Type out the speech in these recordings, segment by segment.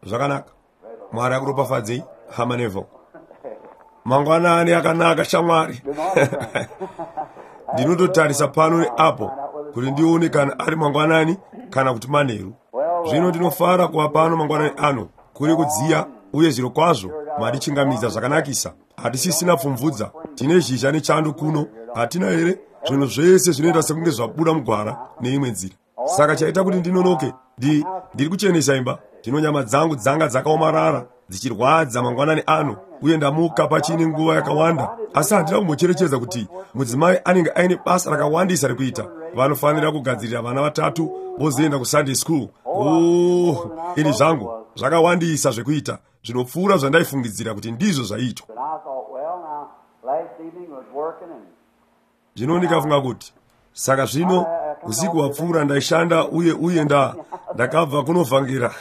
Zvakanaka. Mwari akuropafadzei, hama Neville. Mangwanani akanaka, shamwari. Ndinototarisa pano neapo kuti ndione kana ari mangwanani kana kuti manheru. Zvino ndinofara kuva pano mangwanani ano. Kuri kudziya, uye zviro kwazvo mandichingamidza zvakanakisa. Hatisisina pfumvudza, tine zhizha nechando kuno, hatina here? Zvinhu zvese zvinoita sekunge zvabuda mugwara neimwe nzira. Saka chaita kuti ndinonoke, ndiri kuchenesa imba. Zvino nyama dzangu dzanga dzakaomarara dzichirwadza mangwanani ano, uye ndamuka pachine nguva yakawanda, asi handina kumbocherechedza kuti mudzimai anenge aine basa rakawandisa rekuita. Vanofanira kugadzirira vana vatatu vozoenda kuSunday school. Oh, ini zvangu, zvakawandisa zvekuita zvinopfuura zvandaifungidzira kuti ndizvo zvaiitwa. Zvino ndikafunga kuti, saka zvino usiku hwapfuura ndaishanda uye uye ndakabva kunovhangera.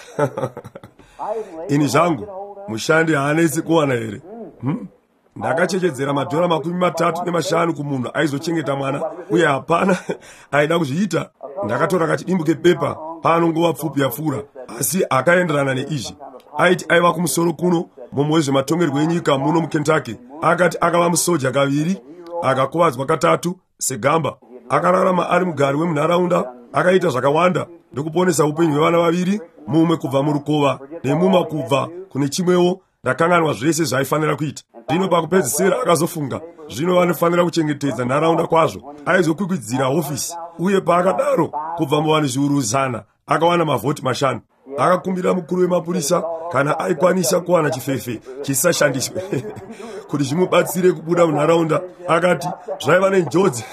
Ini zvangu, mushandi haanetsi kuwana here? Ndakachechedzera madhora 35 kumunhu aizochengeta mwana, uye hapana aida kuzviita. Ndakatora kachidimbu kepepa pano nguva pfupi yapfuura, asi akaenderana neizvi. Aiti aiva kumusoro kuno mumwe wezvematongerwo enyika muno muKentucky. Akati akava musoja kaviri, akakuvadzwa katatu segamba. Akararama ari mugari wemunharaunda, akaita zvakawanda ndokuponesa upenyu hwevana vaviri, mumwe kubva murukova nemumwe kubva kune chimwewo. Ndakanganwa zvese zvaifanira kuita. Zvino pakupedzisira akazofunga, zvino vanofanira kuchengetedza nharaunda kwazvo. Aizokwikwidzira hofisi, uye paakadaro kubva muvanhu zviuru 100 akawana mavhoti 5. Akakumbira mukuru wemapurisa kana aikwanisa kuwana chifefe chisashandiswe kuti zvimubatsire kubuda munharaunda. Akati zvaiva nenjodzi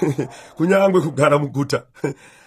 kunyange kugara muguta.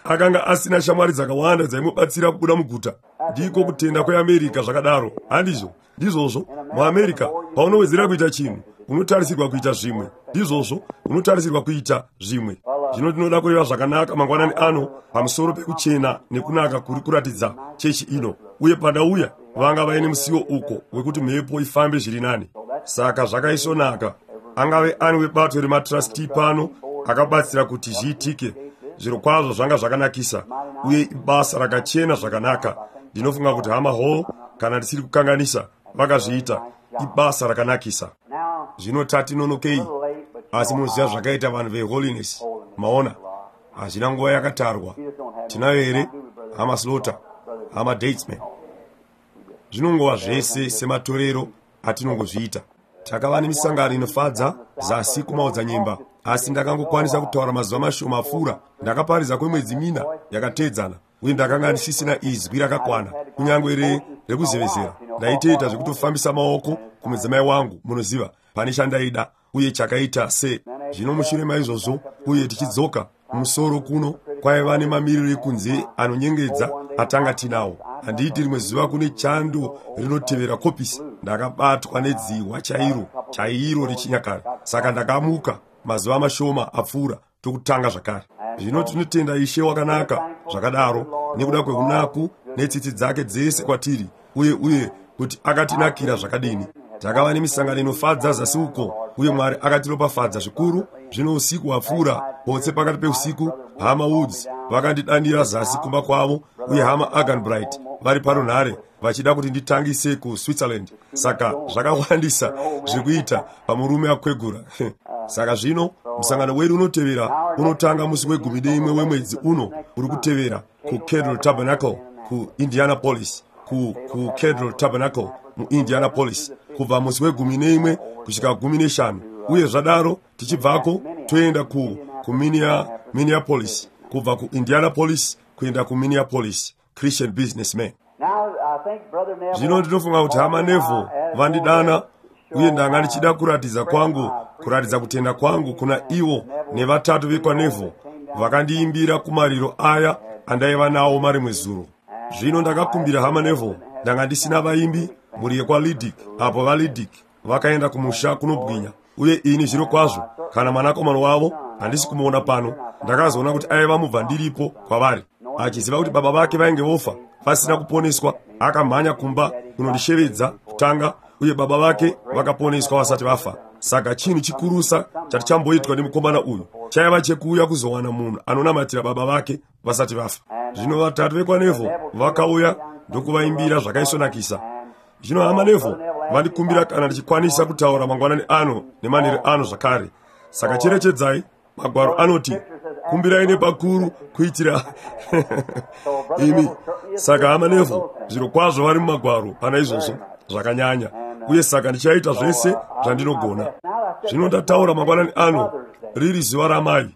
Akanga asina shamwari dzakawanda dzaimubatsira kubuda muguta. Ndiko kutenda kweAmerica zvakadaro, handizvo? Ndizvozvo, muAmerica paunowedzera kuita chinhu unotarisirwa kuita zvimwe. Ndizvozvo, unotarisirwa kuita zvimwe. Zvino tinoda kureva zvakanaka mangwanani ano pamusoro pekuchena nekunaka kuri kuratidza chechi ino. Uye pandauya vanga vaine musiwo uko wekuti mhepo ifambe zviri nani. Saka zvakaisvonaka. Angave ani webato rematrustee pano akabatsira kuti zviitike. Zviro kwazvo zvanga zvakanakisa, uye ibasa rakachena zvakanaka. Ndinofunga kuti hama Hall, kana ndisiri kukanganisa, vakazviita. Ibasa rakanakisa. Zvino tatinonokei, asi munoziva zvakaita vanhu veholiness. Maona, hazvina nguva yakatarwa. Tinayo here, hama Slaughter, hama Datesman? Zvinongova zvese sematorero atinongozviita. Takava nemisangano inofadza zasi kumaodzanyemba, asi ndakangokwanisa kutaura mazuva mashoma apfuura. Ndakaparidza kwemwedzi 4 yakatedzana, uye ndakanga ndisisina izwi rakakwana, kunyange rekuzevezera. Ndaitoita zvekutofambisa maoko kumudzimai wangu, munoziva, pane chandaida, uye chakaita se. Zvino mushure maizvozvo, uye tichidzoka kumusoro kuno, kwaiva nemamiriro ekunze anonyengedza atanga tinawo. Handiti rimwe zuva kune chando rinotevera kopisi, ndakabatwa nedzihwa chairo chairo rechinyakare. Saka ndakamuka mazuva mashoma apfuura tokutanga zvakare. Zvino tinotenda Ishe wakanaka zvakadaro nekuda kweunaku netsitsi dzake dzese kwatiri, uye uye kuti akatinakira zvakadini. Takava nemisangano inofadza zasi uko, uye Mwari akatiropafadza zvikuru. Zvino usiku hwapfuura, potse pakati peusiku, hama Woods vakandidanira zasi kumba kwavo, uye hama Arganbright vari parunhare vachida kuti nditangise kuSwitzerland. Saka zvakawandisa zvekuita pamurume akwegura. Saka zvino musangano wedu unotevera unotanga musi we11 wemwedzi uno uri kutevera kuCadle Tabernacle kuIndianapolis, kuCadle Tabernacle muIndianapolis, kubva musi we11 kusvika 15. Uye zvadaro tichibvako toenda kuMinneapolis, kubva kuIndianapolis kuenda kuMinneapolis Christian Businessman. Zvino ndinofunga kuti hama Neville vandidana, uye ndanga ndichida kuratidza kwangu, kuratidza kutenda kwangu kuna ivo nevatatu vekwaNeville vakandiimbira kumariro aya andaiva nawo marimwe zuro. Zvino ndakakumbira hama Neville, ndanga ndisina vaimbi mhuri yekwaLidic, apo vaLidic vakaenda kumusha kunobwinya, uye ini zviro kwazvo kana mwanakomana wavo handisi kumuona pano. Ndakazoona kuti aiva mubva ndiripo kwavari, achiziva kuti baba vake vainge vofa vasina kuponeswa. Akamhanya kumba kunondishevedza kutanga, uye baba vake vakaponeswa vasati vafa. Saka chinhu chikurusa chatichamboitwa nemukomana uyu chaiva chekuuya kuzowana munhu anonamatira baba vake vasati vafa. Zvino vatatu vekwaNeville vakauya ndokuvaimbira zvakaisvonakisa. Zvino hama Neville vandikumbira kana ndichikwanisa kutaura mangwanani ano nemanheru ano zvakare. Saka cherechedzai, Magwaro anoti kumbirai nepakuru kuitira imi. Saka hama Neville zvirokwazvo vari mumagwaro pana izvozvo zvakanyanya, uye saka ndichaita zvese zvandinogona. Zvino ndataura mangwanani ano riri zuva ramai,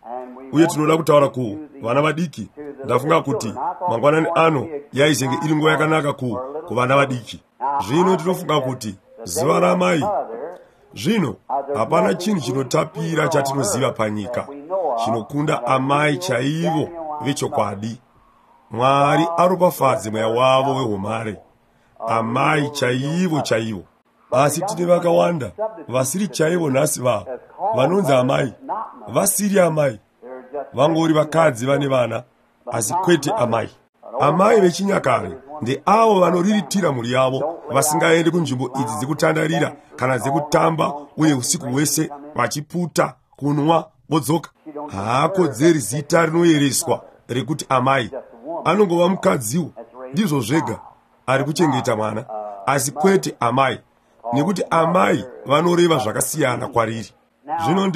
uye tinoda kutaura ku vana vadiki. Ndafunga kuti mangwanani ano yaizenge iri nguva yakanaka kuvana vadiki. Zvino tinofunga kuti zuva ramai, zvino hapana chinhu chinotapira chatinoziva panyika chinokunda amai chaivo vechokwadi. Mwari aropafadze mweya wavo wehumare, amai chaivo chaivo. Asi tine vakawanda vasiri chaivo nhasi vanonzi amai, vasiri amai, vangori vakadzi vane vana, asi kwete amai. Amai vechinyakare ndeavo vanoriritira mhuri yavo, vasingaendi kunzvimbo idzi dzekutandarira kana dzekutamba, uye usiku hwese vachiputa, kunwa, vodzoka. Haakodzeri zita rinoyereswa rekuti amai. Anongova mukadziwo, ndizvo zvega, ari kuchengeta mwana, asi kwete amai, nekuti amai vanoreva zvakasiyana kwariri. Zvino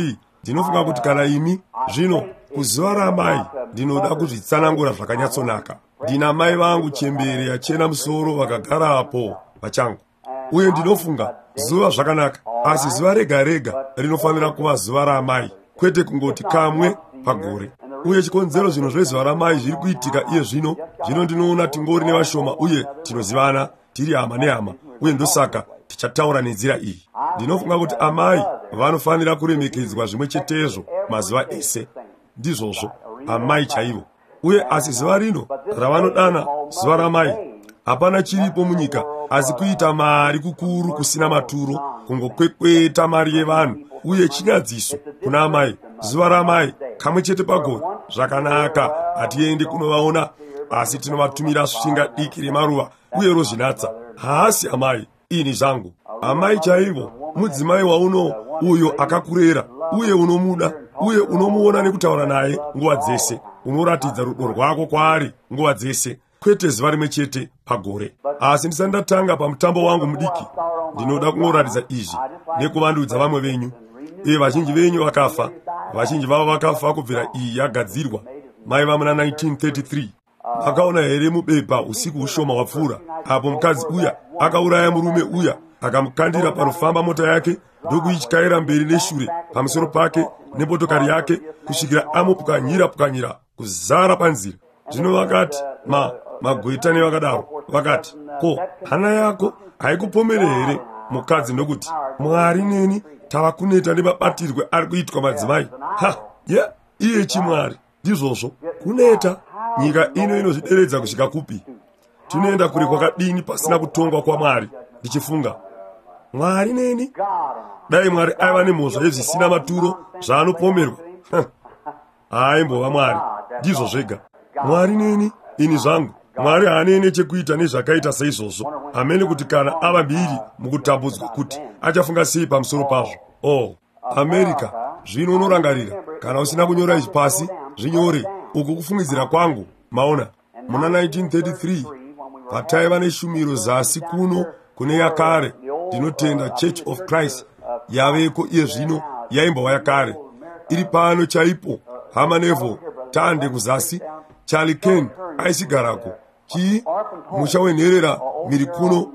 ndinofunga kuti kana imi zvino kuzuva ramai ndinoda kuzvitsanangura zvakanyatsonaka. Ndina mai vangu chembere yachena musoro vakagarapo pachangu, uye ndinofunga zuva zvakanaka, asi zuva rega rega rinofanira kuva zuva ramai, kwete kungoti kamwe pagore. Uye chikonzero zvinhu zvezuva ramai zviri kuitika iye zvino, zvino ndinoona tingori nevashoma uye tinozivana, tiri hama nehama, uye ndosaka tichataura nenzira iyi. Ndinofunga kuti amai vanofanira kuremekedzwa zvimwe chetezvo mazuva ese. Ndizvozvo, amai chaivo. Uye asi zuva rino ravanodana zuva ramai, hapana chiripo munyika asi kuita mari kukuru kusina maturo, kungokwekweta mari yevanhu, uye chinyadziso kuna amai. Zuva ramai kamwe chete pagore, zvakanaka, hatiendi kunovaona, asi tinovatumira svinga diki remaruva uye rozvinatsa. Haasi amai, ini zvangu. Amai chaivo mudzimai wauno uyo akakurera, uye unomuda, uye unomuona nekutaura naye nguva dzese. Unoratidza rudo rwako kwaari nguva dzese, kwete zuva rimwe chete pagore. Asi ndisati ndatanga pamutambo wangu mudiki, ndinoda kungoratidza izvi nekuvandudza vamwe venyu. Uye vazhinji venyu vakafa, vazhinji vavo vakafa kubvira iyi yagadzirwa, maiva muna 1933. Makaona here mubepa usiku hushoma hwapfuura apo mukadzi uya akauraya murume uya, akamukandira panofamba mota yake ndokuityaira mberi neshure pamusoro pake nemotokari yake kusvikira amupwanyira pwanyira kuzara panzira. Zvino vakati magweta nevakadaro vakati, ko hana yako haikupomere here? Mukadzi ndokuti, Mwari neni tava kuneta nemabatirwe ari kuitwa madzimai. Ha, ye iye chimwari. Ndizvozvo, kuneta. Nyika ino inozvideredza kusvika kupi? Tinoenda kure kwakadini pasina kutongwa kwaMwari? Ndichifunga, Mwari neni, dai Mwari aiva nemhosva yezvisina maturo zvaanopomerwa, haaimbova Mwari. Ndizvo zvega. Mwari neni, ini zvangu. Mwari haanei chekuita nezvakaita seizvozvo. Hamene kuti kana ava mbiri mukutambudzwa kuti achafunga sei pamusoro pazvo. Oh, America, zvino unorangarira, kana usina kunyora izvi pasi, zvinyore. Uku kufungidzira kwangu, maona. Muna 1933 pataiva neshumiro zasi kuno kune yakare, ndinotenda Church of Christ yaveko iye zvino, yaimbova yakare, iri pano chaipo. Hama Neville tande kuzasi, Charlie Ken aisigarako chii musha wenherera miri kuno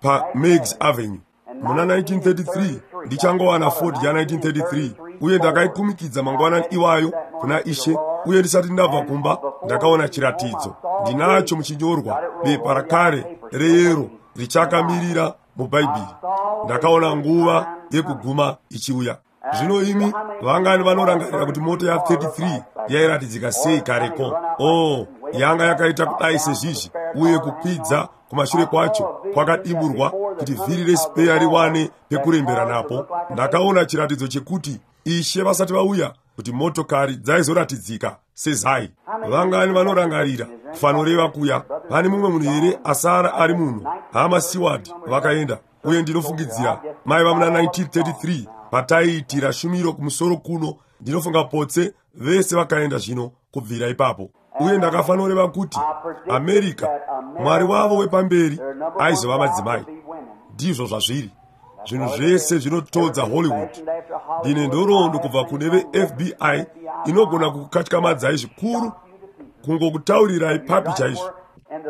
paMeigs Avenue. Muna 1933 ndichangowana Ford ya 1933, uye ndakaikumikidza mangwanani iwayo kuna Ishe, uye ndisati ndabva kumba ndakaona chiratidzo. Ndinacho muchinyorwa bepa rakare reyero richakamirira muBhaibheri. Ndakaona nguva yekuguma ichiuya. Zvino imi vangani vanorangarira kuti mota ya 33 yairatidzika sei kareko? Oh, yanga yakaita kudai sezvizvi, uye kukwidza kumashure kwacho kwakadimburwa kuti vhiri resipeya riwane pekurembera napo. Ndakaona chiratidzo chekuti Ishe vasati vauya, kuti motokari dzaizoratidzika sezai. Vangani vanorangarira kufanoreva kuya? Pane mumwe munhu here asara ari munhu? Hama Seward vakaenda, uye ndinofungidzira maiva muna 1933 pataiitira shumiro kumusoro kuno. Ndinofunga potse vese vakaenda zvino kubvira ipapo. Uye ndakafanoreva kuti America, Mwari wavo wepamberi aizova madzimai. Ndizvo zvazviri. Zvinhu zvese zvinotodza Hollywood. Ndine nhoroondo kubva kune veFBI inogona kukukatyamadzai zvikuru, kungokutaurirai papi chaizvo.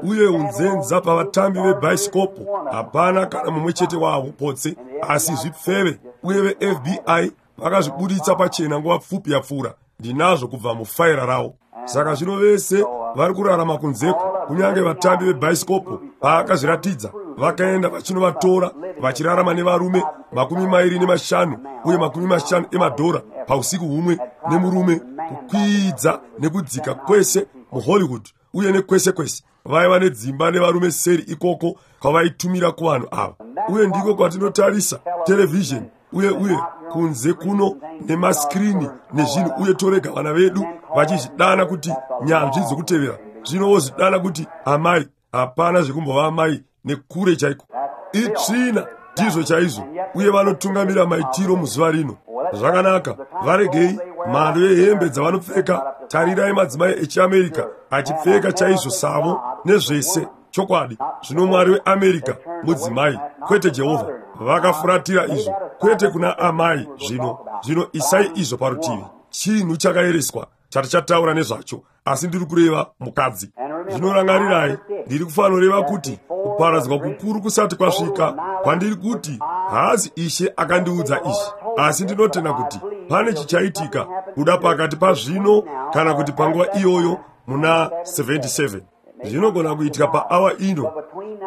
Uye unzenza pavatambi vebhaisikopo, hapana kana mumwe chete wavo potse, asi zvipfeve. Uye veFBI vakazvibuditsa pachena nguva pfupi yapfuura. Ndinazvo kubva mufaira ravo. Saka zvino vese vari kurarama kunzeko, kunyange vatambi vebhaisikopo paakazviratidza, vakaenda vachinovatora vachirarama nevarume 25 uye $50 pausiku humwe nemurume, kukwidza nekudzika kwese muHollywood uye nekwese kwese. Vaiva nedzimba nevarume seri ikoko kwavaitumira kuvanhu ava. Uye ndiko kwatinotarisa terevhizheni uye uye kunze kuno nemaskirini nezvinhu, uye torega vana vedu vachizvidana kuti nyanzvi dzokutevera. Zvino vozvidana kuti amai. Hapana zvekumbova amai nekure chaiko. Itsvina, ndizvo chaizvo. Uye vanotungamira maitiro muzuva rino. Zvakanaka, varegei mhando yehembe dzavanopfeka. Tarirai madzimai echiAmerica achipfeka chaizvo savo nezvese. Chokwadi, zvino Mwari weAmerica mudzimai, kwete Jehovha. Vakafuratira izvo, kwete kuna amai. Zvino zvino isai izvo parutivi. Chinhu chakaereswa chatichataura nezvacho, asi ndiri kureva mukadzi. Zvinorangarirai, ndiri kufanoreva kuti kuparadzwa kukuru kusati kwasvika, kwandiri kuti haazi Ishe akandiudza izvi, asi ndinotenda kuti pane chichaitika kuda pakati pazvino kana kuti panguva iyoyo muna 77. Zvinogona kuitika paawa ino,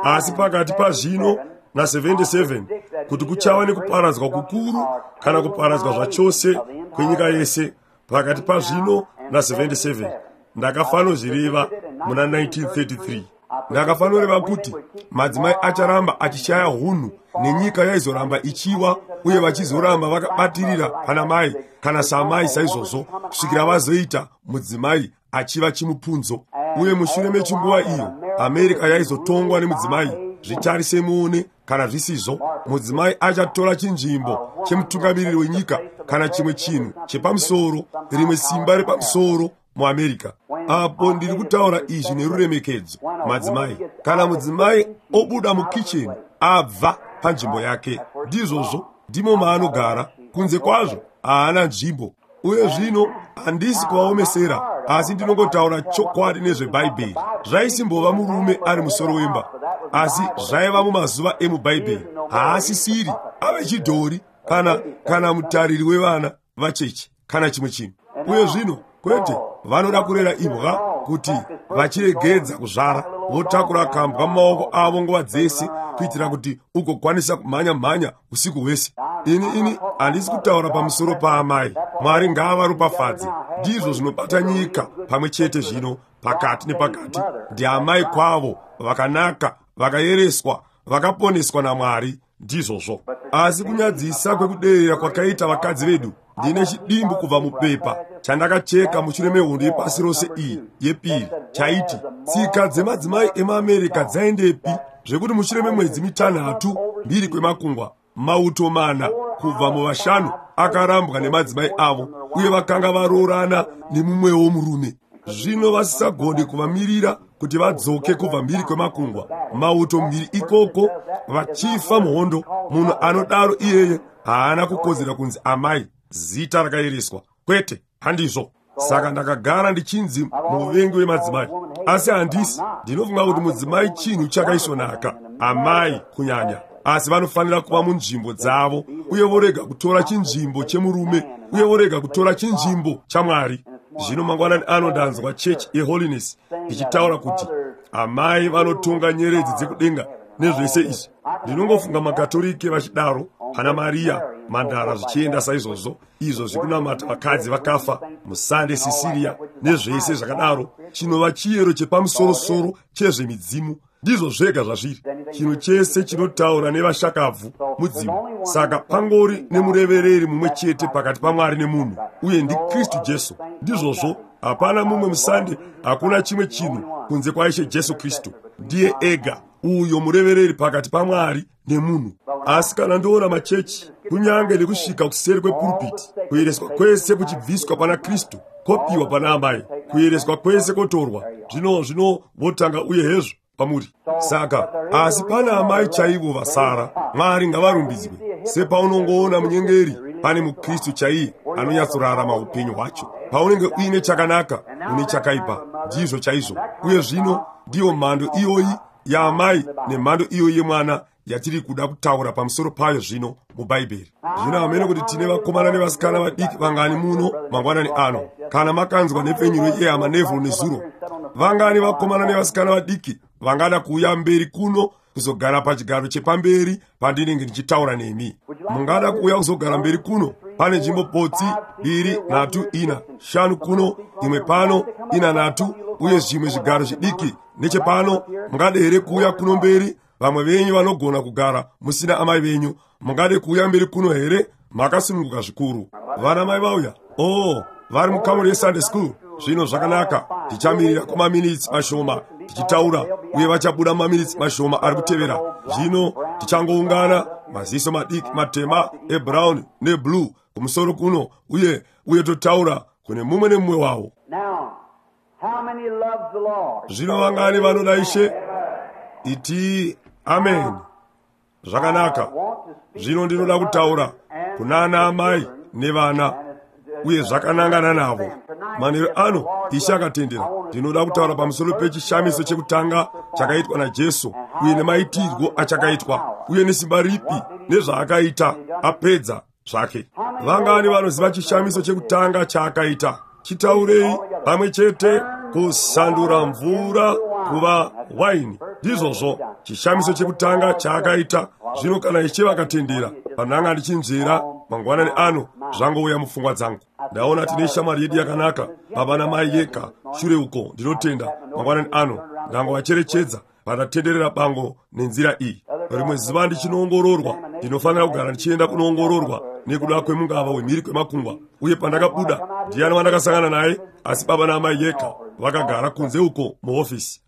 asi pakati pazvino na77 kuti kuchava nekuparadzwa kukuru kana kuparadzwa zvachose kwenyika yese pakati pazvino na77. Ndakafanozvireva muna 1933. Ndakafanoreva kuti madzimai acharamba achishaya hunhu nenyika yaizoramba ichiwa, uye vachizoramba vakabatirira pana mai kana samai saizvozvo kusvikira vazoita mudzimai achiva chimupunzo. Uye mushure mechinguva iyo America yaizotongwa nemudzimai. Zvitarise muone kana zvisizvo, mudzimai achatora chinzvimbo chemutungamiriri wenyika kana chimwe chinhu chepamusoro, rimwe simba repamusoro muAmerica. Apo ndiri kutaura izvi neruremekedzo, madzimai. Kana mudzimai obuda mukicheni, abva panzvimbo yake, ndizvozvo, ndimo maanogara. Kunze kwazvo haana nzvimbo. Uye zvino handisi kuvaomesera, asi ndinongotaura chokwadi nezveBhaibheri. Zvaisimbova murume ari musoro wemba, asi zvaiva mumazuva emuBhaibheri. Haasisiri ave chidhori kana mutariri wevana vacheche kana chimwe chinhu. Uye zvino kwete, vanoda kurera imbwa kuti vachiregedza kuzvara, votakura kambwa mumaoko avo nguva dzese kuitira kuti ugokwanisa kumhanya-mhanya usiku hwese. Ini handisi kutaura pamusoro paamai. Mwari ngaavaropafadze. Ndizvo zvinobata nyika pamwe chete zvino, pakati nepakati. Ndiamai kwavo vakanaka, vakayereswa, vakaponeswa naMwari. Ndizvozvo. Asi kunyadzisa kwekuderera kwakaita vakadzi vedu. Ndine chidimbu kubva mupepa chandakacheka mushure mehondo yepasi rose iyi yepiri, chaiti tsika dzemadzimai emaAmerica dzaendepi, zvekuti mushure memwedzi 6 mbiri kwemakungwa, mauto 4 kubva muvashanu akarambwa nemadzimai avo, uye vakanga varoorana nemumwewo murume. Zvino vasisagoni kuvamirira kuti vadzoke kubva mbiri kwemakungwa, mauto mbiri ikoko vachifa muhondo. Munhu anodaro iyeye haana kukodzera kunzi amai, zita rakaereswa. Kwete, handizvo. Saka ndakagara ndichinzi muvengi wemadzimai, asi handisi. Ndinofunga kuti mudzimai chinhu chakaisvonaka, amai kunyanya, asi vanofanira kuva munzvimbo dzavo uye vorega kutora chinzvimbo chemurume uye vorega kutora chinzvimbo chaMwari. Zvino mangwanani ano ndanzwa chechi yeHoliness ichitaura kuti amai vanotonga nyeredzi dzekudenga nezvese izvi. Ndinongofunga makatorike vachidaro, pana Maria mandara zvichienda saizvozvo, izvo zvekunamata vakadzi vakafa musande Sisiria nezvese zvakadaro, chinova chiyero chepamusorosoro chezvemidzimu. Ndizvo zvega zvazviri. Chinhu chese chinotaura nevashakabvu mudzimu. Saka pangori nemurevereri mumwe chete pakati paMwari nemunhu, uye ndiKristu Jesu. Ndizvozvo, hapana mumwe musande, hakuna chimwe chinhu kunze kwaIshe Jesu Kristu. Ndiye ega uyo murevereri pakati paMwari nemunhu. Asi kana ndoona machechi, kunyange nekusvika kuseri kwepurupiti, kuyereswa kwese kuchibviswa pana Kristu kopiwa pana amai, kuyereswa kwese kotorwa, zvino votanga uye hezvo pamuri. Saka asi pana amai chaivo vasara, Mwari ngavarumbidzwe. Sepaunongoona munyengeri, pane muKristu chaiye anonyatsorarama upenyu hwacho. Paunenge uine chakanaka, une chakaipa. Ndizvo chaizvo. Uye zvino ndiyo mhando iyoyi yaamai nemhando iyoyi yemwana yatiri kuda kutaura pamusoro payo zvino muBhaibheri. Zvino hamene kuti tine vakomana nevasikana vadiki vangani muno mangwanani ano. Kana makanzwa nhepfenyuro yehama Neville nezuro, vangani vakomana nevasikana vadiki vangada kuuya mberi kuno kuzogara pachigaro chepamberi pandinenge ndichitaura nemi? Mungada kuuya kuzogara mberi kuno? Pane nzvimbo potsi 2, 3, 4, 5 kuno, imwe pano, 4, 3, uye zvimwe zvigaro zvidiki nechepano. Mungade here kuuya kuno mberi? Vamwe venyu vanogona kugara musina amai venyu. Mungade kuuya mberi kuno here? Makasununguka zvikuru. Vana mai vauya. Oh, vari mukamuri yeSunday school. Zvino zvakanaka, tichamirira kwamaminitsi mashoma tichitaura, uye vachabuda maminitsi mashoma ari kutevera. Zvino tichangoungana, maziso madiki matema ebrown neblue kumusoro kuno, uye totaura kune mumwe nemumwe wavo. Zvino vangani vanoda Ishe? Iti amen. Zvakanaka. Zvino ndinoda kutaura kunana amai nevana, uye zvakanangana navo. Manheru ano, Ishe akatendera, ndinoda kutaura pamusoro pechishamiso chekutanga chakaitwa naJesu, uye nemaitirwo achakaitwa, uye nesimba ripi nezvaakaita apedza zvake. Vangani vanoziva chishamiso chekutanga chaakaita? Chitaurei pamwe chete. Kusandura mvura kuva waini. Ndizvozvo chishamiso chekutanga chaakaita. Zvino kana Ishe vakatendera, panhanga ndichinzvera mangwanani ano, zvangouya mupfungwa dzangu. Ndaona tine shamwari yedu yakanaka, baba namai Yeka, shure uko. Ndinotenda mangwanani ano ndangovacherechedza vatatenderera bango nenzira iyi. Rimwe zuva ndichinoongororwa, ndinofanira kugara ndichienda kunoongororwa nekuda kwemungava wemhiri kwemakungwa. Uye pandakabuda, ndiani wandakasangana naye asi baba naamai Yeka vakagara kunze uko muhofisi.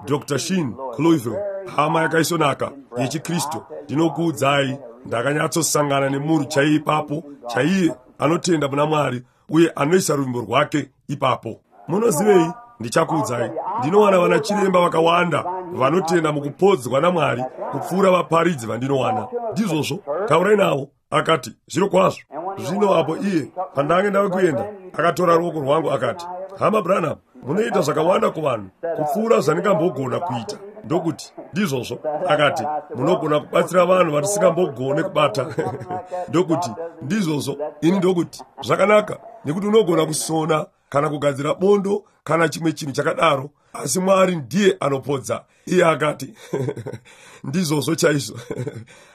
Dr. Shin Cloyville, hama yakaisonaka yechiKristu. Ndinokuudzai, ndakanyatsosangana nemunhu chaiye ipapo, chaiye anotenda muna Mwari uye anoisa ruvimbo rwake ipapo. Munozivei? Ndichakuudzai, ndinowana vana chiremba vakawanda vanotenda mukupodzwa naMwari kupfuura vaparidzi vandinowana. Ndizvozvo, taurai navo. Akati, zviro kwazvo. Zvino apo iye pandange ndava kuenda, akatora ruoko rwangu akati, Hama Branham, munoita zvakawanda kuvanhu kupfuura zvandingambogona kuita. Ndokuti, ndizvozvo. Akati, munogona kubatsira vanhu vatisingambogone kubata. Ndokuti, ndizvozvo. Ini ndokuti, zvakanaka, nekuti unogona kusona kana kugadzira bondo kana chimwe chinhu chakadaro, asi Mwari ndiye anopodza. Iye akati, ndizvozvo chaizvo.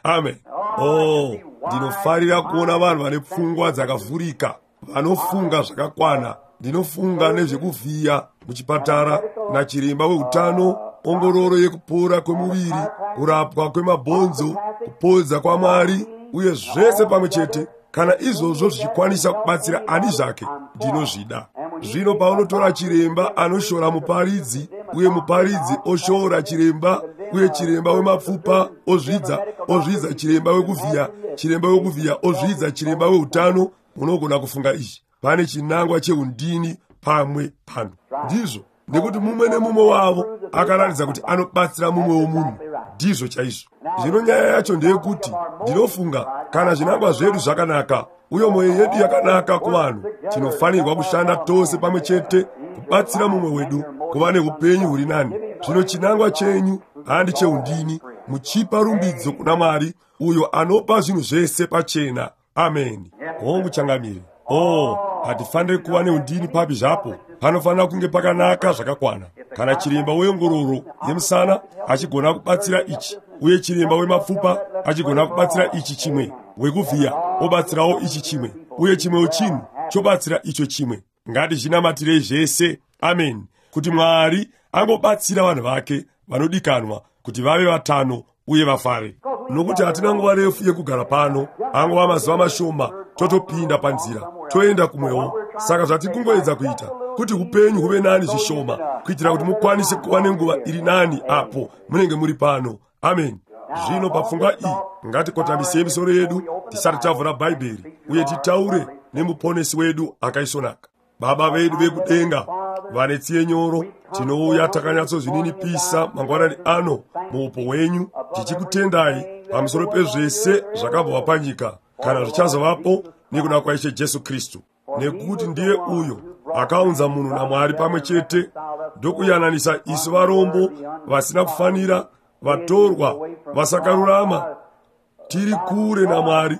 Amen. Oh, ndinofarira kuona vanhu vane pfungwa dzakavhurika, vanofunga zvakakwana. Ndinofunga nezvekuvhiya muchipatara nachiremba weutano, ongororo yekupora kwemuviri, kurapwa kwemabhonzo, kupodza kwaMwari, uye zvese pamwe chete. Kana izvozvo zvichikwanisa kubatsira ani zvake, ndinozvida. Zvino paunotora chiremba anoshora muparidzi, uye muparidzi oshora chiremba, uye chiremba wemapfupa ozvidza chiremba wekuvhiya, chiremba wekuvhiya ozvidza chiremba weutano, unogona kufunga izvi. Pane chinangwa cheundini pamwe pano. Ndizvo, nekuti mumwe nemumwe wavo akaratidza kuti anobatsira mumwe womunhu. Ndizvo chaizvo. Zvino nyaya yacho ndeyekuti ndinofunga kana zvinangwa zvedu zvakanaka uye mwoyo yedu yakanaka kuvanhu, tinofanirwa kushanda tose pamwe chete kubatsira mumwe wedu kuva neupenyu huri nani. Zvino chinangwa chenyu handi cheundini, muchipa rumbidzo kuna Mwari uyo anopa zvinhu zvese pachena. Amen. Hongu changamire. Oh, hatifaniri kuva neundini papi zvapo. Panofanira kunge pakanaka zvakakwana. Kana chiremba weongororo yemusana achigona kubatsira ichi, uye chiremba wemapfupa achigona kubatsira ichi chimwe, wekuvhiya obatsirawo ichi chimwe, uye chimwewo chinhu chobatsira icho chimwe. Ngatizvinamatirei zvese. Amen. Kuti Mwari angobatsira vanhu vake vanodikanwa kuti vave vatano uye vafare. Nokuti hatina nguva refu yekugara pano, angova mazuva mashoma totopinda panzira toenda kumwewo. Saka zvatikungoedza kuita kuti upenyu huve nani zvishoma, kuitira kuti mukwanise kuva nenguva iri nani apo munenge muri pano. Amen. Zvino papfungwa iyi ngatikotamisei misoro yedu tisati tavhura Bhaibheri uye titaure nemuponesi wedu akaisvonaka. Baba vedu vekudenga vane tsiye nyoro, tinouya takanyatsozvininipisa mangwanani ano muupo hwenyu, tichikutendai Pamusoro pezvese zvakabva panyika kana zvichazovapo nekuda kwaIshe Jesu Kristu. Nekuti ndiye uyo akaunza munhu naMwari pamwe chete, ndokuyananisa isu varombo vasina kufanira, vatorwa, vasakarurama, tiri kure naMwari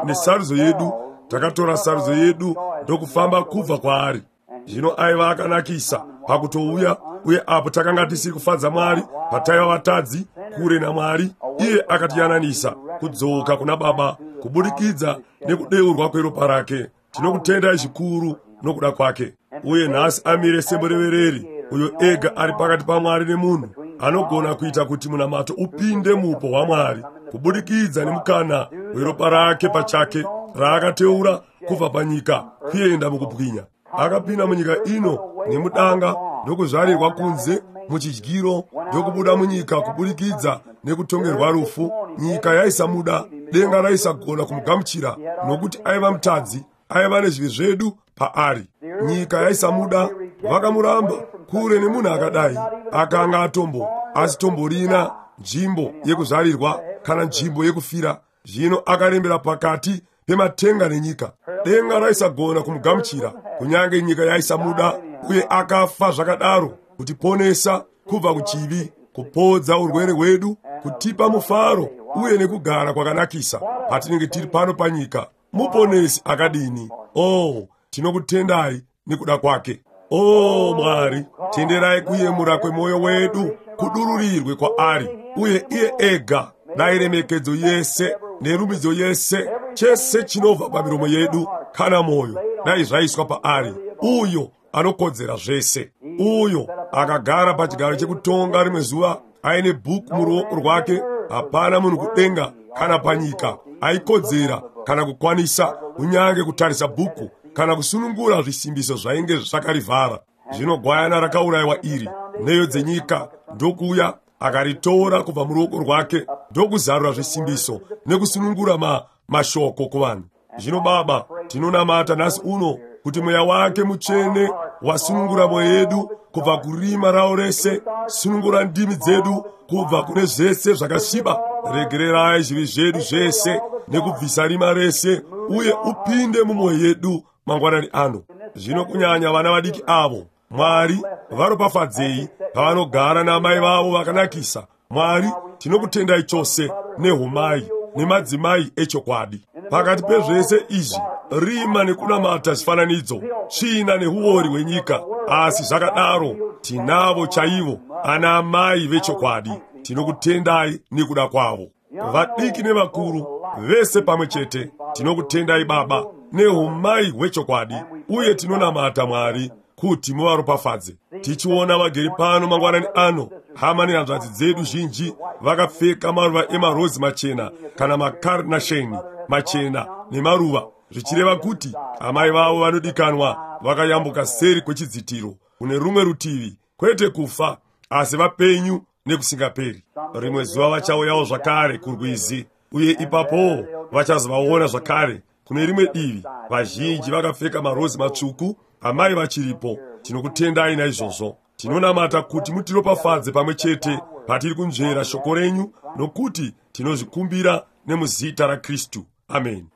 nesarudzo yedu. Takatora sarudzo yedu ndokufamba kubva kwaari. Zvino aiva akanakisa pakutouya, uye apo takanga tisiri kufadza Mwari, pataiva vatadzi kure naMwari, iye akatiyananisa kudzoka kuna Baba kubudikidza nekudeurwa kweropa rake. Tinokutendai zvikuru nokuda kwake. Uye nhasi amire semurevereri, uyo ega ari pakati paMwari nemunhu, anogona kuita kuti munamato upinde muupo hwaMwari kubudikidza nemukana weropa rake pachake raakateura kubva panyika kuenda mukubwinya. Akapinda munyika ino nemudanga, ndokuzvarirwa kunze muchidyiro, ndokubuda munyika kubudikidza nekutongerwa rufu. Nyika yaisamuda, denga raisagona kumugamuchira, nokuti aiva mutadzi, aiva nezvivi zvedu paari. Nyika yaisamuda, vakamuramba kure nemunhu akadai. Akanga atombo asitomborina nzvimbo yekuzvarirwa kana nzvimbo yekufira. Zvino akarembera pakati pematenga nenyika. Denga raisagona kumugamuchira, kunyange nyika yaisamuda, uye akafa zvakadaro kutiponesa kubva kuchivi, kupodza urwere hwedu, kutipa mufaro uye nekugara kwakanakisa patinenge tiri pano panyika. Muponesi akadini! Oh, tinokutendai nekuda kwake. Oh Mwari, tenderai kuyemura kwemwoyo wedu kudururirwe kwaari, uye iye ega. Dai remekedzo yese nerumbidzo yese, chese chinobva pamiromo yedu kana mwoyo, dai zvaiswa paari, uyo anokodzera zvese, uyo akagara pachigaro chekutonga rimwe zuva aine bhuku muruoko rwake. Hapana munhu kudenga kana panyika aikodzera kana kukwanisa kunyange kutarisa bhuku kana kusunungura zvisimbiso zvainge zvakarivhara. Zvino gwayana rakaurayiwa iri, nheyo dzenyika, ndokuuya akaritora kubva muruoko rwake, ndokuzarura zvisimbiso nekusunungura mashoko kuvanhu. Zvino Baba, tinonamata nhasi uno kuti Mweya wake Mutsvene wasunungura mwoyo yedu kubva kurima rawo rese, sunungura ndimi dzedu kubva kune zvese zvakasviba. Regererai zvivi zvedu zvese nekubvisa rima rese, uye upinde mumwoyo yedu mangwanani ano. Zvino kunyanya vana vadiki avo, Mwari, varopafadzei pavanogara naamai vavo vakanakisa. Mwari, tinokutendai chose nehumai nemadzimai echokwadi. Pakati pezvese izvi, rima nekunamata zvifananidzo, tsvina nehuori hwenyika, asi zvakadaro tinavo chaivo ana amai vechokwadi. Tinokutendai nekuda kwavo, vadiki nevakuru vese pamwe chete. Tinokutendai Baba nehumai hwechokwadi, uye tinonamata Mwari kuti muvaropafadze. Tichiona vagere pano mangwanani ano, hama nehanzvadzi dzedu zhinji vakapfeka maruva emarozi machena kana makarnasheni machena nemaruva, zvichireva kuti amai vavo vanodikanwa vakayambuka seri kwechidzitiro kune rumwe rutivi, kwete kufa, asi vapenyu nekusingaperi. Rimwe zuva vachauyawo zvakare kurwizi, uye ipapowo vachazovaona zvakare kune rimwe divi, vazhinji vakapfeka marozi matsvuku, amai vachiripo. Tinokutendai naizvozvo. Tinonamata kuti mutiropafadze pamwe chete patiri kunzvera shoko renyu, nokuti tinozvikumbira nemuzita raKristu. Amen.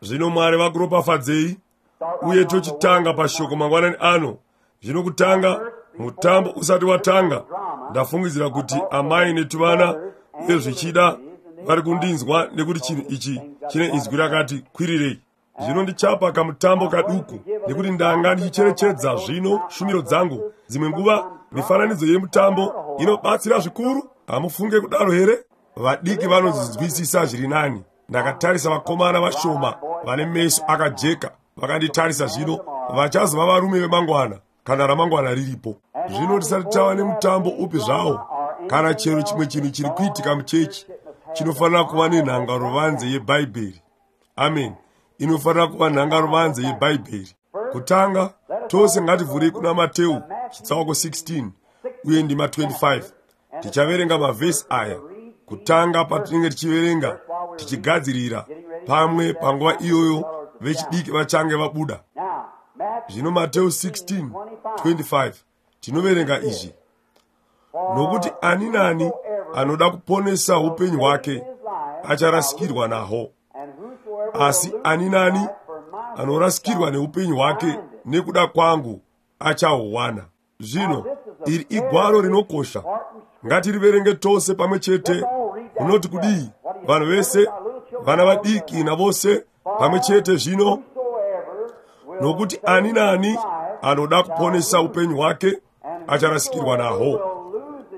Zvino Mwari vakuropafadzei, uye tochitanga pashoko mangwanani ano. Zvino kutanga, mutambo usati watanga, ndafungidzira kuti amai netuvana uye zvichida vari kundinzwa, nekuti chinhu ichi chine inzwi rakati kwirirei. Zvino ndichapa kamutambo kaduku, nekuti ndanga ndichicherechedza zvino shumiro dzangu. Dzimwe nguva mifananidzo yemutambo inobatsira zvikuru. Hamufunge kudaro here? Vadiki vanozvinzwisisa zviri nani. Ndakatarisa vakomana vashoma vane meso akajeka vakanditarisa. Zvino vachazova varume vemangwana kana ramangwana riripo. Zvino tisati tava nemutambo upi zvawo kana chero chimwe chinhu chiri kuitika muchechi, chinofanira kuva nenhangaruvanze yeBhaibheri. Amen. Inofanira kuva nhangaruvanze yeBhaibheri. Kutanga, tose ngativhurei kuna Mateu chitsauko 16 uye ndima 25. Tichaverenga mavhesi aya kutanga patinenge tichiverenga tichigadzirira, pamwe panguva iyoyo vechidiki vachange vabuda. Zvino Mateu 16:25 tinoverenga izvi. Nokuti ani nani anoda kuponesa upenyu hwake acharasikirwa nahwo, asi ani nani anorasikirwa neupenyu hwake nekuda kwangu achahuwana. Zvino iri igwaro rinokosha, ngatiriverenge tose pamwe chete. Munoti kudii vanhu vese, vana vadiki navose pamwe chete? Zvino, nokuti ani nani anoda kuponesa upenyu hwake acharasikirwa nahwo,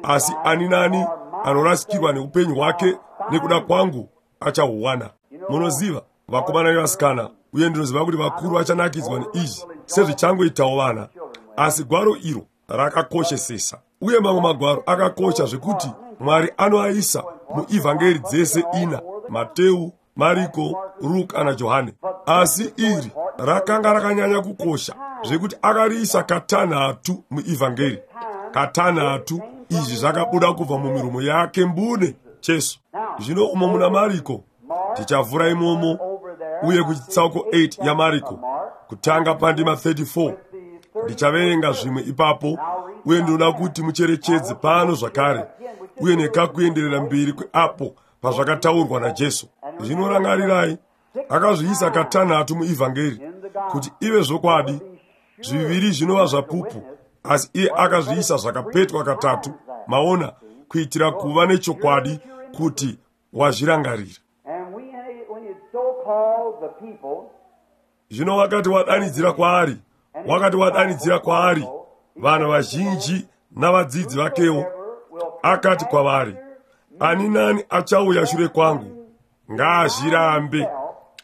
asi ani nani anorasikirwa neupenyu hwake nekuda kwangu achahuwana. Munoziva, vakomana nevasikana, uye ndinoziva kuti vakuru vachanakidzwa neizvi sezvichangoitawo vana, asi gwaro iro rakakoshesesa. Uye mamwe magwaro akakosha zvekuti Mwari anoaisa muivhangeri dzese ina, Mateu, Mariko, Ruka naJohane. Asi iri rakanga rakanyanya kukosha zvekuti akariisa katanhatu muivhangeri. Katanhatu izvi zvakabuda kubva mumiromo yake mbune, Jesu. Zvino umo muna Mariko, tichavhura imomo, uye kuchitsauko 8 yaMariko, kutanga pandima 34. Ndichaverenga zvimwe ipapo, uye ndinoda kuti mucherechedze pano zvakare, uye nekakuenderera mberi kweapo pazvakataurwa naJesu. Zvino rangarirai, akazviisa katanhatu muivhangeri kuti ive zvokwadi. Zviviri zvinova zvapupu, asi iye akazviisa zvakapetwa katatu, maona, kuitira kuva nechokwadi kuti wazvirangarira. Zvino wakati wadanidzira kwaari, wakati wadanidzira kwaari vanhu vazhinji navadzidzi vakewo, akati kwavari, ani nani achauya shure kwangu ngaazvirambe,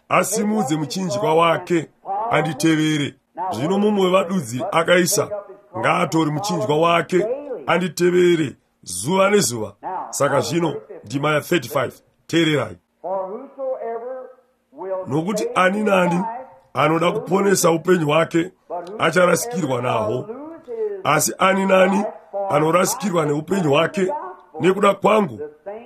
asimudze muchinjikwa wake anditevere. Zvino mumwe wevadudzi akaisa, ngaatore muchinjikwa wake anditevere zuva nezuva. Saka zvino ndima ya 35, teererai. Nokuti ani nani anoda kuponesa upenyu hwake acharasikirwa nahwo, asi ani nani anorasikirwa neupenyu hwake nekuda kwangu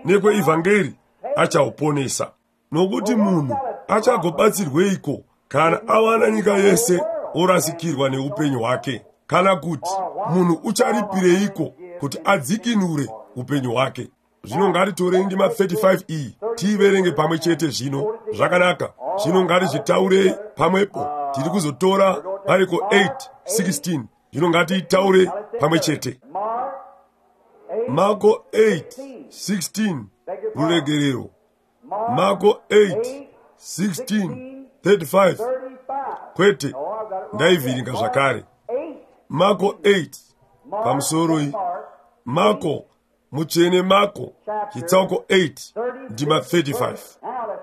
nekweivhangeri achahuponesa. Nokuti munhu achagobatsirweiko kana awana nyika yese orasikirwa neupenyu hwake? Kana kuti munhu ucharipireiko kuti adzikinure upenyu hwake? Zvino ngatitorei ndima 35 iyi tiiverenge pamwe chete. Zvino zvakanaka, zvino ngatizvitaurei pamwepo. Tiri kuzotora Mariko 8:16. Zvino ngatiitaure pamwe chete. Marko 8:16, ruregerero. Marko 8:16 35. Kwete, ndaivhiringa zvakare. Marko 8 pamusoroi. Marko mutsvene, Marko chitsauko 8 ndima 35.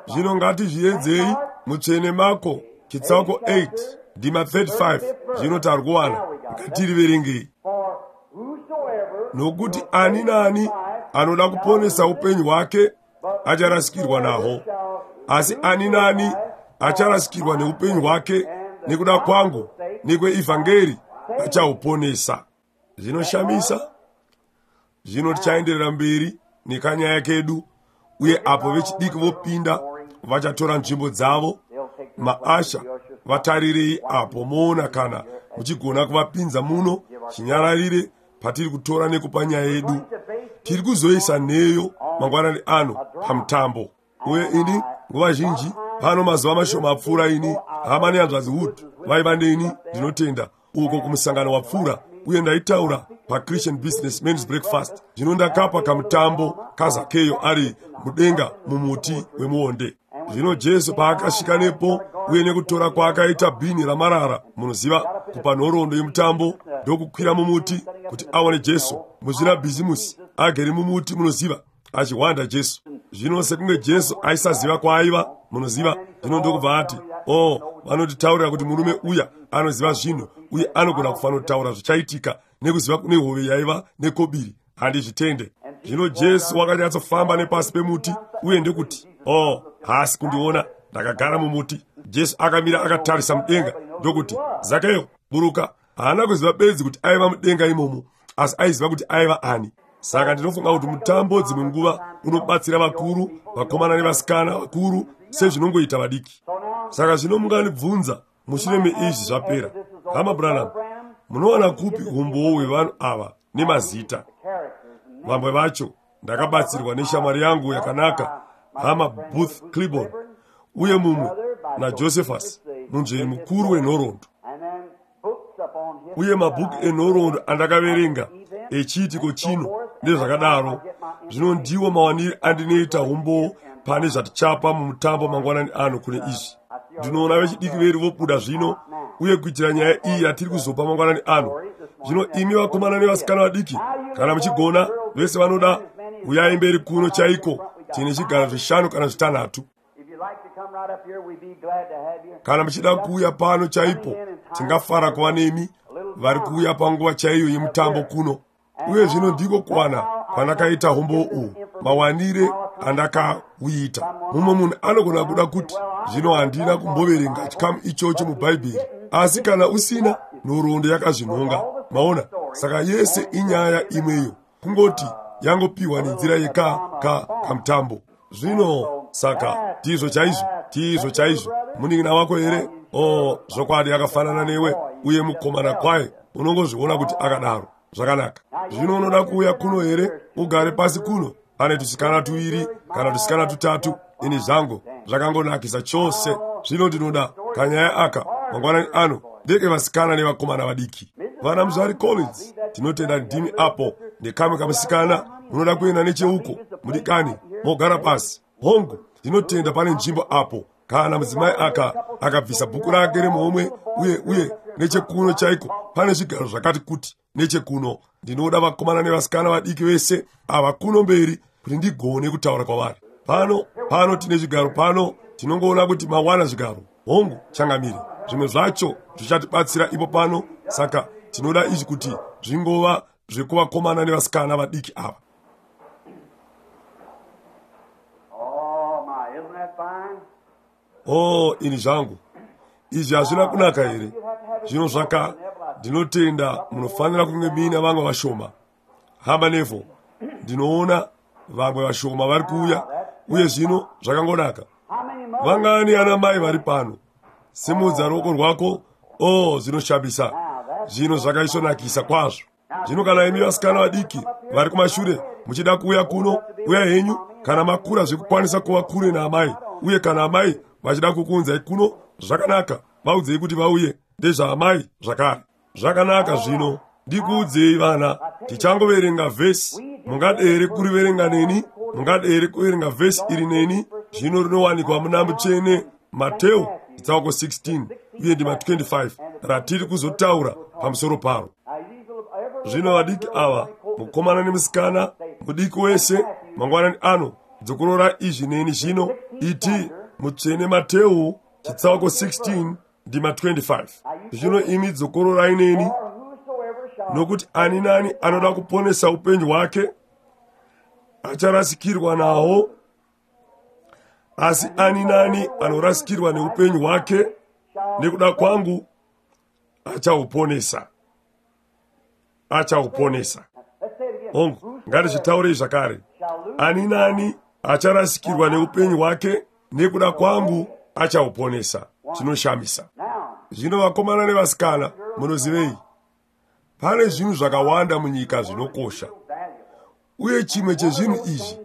Zvino ngatizviedzei. Mutsvene Marko chitsauko 8 ndima 35. Zvino tarikuwana, ngatiriverengei. Nokuti ani nani anoda kuponesa upenyu hwake acharasikirwa nahwo, asi ani nani acharasikirwa neupenyu hwake nekuda kwangu nekweivhangeri achahuponesa. Zvinoshamisa. Zvino tichaenderera mberi nekanyaya kedu, uye apo vechidiki vopinda vachatora nzvimbo dzavo. Maasha vatarirei apo moona kana muchigona kuvapinza muno chinyararire patiri kutora nekupa nyaya yedu. Tiri kuzoisa nheyo mangwanani ano pamutambo. Uye ini nguva zhinji pano mazuva mashoma apfuura, ini hama nehanzvadzi Wood vaiva neni, ndinotenda, uko kumusangano wapfuura, uye ndaitaura paChristian Business Men's Breakfast. Zvino ndakapa kamutambo kaZakeyo ari mudenga mumuti wemuonde. Zvino Jesu paakasvika nepo, uye nekutora kwaakaita bhini ramarara, munoziva, kupa nhoroondo yemutambo, ndokukwira mumuti kuti aone Jesu. Muzvinabhizimusi agere mumuti, munoziva, achihwanda Jesu. Zvino sekunge Jesu aisaziva kwaaiva, munoziva, zvino ndokubva ati, o, vanotitaurira kuti murume uya anoziva zvinhu uye anogona kufanotaura zvichaitika nekuziva kune hove yaiva nekobiri. Handizvitende. Zvino Jesu wakanyatsofamba nepasi pemuti, uye ndekuti, o, haasi kundiona, ndakagara mumuti. Jesu akamira akatarisa mudenga ndokuti, Zakeyo, buruka. Haana kuziva bedzi kuti aiva mudenga imomo, asi aiziva kuti aiva ani. Saka ndinofunga kuti mutambo dzimwe nguva unobatsira vakuru, vakomana nevasikana vakuru sezvinongoita vadiki. Saka zvino mungandibvunza mushure meizvi zvapera, Hama Branham, munowana kupi umbowo hwevanhu ava nemazita? Vamwe vacho ndakabatsirwa neshamwari yangu yakanaka, Hama Booth Clibborn, uye mumwe naJosephus, munzveri mukuru wenhoroondo. Uye mabhuku enhoroondo andakaverenga echiitiko chino nezvakadaro, zvino ndiwo mawaniri andinoita umbowo pane zvatichapa mumutambo mangwanani ano kune izvi. Ndinoona vechidiki vedu vobuda zvino, uye kuitira nyaya iyi yatiri kuzopa mangwanani ano. Zvino imi vakomana nevasikana vadiki, kana muchigona, vese vanoda, uyai mberi kuno chaiko. Tine zvigaro zvishanu kana zvitanhatu. Kana muchida kuuya pano chaipo, tingafara kuva nemi vari kuuya panguva chaiyo yemutambo kuno. Uye zvino ndiko kuwana kwandakaita umbowo uhu, mawanire andakauita. Mumwe munhu anogona kuda kuti, zvino handina kumboverenga chikamu ichocho muBhaibheri, asi kana usina, nhoroondo yakazvinhonga. Maona? Saka yese inyaya imweyo, kungoti yangopiwa nenzira yeka ka kamutambo. Zvino saka ndizvo chaizvo, ndizvo chaizvo. Munin'ina wako here? O, zvokwadi akafanana newe, uye mukomana kwaye, unongozviona kuti akadaro. Zvakanaka. Zvino unoda kuuya kuno here? Ugare pasi kuno. Pane tusikana tuviri kana tusikana tutatu. Ini zvangu zvakangonakisa chose. Zvino ndinoda kanyaya aka mangwanani ano ndeke vasikana nevakomana vadiki. Vana Muzvari Collins, tinotenda ndimi apo nekamwe kamusikana. Munoda kuenda necheuko, mudikani, mogara pasi. Hongu, ndinotenda pane nzvimbo apo kana mudzimai aka akabvisa bhuku rake remuhomwe, uye uye nechekuno chaiko pane zvigaro zvakati kuti nechekuno. Ndinoda vakomana nevasikana vadiki vese ava kuno mberi kuti ndigone kutaura kwavari. Pano pano tine zvigaro pano, tinongoona kuti mawana zvigaro. Hongu, changamire, zvimwe zvacho zvichatibatsira ipo pano. Saka tinoda izvi kuti zvingova zvekuvakomana nevasikana vadiki ava. Oh my, isn't that fine? Oh, ini zvangu, izvi hazvina kunaka here? Zvino zvaka, ndinotenda munofanira kunge muine vamwe vashoma. Hama Neville, ndinoona vamwe vashoma vari kuuya, uye zvino zvakangonaka. How many mothers? Vangani ana mai vari pano? Simudza ruoko rwako. Oh, zvinoshamisa. Zvino zvakaisvonakisa kwazvo. Zvino kana imi vasikana vadiki vari kumashure muchida kuuya kuno, uya henyu. Kana makura zvekukwanisa kuva kure naamai, uye kana amai vachida kukuunzai kuno, zvakanaka, vaudzei kuti vauye. Ndezvaamai zvakare. Zvakanaka. Zvino ndikuudzei vana, tichangoverenga vhesi. Mungade here kuriverenga neni? Mungade here kuverenga vhesi iri neni? Zvino rinowanikwa muna Mutsvene Mateo chitsauko 16 uye ndima 25 ratiri kuzotaura pamusoro paro. Now, these little, every Zvino vadiki ava, mukomana nemusikana mudiki wese, mangwanani ano, dzokorora izvi neni zvino. Iti Mutsvene Mateo chitsauko 16 ndima 25. Zvino imi dzokororai neni. For whosoever shall Nokuti ani nani anoda kuponesa upenyu hwake acharasikirwa nahwo, asi ani nani anorasikirwa neupenyu hwake nekuda kwangu achauponesa, achauponesa. Let's say it again. Hongu, ngatizvitaurei zvakare. Shall lose Ani nani acharasikirwa neupenyu hwake nekuda kwangu achauponesa. Chinoshamisa. now. Zvino vakomana nevasikana, munozivei, pane zvinhu zvakawanda munyika zvinokosha, Valuable. uye chimwe chezvinhu izvi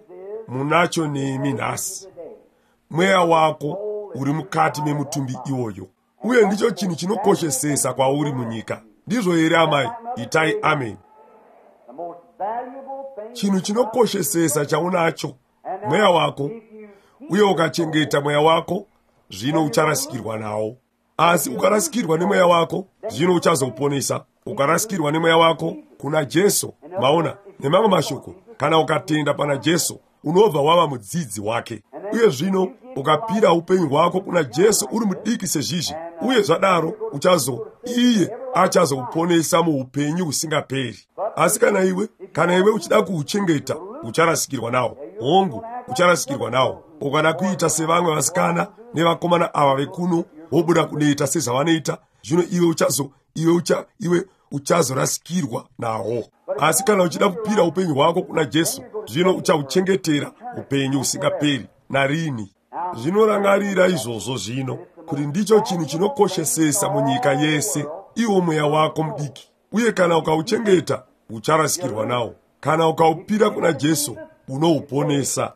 munacho nemi nhasi, mweya wako uri mukati memutumbi iwoyo, uye ndicho chinhu chinokoshesesa kwauri munyika. Ndizvo here amai? Itai amen. The most valuable thing Chinhu chinokoshesesa chaunacho mweya wako, if you uye ukachengeta mweya wako, zvino ucharasikirwa nawo. Asi ukarasikirwa nemweya wako, zvino uchazouponesa. Ukarasikirwa nemweya wako kuna Jesu, maona, nemamwe mashoko, kana ukatenda pana Jesu, unobva wava mudzidzi wake. Uye zvino ukapira upenyu hwako kuna Jesu uri mudiki sezvizvi, uye zvadaro uchazo iye achazouponesa muupenyu husingaperi. Asi kana iwe uchida kuuchengeta, ucharasikirwa nawo. Hongu, ucharasikirwa nawo. Ukada kuita sevamwe vasikana nevakomana ava vekuno, wobuda kunoita sezvavanoita, zvino iwe uchazo iwe ucha iwe uchazorasikirwa nawo. Asi kana uchida kupira upenyu hwako kuna Jesu, zvino uchauchengetera upenyu husingaperi narini. Zvinorangarira izvozvo zvino, kuti ndicho chinhu chinokoshesesa munyika yese, iwo mweya wako mudiki. Uye kana ukauchengeta, ucharasikirwa nawo. Kana ukaupira kuna Jesu, unouponesa.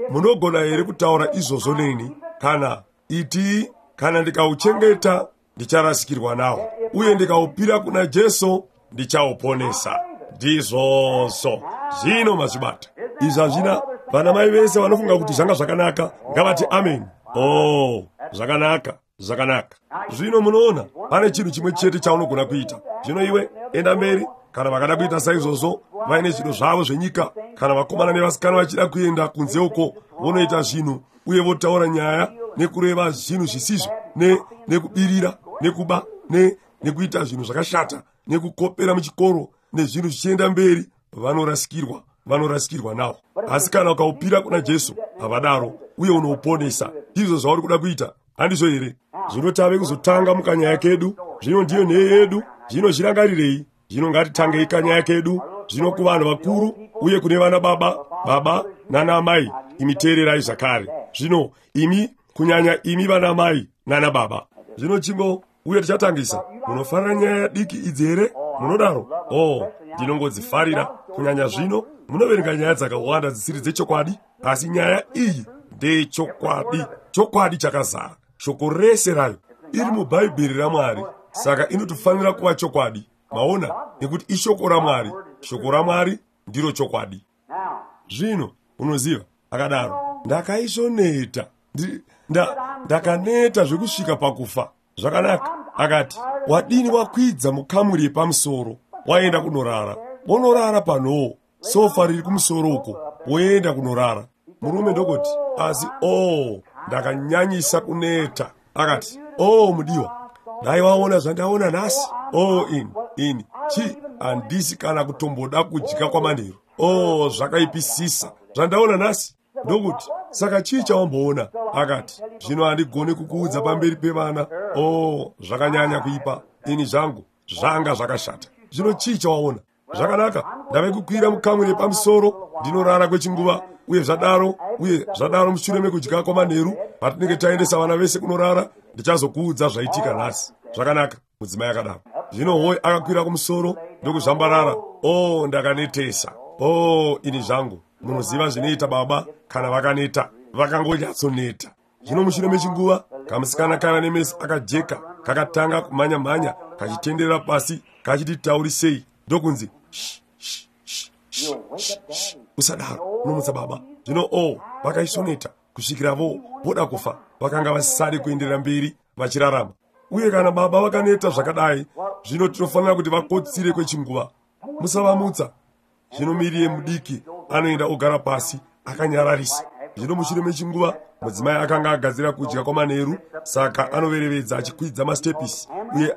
Munogona here kutaura izvozvo neni? Kana iti, kana ndikauchengeta, ndicharasikirwa nawo, uye ndikaupira kuna Jesu, ndichauponesa. Ndizvozvo. Zvino mazvibata. Izvi hazvina. Vana mai vese vanofunga kuti zvanga zvakanaka, ngavati amen. Oh, zvakanaka, zvakanaka. Zvino munoona, pane chinhu chimwe chete chaunogona kuita. Zvino iwe enda mberi. Kana vakada kuita saizvozvo, vaine zvido zvavo zvenyika, kana vakomana nevasikana vachida kuenda kunze uko, vonoita zvinhu uye votaura nyaya nekureva zvinhu zvisizvo, nekubirira, nekuba, nekuita zvinhu zvakashata, nekukopera muchikoro, nezvinhu zvichienda mberi, vanorasikirwa, vanorasikirwa nawo. Asi kana ukaupira kuna Jesu, havadaro, uye unouponesa. Ndizvo zvauri kuda kuita, handizvo here? Zvino tave kuzotanga mukanyaya kedu. Zvino ndiyo nheyo yedu. Zvino zvirangarirei. Zvino ngatitangei kanyaya kedu. Zvino kuvanhu vakuru uye kune vana baba, baba nana amai, imi teererai zvakare. Zvino imi, kunyanya imi vana mai nana baba. Zvino chingo, uye tichatangisa. Munofarira nyaya diki idzi here? Munodaro? Oh, ndinongodzifarira. Kunyanya zvino, munoverenga nyaya dzakawanda dzisiri dzechokwadi, asi nyaya iyi ndeyechokwadi. Chokwadi chakazara. Shoko rese rayo iri muBhaibheri raMwari, saka inotofanira kuva chokwadi. Maona, nekuti ishoko raMwari. Shoko raMwari ndiro chokwadi. Zvino, unoziva, akadaro, ndakaisvoneta. Ndakaneta zvekusvika pakufa. Zvakanaka. Akati, wadini wakwidza mukamuri yepamusoro, waenda kunorara. Wonorara panhoo, sofa riri kumusoro uko, woenda kunorara. Murume ndokuti, asi oh, ndakanyanyisa kuneta. Akati, oh mudiwa, dai waona zvandaona nhasi. Oh, ini chi, handisi kana kutomboda kudya kwamanheru. Oh, zvakaipisisa zvandaona nhasi. Ndokuti, saka chii chawamboona? Akati, zvino handigoni kukuudza pamberi pevana. Oh, zvakanyanya kuipa. Ini zvangu, zvanga zvakashata. Zvino chii chawaona? Zvakanaka, ndave kukwira mukamuri yepamusoro, ndinorara kwechinguva, uye zvadaro, uye zvadaro mushure mekudya kwamanheru, patinenge taendesa vana vese kunorara, ndichazokuudza zvaitika nhasi. Zvakanaka, mudzimai akadaro. Zvino hoi akakwira kumusoro ndokuzvambarara. Oh, ndakanetesa. Oh, ini zvangu. Munoziva zvinoita baba kana vakaneta, vakangonyatsoneta. Zvino mushure mechinguva, kamusikana kaiva nemeso akajeka kakatanga kumhanya-mhanya kachitenderera pasi kachiti taurisei, ndokunzi shh, shh, shh, shh, shh, usadaro, unomutsa baba. Zvino oh, vakaisvoneta kusvikira voda kufa. Vakanga vasisade kuenderera mberi vachirarama. Uye kana baba vakaneta zvakadai, zvino tinofanira kuti vakotsire kwechinguva. Musavamutsa. Zvino Miriam mudiki anoenda ogara pasi akanyararisa. Zvino mushure mechinguva, mudzimai akanga agadzira kudya kwamanheru, saka anoverevedza achikwidza mastepisi, uye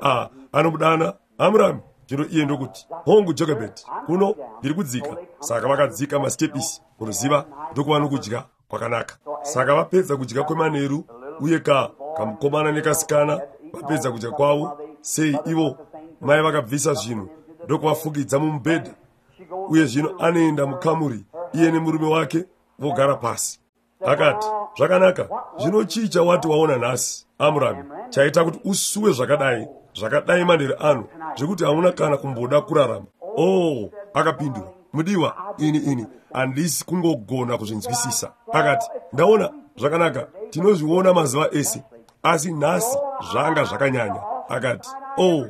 anomudana, Amram. Zvino iye ndokuti, hongu Jochebed, kuno ndiri kudzika. Saka vakadzika mastepisi, munoziva, ndokuva nokudya kwakanaka. Saka vapedza kudya kwemanheru, uye kamukomana nekasikana vapedza kudya kwavo, sei ivo mai vakabvisa zvinhu ndokuvafukidza mumubhedha. Uye zvino anoenda mukamuri, iye nemurume wake vogara pasi. Akati, zvakanaka, zvino chii chawati waona nhasi, Amram, chaita kuti usuwe zvakadai, zvakadai manheru ano, zvekuti hauna kana kumboda kurarama? Oh, akapindura, mudiwa, ini handisi kungogona kuzvinzwisisa. Akati, ndaona, zvakanaka, tinozviona mazuva ese, asi nhasi zvanga zvakanyanya. Akati, oh,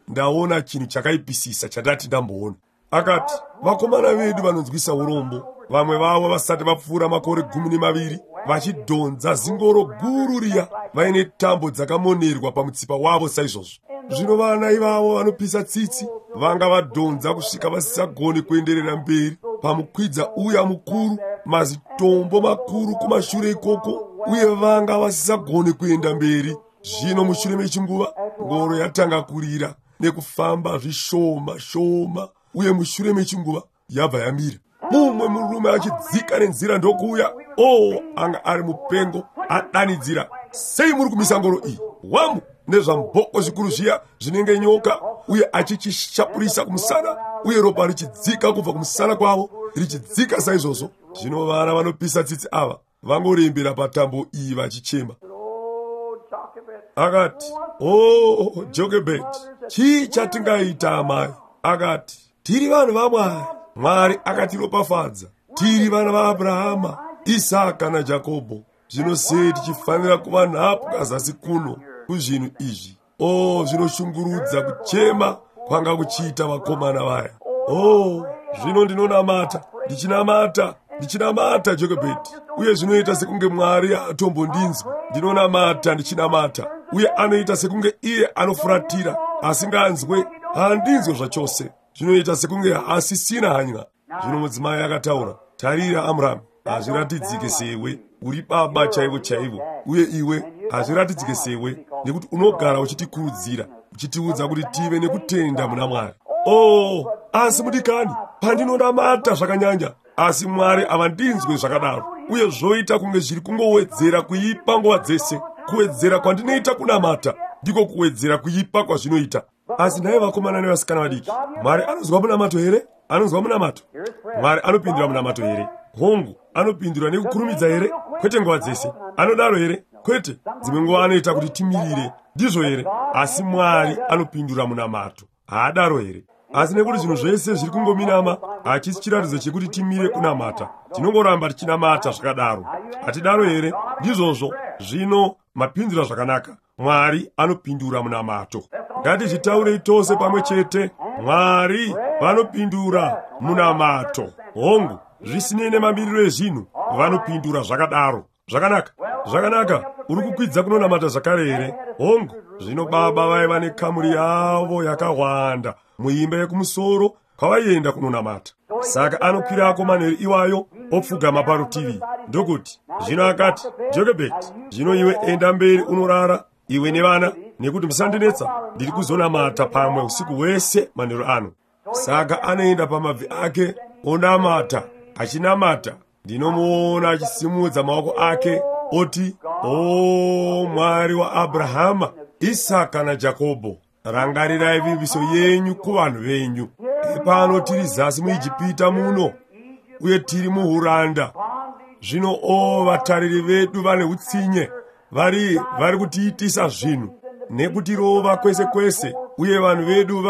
ndaona chinhu chakaipisisa chandati ndamboona. Akati, vakomana vedu vanonzwisa urombo, vamwe vavo vasati vapfuura makore 12, vachidhonza zingoro guru riya, vaine tambo dzakamonerwa pamutsipa wavo saizvozvo. Zvino vana ivavo vanopisa tsitsi, vanga vadhonza kusvika vasisagoni kuenderera mberi pamukwidza uya mukuru, mazitombo makuru kumashure ikoko, uye vanga vasisagoni kuenda mberi. Zvino mushure mechinguva, ngoro yatanga kurira nekufamba zvishoma shoma, uye mushure mechinguva yabva yamira. Mumwe murume achidzika nenzira ndokuuya. Oh, anga ari mupengo, adanidzira, sei muri kumisa ngoro iyi? Wamu nezvamboko zvikuru zviya zvinenge nyoka, uye achichishapurisa kumusana, uye ropa richidzika kubva kumusana kwavo, richidzika saizvozvo. Zvino vana vanopisa tsitsi ava vangorembera patambo iyi vachichema. Akati, oh, Jochebed, chii chatingaita amai? Akati, Tiri vanhu vaMwari. Mwari akatiropafadza. Tiri vana vaAbrahama, Isaka naJakobho. Zvino sei tichifanira kuva nhapwa zasi kuno kuzvinhu izvi? O, zvinoshungurudza kuchema kwanga kuchiita vakomana vaya. O, zvino ndinonamata, ndichinamata, ndichinamata, Jokebhedi, uye zvinoita sekunge Mwari haatombondinzwi. Ndinonamata, ndichinamata, uye anoita sekunge iye anofuratira, asinganzwe, haandinzwe zvachose. Zvinoita sekunge haasisina hanya. Zvino mudzimai akataura, tarira Amramu, hazviratidzike sewe uri baba chaivo chaivo, uye iwe hazviratidzike sewe, nekuti unogara uchitikurudzira, uchitiudza kuti tive nekutenda muna Mwari. Oh, asi mudikani, pandinonamata zvakanyanya, asi Mwari havandinzwe zvakadaro, uye zvoita kunge zviri kungowedzera kuipa nguva dzese. Kuwedzera kwandinoita kunamata ndiko kuwedzera kuipa kwazvinoita. Asi nhai vakomana nevasikana vadiki, Mwari anonzwa munamato here? Anonzwa munamato? Mwari anopindura munamato here? Hongu, anopindura nekukurumidza here? Kwete nguva dzese. Anodaro here? Kwete. Dzimwe nguva anoita kuti timirire. Ndizvo here? Asi Mwari anopindura munamato. Haadaro here? Asi nekuti zvinhu zvese zviri kungominama, hachisi chiratidzo chekuti timire kunamata. Tinongoramba tichinamata zvakadaro. Hatidaro here? Ndizvozvo. Zvino mapindura zvakanaka. Mwari anopindura munamato. Ngatizvitaurei tose pamwe chete. Mwari vanopindura munamato. Hongu, zvisinei nemamiriro ezvinhu, vanopindura zvakadaro. Zvakanaka, zvakanaka. Uri kukwidza kunonamata zvakare here? Hongu. Zvino baba vaiva nekamuri yavo yakawanda muimba yekumusoro kwavaienda kunonamata. Saka anokwirako manheru iwayo, opfugama parutivi ndokuti, zvino akati, Jokebhedi, zvino iwe enda mberi unorara, iwe nevana, nekuti musandinetsa, ndiri kuzonamata pamwe usiku hwese manheru ano. Saka anoenda pamabvi ake onamata, achinamata. Ndinomuona achisimudza maoko ake oti, O Mwari waAbrahama, Isaka naJakobho, rangarirai vimbiso yenyu kuvanhu venyu. Epano tiri zasi muIjipita muno, uye tiri muuranda. Zvino, o, vatariri vedu vane utsinye, vari kutiitisa zvinhu nekutirova kwese kwese, uye vanhu vedu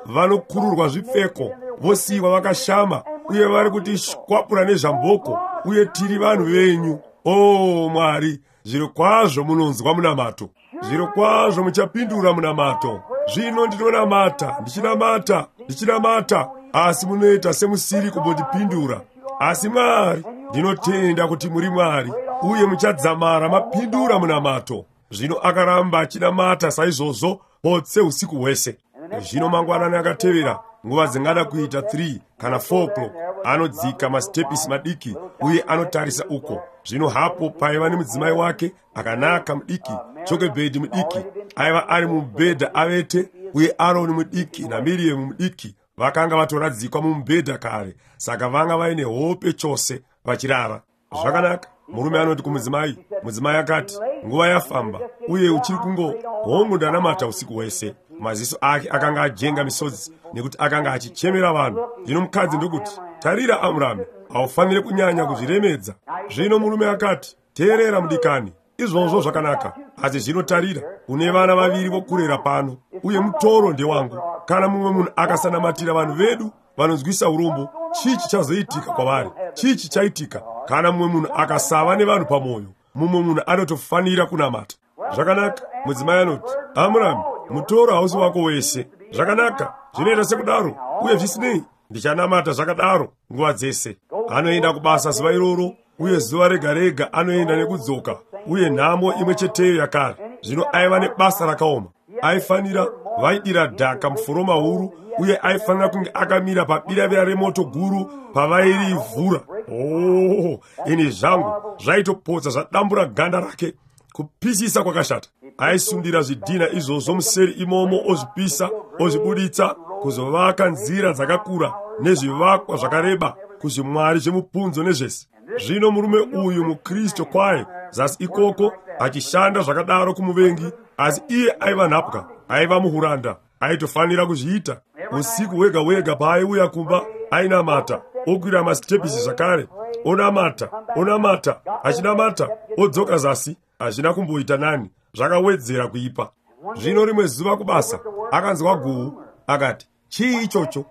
vanokururwa zvipfeko, vosiyiwa vakashama, uye vari kutishwapura nezvamboko, uye tiri vanhu venyu. O Mwari, zvirokwazvo munonzwa munamato. Zvirokwazvo muchapindura munamato. Zvino ndinonamata, ndichinamata, ndichinamata, asi munoita semusiri kumbondipindura. Asi Mwari, ndinotenda kuti muri Mwari, uye muchadzamara mapindura munamato. Zvino akaramba achinamata saizvozvo potse usiku hwese. Zvino mangwanani akatevera, nguva dzingada kuita 3 kana 4 o'clock, anodzika masitepisi madiki uye anotarisa uko. Zvino hapo paiva nemudzimai wake akanaka mudiki, Jokebhedi mudiki, aiva ari mumubhedha avete, uye Aroni mudiki naMiriamu mudiki vakanga vatoradzikwa mumubhedha kare, saka vanga vaine hope chose vachirara. Zvakanaka, murume anoti kumudzimai, mudzimai akati, nguva yafamba, uye uchiri kungo, hongu ndanamata usiku hwese. Maziso ake akanga ajenga misodzi nekuti akanga achichemera vanhu. Zvino mukadzi ndokuti, tarira Amrami, haufaniri kunyanya kuzviremedza. Zvino murume akati, teerera mudikani, izvozvo zvakanaka, asi zvino tarira, une vana vaviri vokurera pano, uye mutoro ndewangu. Kana mumwe munhu akasanamatira vanhu vedu vanonzwisa urombo, chii chichazoitika kwavari? Chii chichaitika kana mumwe munhu akasava nevanhu pamwoyo? Mumwe munhu anotofanira kunamata. Zvakanaka, mudzimai anoti, Amrami, mutoro hausi wako wese. Zvakanaka, zvinoita sekudaro, uye zvisinei, ndichanamata zvakadaro nguva dzese. Anoenda kubasa zuva iroro, uye zuva rega rega anoenda nekudzoka, uye nhamo imwe cheteyo yakare. Zvino aiva nebasa rakaoma. Aifanira, vaidira dhaka muforoma huru, uye aifanira kunge akamira pabiravira remoto guru pavairivhura. Oh, ini zvangu, zvaitopotsa zvadambura ganda rake. Kupisisa kwakashata. Aisundira zvidhina izvozvo museri imomo, ozvipisa, ozvibuditsa, kuzovaka nzira dzakakura nezvivakwa zvakareba kuzvimwari zvemupunzo nezvese. Zvino murume uyu muKristu kwaye zasi ikoko achishanda zvakadaro kumuvengi, asi iye aiva nhapwa, aiva muhuranda, aitofanira kuzviita. Usiku hwega hwega paaiuya kumba ainamata, okwira masitepisi zvakare, onamata, onamata, achinamata, odzoka zasi. Hazvina kumboita nani, zvakawedzera kuipa. Zvino rimwe zuva kubasa akanzwa guhu, akati, chii ichocho?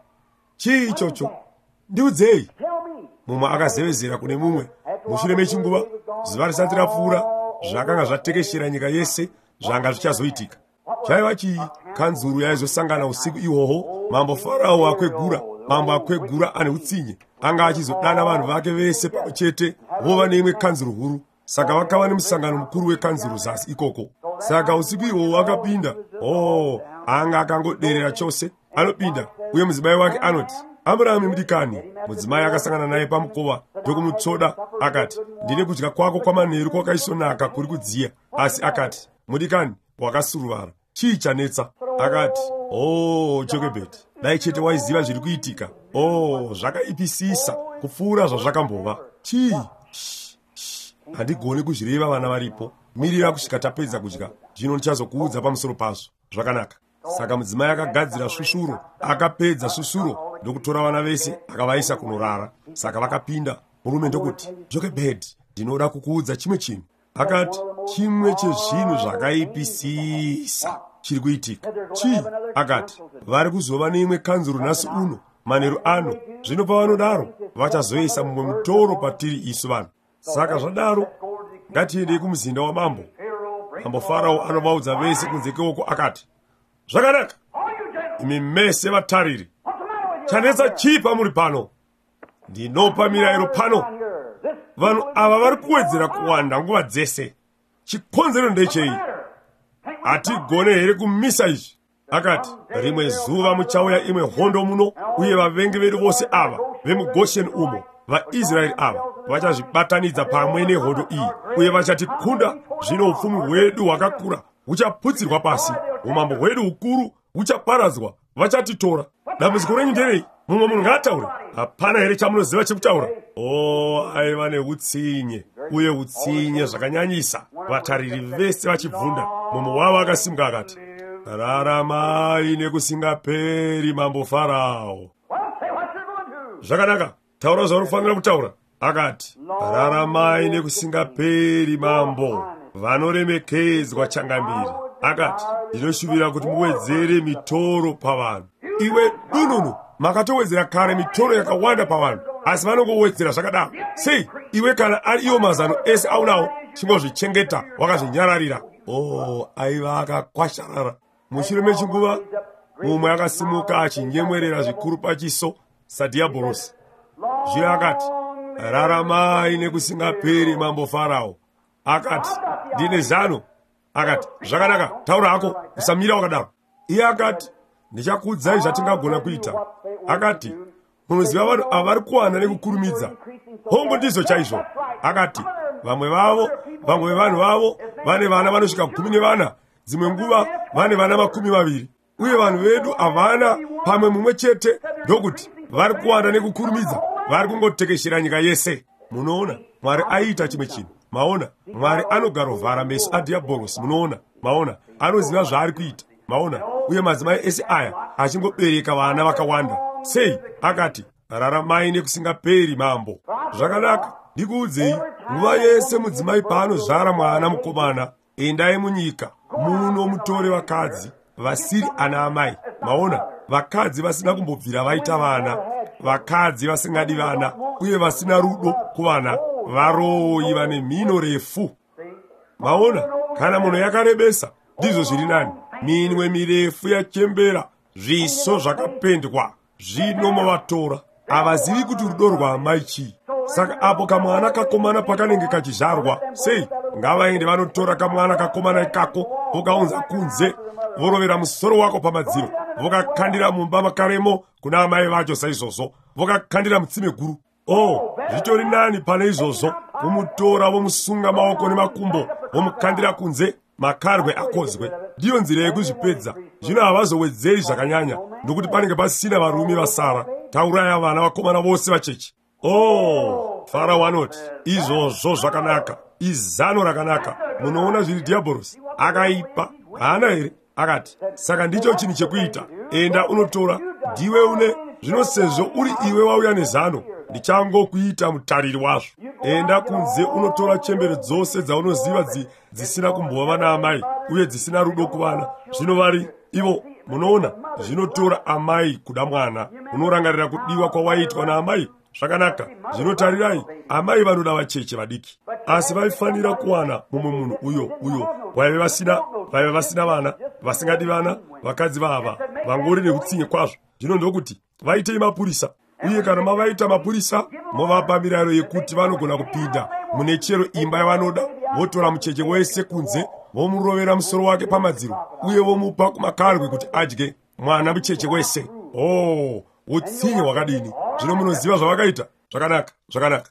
Chii ichocho? Ndiudzei. Mumwe akazevezera kune mumwe. Mushure mechinguva, zuva risati rapfuura, zvakanga zvatekeshera nyika yese zvanga zvichazoitika. Chaiva chii? Kanzuru yaizosangana usiku ihwohwo. Mambo Farao akwegura, mambo akwegura ane utsinye, anga achizodana vanhu vake vese pamwe chete vova neimwe kanzuru huru. Saka vakava nemusangano mukuru wekanzuru zasi ikoko. Saka usiku ihwohwo akapinda. Oh, anga akangoderera chose. Anopinda uye mudzimai wake anoti, Amurami mudikani. Mudzimai akasangana naye pamukova ndokumutsvoda akati, ndine kudya kwako kwamanheru kwakaisvonaka kuri kudziya. Asi akati, mudikani, wakasuruvara. Chii chanetsa? Akati, oh, Jokebhedi, dai chete waiziva zviri kuitika. Oh, zvakaipisisa kupfuura zvazvakambova. Chii? Handigoni kuzvireva vana varipo. Mirira kusvika tapedza kudya, zvino ndichazokuudza pamusoro pazvo. Zvakanaka. Saka mudzimai akagadzira svusvuro, akapedza svusvuro ndokutora vana vese akavaisa kunorara. Saka vakapinda, murume ndokuti, Jokebhedi, ndinoda kukuudza chimwe chinhu. Akati, chimwe chezvinhu zvakaipisisa chiri kuitika. Chii? Akati, vari kuzova neimwe kanzuru nhasi uno, manheru ano. Zvino pavanodaro, vachazoisa mumwe mutoro patiri isu vanhu. Saka zvadaro, ngatiendei kumuzinda wamambo. Mambo Farao anovaudza vese kunze kewoko akati, zvakanaka, imi mese vatariri, chanetsa chii pamuri pano? Ndinopa mirayiro pano. Vanhu ava vari kuwedzera kuwanda nguva dzese. Chikonzero ndechei? Hatigone here kumisa izvi? Akati, rimwe zuva muchauya imwe hondo muno, uye vavengi vedu vose ava vemuGosheni umo, vaIsraeri ava vachazvibatanidza pamwe nehondo iyi, uye vachatikunda. Zvino upfumi hwedu hwakakura huchaputsirwa pasi, umambo hwedu hukuru huchaparadzwa, vachatitora. Dambudziko renyu nderei? Mumwe munhu ngaataure. Hapana here chamunoziva chekutaura? Oh, aiva neutsinye, uye utsinye zvakanyanyisa. Vatariri vese vachibvunda. Mumwe wavo akasimuka akati, raramai nekusingaperi, mambo Farao. Zvakanaka, taura zvaunofanira kutaura. Akati, raramai nekusingaperi, mambo vanoremekedzwa changamire. Akati, ndinoshuvira kuti muwedzere mitoro pavanhu. Iwe dununu, makatowedzera kare mitoro yakawanda pavanhu, asi vanongowedzera zvakadaro. Sei iwe kana ari iwo mazano ese aunawo, chingozvichengeta wakazvinyararira. Oh, aiva akakwasharara. Mushure mechinguva, mumwe akasimuka achinyemwerera zvikuru pachiso sadhiabhorosi. Zvino akati, raramai nekusingaperi, mambo Farao. Akati, ndine zano. Akati, zvakanaka, taura hako, usamira wakadaro. Iye akati, ndichakuudzai zvatingagona kuita. Akati, munoziva vanhu ava vari kuwana nekukurumidza. Hongu, ndizvo chaizvo. Akati, vamwe vavo, vamwe vevanhu vavo vane vana vanosvika 14, dzimwe nguva vane vana 20. Uye vanhu vedu havana pamwe mumwe chete. Ndokuti vari kuwanda nekukurumidza, vari kungotekeshera nyika yese. Munoona, Mwari aiita chimwe chinhu. Maona, Mwari anogarovhara meso adhiabhorosi. Munoona, maona, anoziva zvaari kuita. Maona, uye madzimai ese aya achingobereka vana vakawanda. Sei? Akati, raramai nekusingaperi, mambo. Zvakanaka, ndikuudzei, nguva yese mudzimai paanozvara mwana mukomana, endai munyika muno mutore vakadzi vasiri ana amai. Maona, vakadzi vasina kumbobvira vaita vana, vakadzi vasingadi vana uye vasina rudo kuvana, varoyi vane mhino refu. Maona, kana munhu yakarebesa, ndizvo zviri nani. Minwe mirefu yachembera, zviso zvakapendwa, zvino mavatora. Havazivi kuti rudo rwaamai chii. Saka apo kamwana kakomana pakanenge kachizvarwa, sei ngavaende vanotora kamwana kakomana ikako, vokaunza kunze, vorovera musoro wako pamadziro, vokakandira mumba makaremo kuna amai vacho saizvozvo, vokakandira mutsime guru. Oh, zvitori nani pane izvozvo kumutora vomusunga maoko nemakumbo, vomukandira kunze, makarwe akozwe. Ndiyo nzira yekuzvipedza. Zvino havazowedzeri zvakanyanya, nokuti panenge pasina varume vasara. Tauraya vana vakomana vose vacheche. Oh, Farao anoti, izvozvo zvakanaka, izano rakanaka. Munoona zviri dhiabhorosi akaipa, haana here? Akati, saka ndicho chinhu chekuita. Enda unotora, ndiwe une zvino, sezvo uri iwe wauya nezano, ndichangokuita mutariri wazvo. Enda kunze unotora chembere dzose dzaunoziva dzisina kumbova vana amai uye dzisina rudo kuvana. Zvino vari ivo Munoona, zvinotora amai kuda mwana. Unorangarira kudiwa kwawaitwa naamai? Zvakanaka. Zvinotarirai, amai vanoda vacheche vadiki, asi vaifanira kuwana mumwe munhu uyo vaive vasina vana, vasingadi vana, vakadzi vava vangori neutsinye kwazvo. Zvino ndokuti vaitei mapurisa, uye kana mavaita mapurisa movapa mirayiro yekuti vanogona kupinda mune chero imba yavanoda, votora mucheche wese kunze, vomurovera musoro wake pamadziro, uye vomupa kumakarwe kuti adye mwana mucheche wese. Oh, utsinye hwakadini! Zvino munoziva zvavakaita? Zvakanaka, zvakanaka.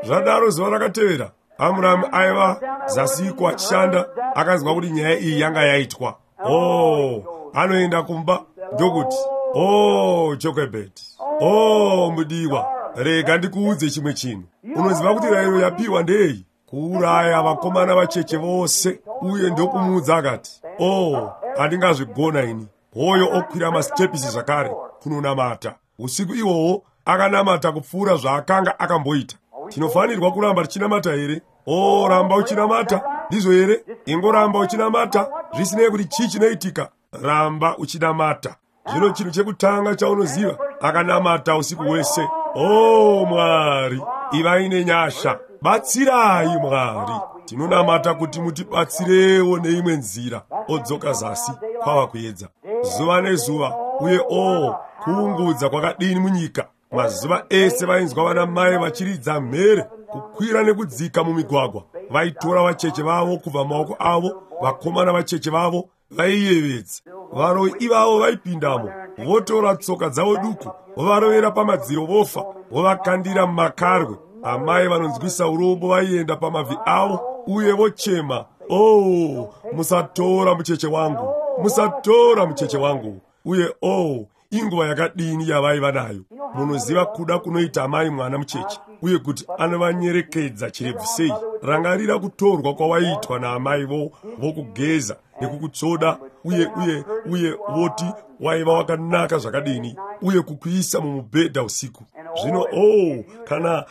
Zvadaro zuva rakatevera, Amuramu aiva zasiko achishanda, akanzwa kuti nyaya iyi yanga yaitwa. Oh, anoenda kumba ndokuti, oh, Jochebed, oh, mudiwa, rega ndikuudze chimwe chinhu. Unoziva kuti rayiro yapiwa ndei? Kuuraya vakomana vacheche vose. Uye ndokumuudza akati, oh, handingazvigona ini. Hoyo okwira masitepisi zvakare kunonamata. Usiku ihwohwo akanamata kupfuura zvaakanga akamboita. Tinofanirwa kuramba tichinamata here? Oh, ramba uchinamata. Ndizvo here? Ingoramba uchinamata, zvisinei kuti chii chinoitika. Ramba uchinamata. Zvino chinhu chekutanga chaunoziva, akanamata usiku hwese. Oh, Mwari, ivai nenyasha. Batsirai, Mwari. Tinonamata kuti mutibatsirewo neimwe nzira. Odzoka zasi kwava kuedza zuva nezuva. Uye oh, kuungudza kwakadini munyika! Mazuva ese vainzwa vana mai vachiridza mhere, kukwira nekudzika mumigwagwa. Vaitora vacheche vavo kubva maoko avo, vakomana vacheche vavo vaiyevedza. Varoi ivavo vaipindamo, votora tsoka dzavo duku, vovarovera pamadziro vofa, vovakandira mumakarwe. Amai vanonzwisa urombo vaienda pamabvi avo uye vochema, oh, musatora mucheche wangu, musatora mucheche wangu. Uye oh, inguva yakadini yavaiva nayo! Munoziva kuda kunoita amai mwana mucheche, uye kuti anovanyerekedza chirebvu sei. Rangarira kutorwa kwawaiitwa naamai vokugeza nekukutsvoda, uye uye uye voti waiva wakanaka zvakadini, uye kukuisa mumubhedha usiku. Zvino oh,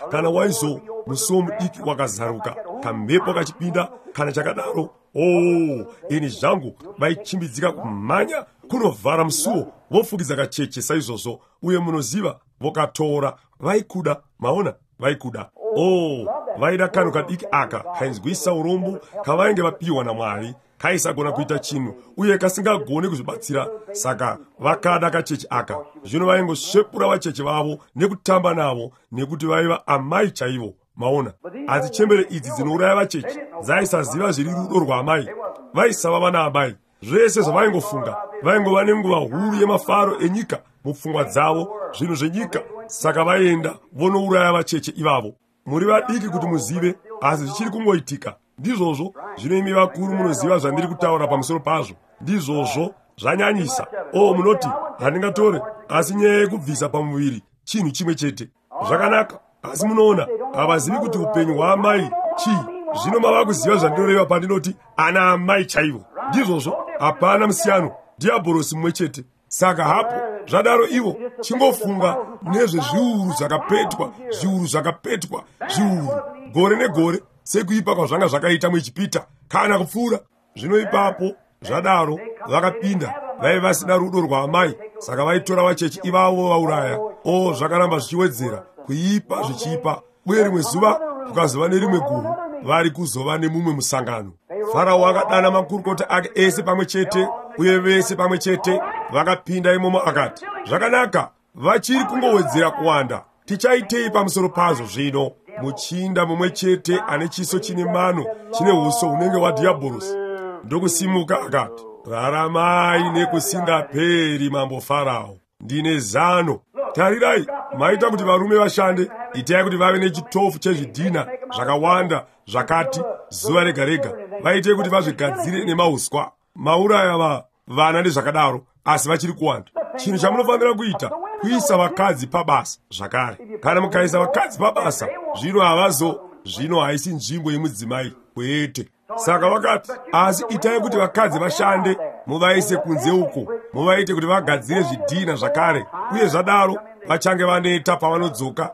kana waizo musuwo mudiki wakazaruka, kamhepo kachipinda kana chakadaro, oh, ini zvangu, vaichimbidzika kumhanya kunovhara musuwo, vofukidza kacheche saizvozvo. Uye munoziva, vokatora. Vaikuda, maona, vaikuda. Oh, vaida kanhu kadiki aka kainzwisa urombo kavainge vapiwa naMwari, kaisagona kuita chinhu uye kasingagoni kuzvibatsira. Saka vakada kacheche aka. Zvino vaingosvepura vacheche vavo nekutamba navo, nekuti vaiva amai chaivo. Maona, asi chembere idzi dzinouraya vacheche dzaisaziva zviri rudo rwaamai. Vaisava vana amai. Zvese zvavaingofunga, vaingova nenguva huru yemafaro enyika mupfungwa dzavo, zvinhu zvenyika. Saka vaienda vonouraya vacheche ivavo. Muri vadiki kuti muzive, asi zvichiri kungoitika. Ndizvozvo. Zvino imi vakuru munoziva zvandiri kutaura pamusoro pazvo. Ndizvozvo, zvanyanyisa. Oh, munoti handingatore, asi nyaya yekubvisa pamuviri chinhu chimwe chete. Zvakanaka, asi munoona, havazivi kuti upenyu hwaamai chii. Zvino mava kuziva zvandinoreva pandinoti ana amai chaivo. Ndizvozvo, hapana musiyano, dhiabhorosi mumwe chete. Saka hapo zvadaro, ivo chingofunga nezvezviuru zvakapetwa, zviuru zvakapetwa, zviuru gore negore, sekuipa kwazvanga zvakaita muIjipita kana kupfuura. Zvino ipapo zvadaro vakapinda, vaiva vasina rudo rwaamai, saka vaitora vacheche ivavo vauraya. Oh, zvakaramba zvichiwedzera kuipa zvichiipa. Uye rimwe zuva kukazova nerimwe guru, vari kuzova nemumwe musangano. Farao akadana makurukota ake ese pamwe chete, uye vese pamwe chete vakapinda imomo akati, zvakanaka, vachiri kungowedzera kuwanda. Tichaitei pamusoro pazvo zvino? Muchinda mumwe chete ane chiso chine mano, chine uso hunenge hwadhiabhorosi, ndokusimuka akati, raramai nekusingaperi, mambo Farao. Ndine zano. Tarirai, maita kuti varume vashande, itai kuti vave nechitofu chezvidhina zvakawanda zvakati zuva rega rega. Vaitei kuti vazvigadzire nemauswa. Mauraya vana nezvakadaro, asi vachiri kuwanda. Chinhu chamunofanira kuita kuisa vakadzi pabasa zvakare. Kana mukaisa vakadzi pabasa, zvino havazo, zvino haisi nzvimbo yemudzimai, kwete. Saka vakati, asi itai kuti vakadzi vashande, muvaise kunze uko, muvaite kuti vagadzire zvidhina zvakare. Uye zvadaro vachange vaneta pavanodzoka,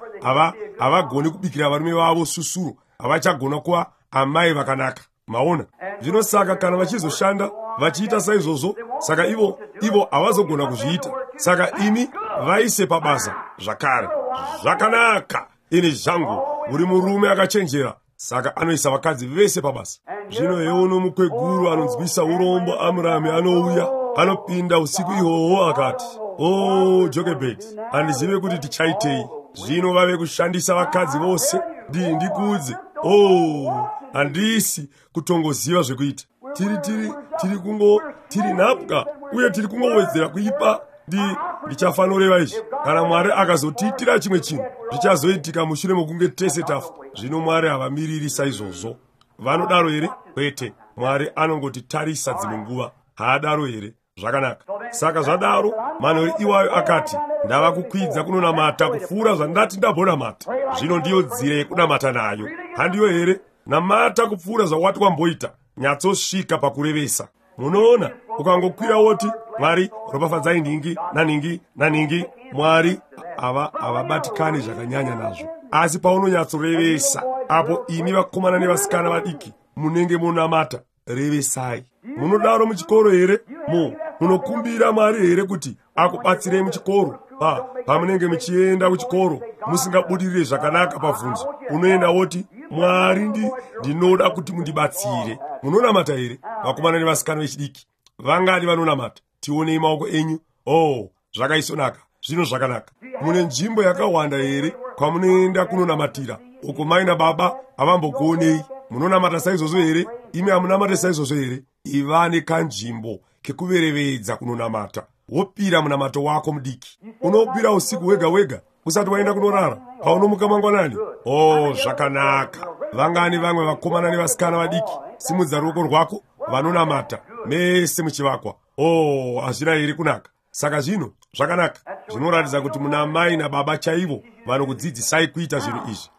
havagoni kubikira varume vavo susuro, havachagona kuva amai vakanaka. Maona? Zvino saka kana vachizoshanda vachiita saizvozvo, Saka ivo havazogona kuzviita. Saka imi vaise pabasa zvakare. Zvakanaka, ini zvangu, uri murume akachenjera. Saka anoisa vakadzi vese pabasa. Zvino heuno mukweguru anonzwisa urombo Amurami anouya, anopinda usiku ihwohwo akati, "O Jokebhedi, handizive kuti tichaitei. Zvino vave kushandisa vakadzi vose. Ndikuudze, o, handisi kutongoziva zvekuita. Tiri nhapwa uye tiri kungowedzera kuipa. Ndichafanoreva izvi. Kana Mwari akazotiitira chimwe chinhu, zvichazoitika mushure mokunge tese tafa." Zvino Mwari havamiriri saizvozvo. Vanodaro here? Kwete. Mwari anongotitarisa dzimwe nguva. Haadaro here? Zvakanaka. Saka zvadaro, manheru iwayo akati, "Ndava kukwidza kunonamata kupfuura zvandati ndambonamata." Zvino ndiyo nzira yekunamata nayo. Handiyo here? Namata kupfuura zvawati wamboita. Nyatsosvika pakurevesa. Munoona, ukangokwira woti, "Mwari, ropafadzai nhingi nanhingi nanhingi," Mwari havabatikani zvakanyanya nazvo. Asi paunonyatsorevesa, apo imi vakomana nevasikana vadiki munenge munamata, revesai. Munodaro muchikoro here? Munokumbira Mwari here kuti akubatsirei muchikoro? Pamunenge muchienda kuchikoro musingabudirire zvakanaka pabvunzo, unoenda woti, "Mwari, ndinoda kuti mundibatsire." Munonamata here, vakomana nevasikana vechidiki? Vangani vanonamata? Tionei maoko enyu. Oh, zvakaisonaka. Zvino zvakanaka. Mune nzvimbo yakawanda here kwamunoenda kunonamatira uko mai nababa havambokuonei? Munonamata saizvozvo here? Imi hamunamate saizvozvo here? Iva nekanzvimbo kekuverevedza kunonamata. Wopira munamato wako mudiki. Unopira usiku wega wega usati waenda kunorara, paunomuka mangwanani. Oh, zvakanaka. Vangani vamwe vakomana nevasikana vadiki? Simudza ruoko rwako. Vanonamata mese muchivakwa. Oh, hazvina here kunaka? Saka zvino zvakanaka. Zvinoratidza kuti muna mai nababa chaivo vanokudzidzisai kuita zvinhu izvi.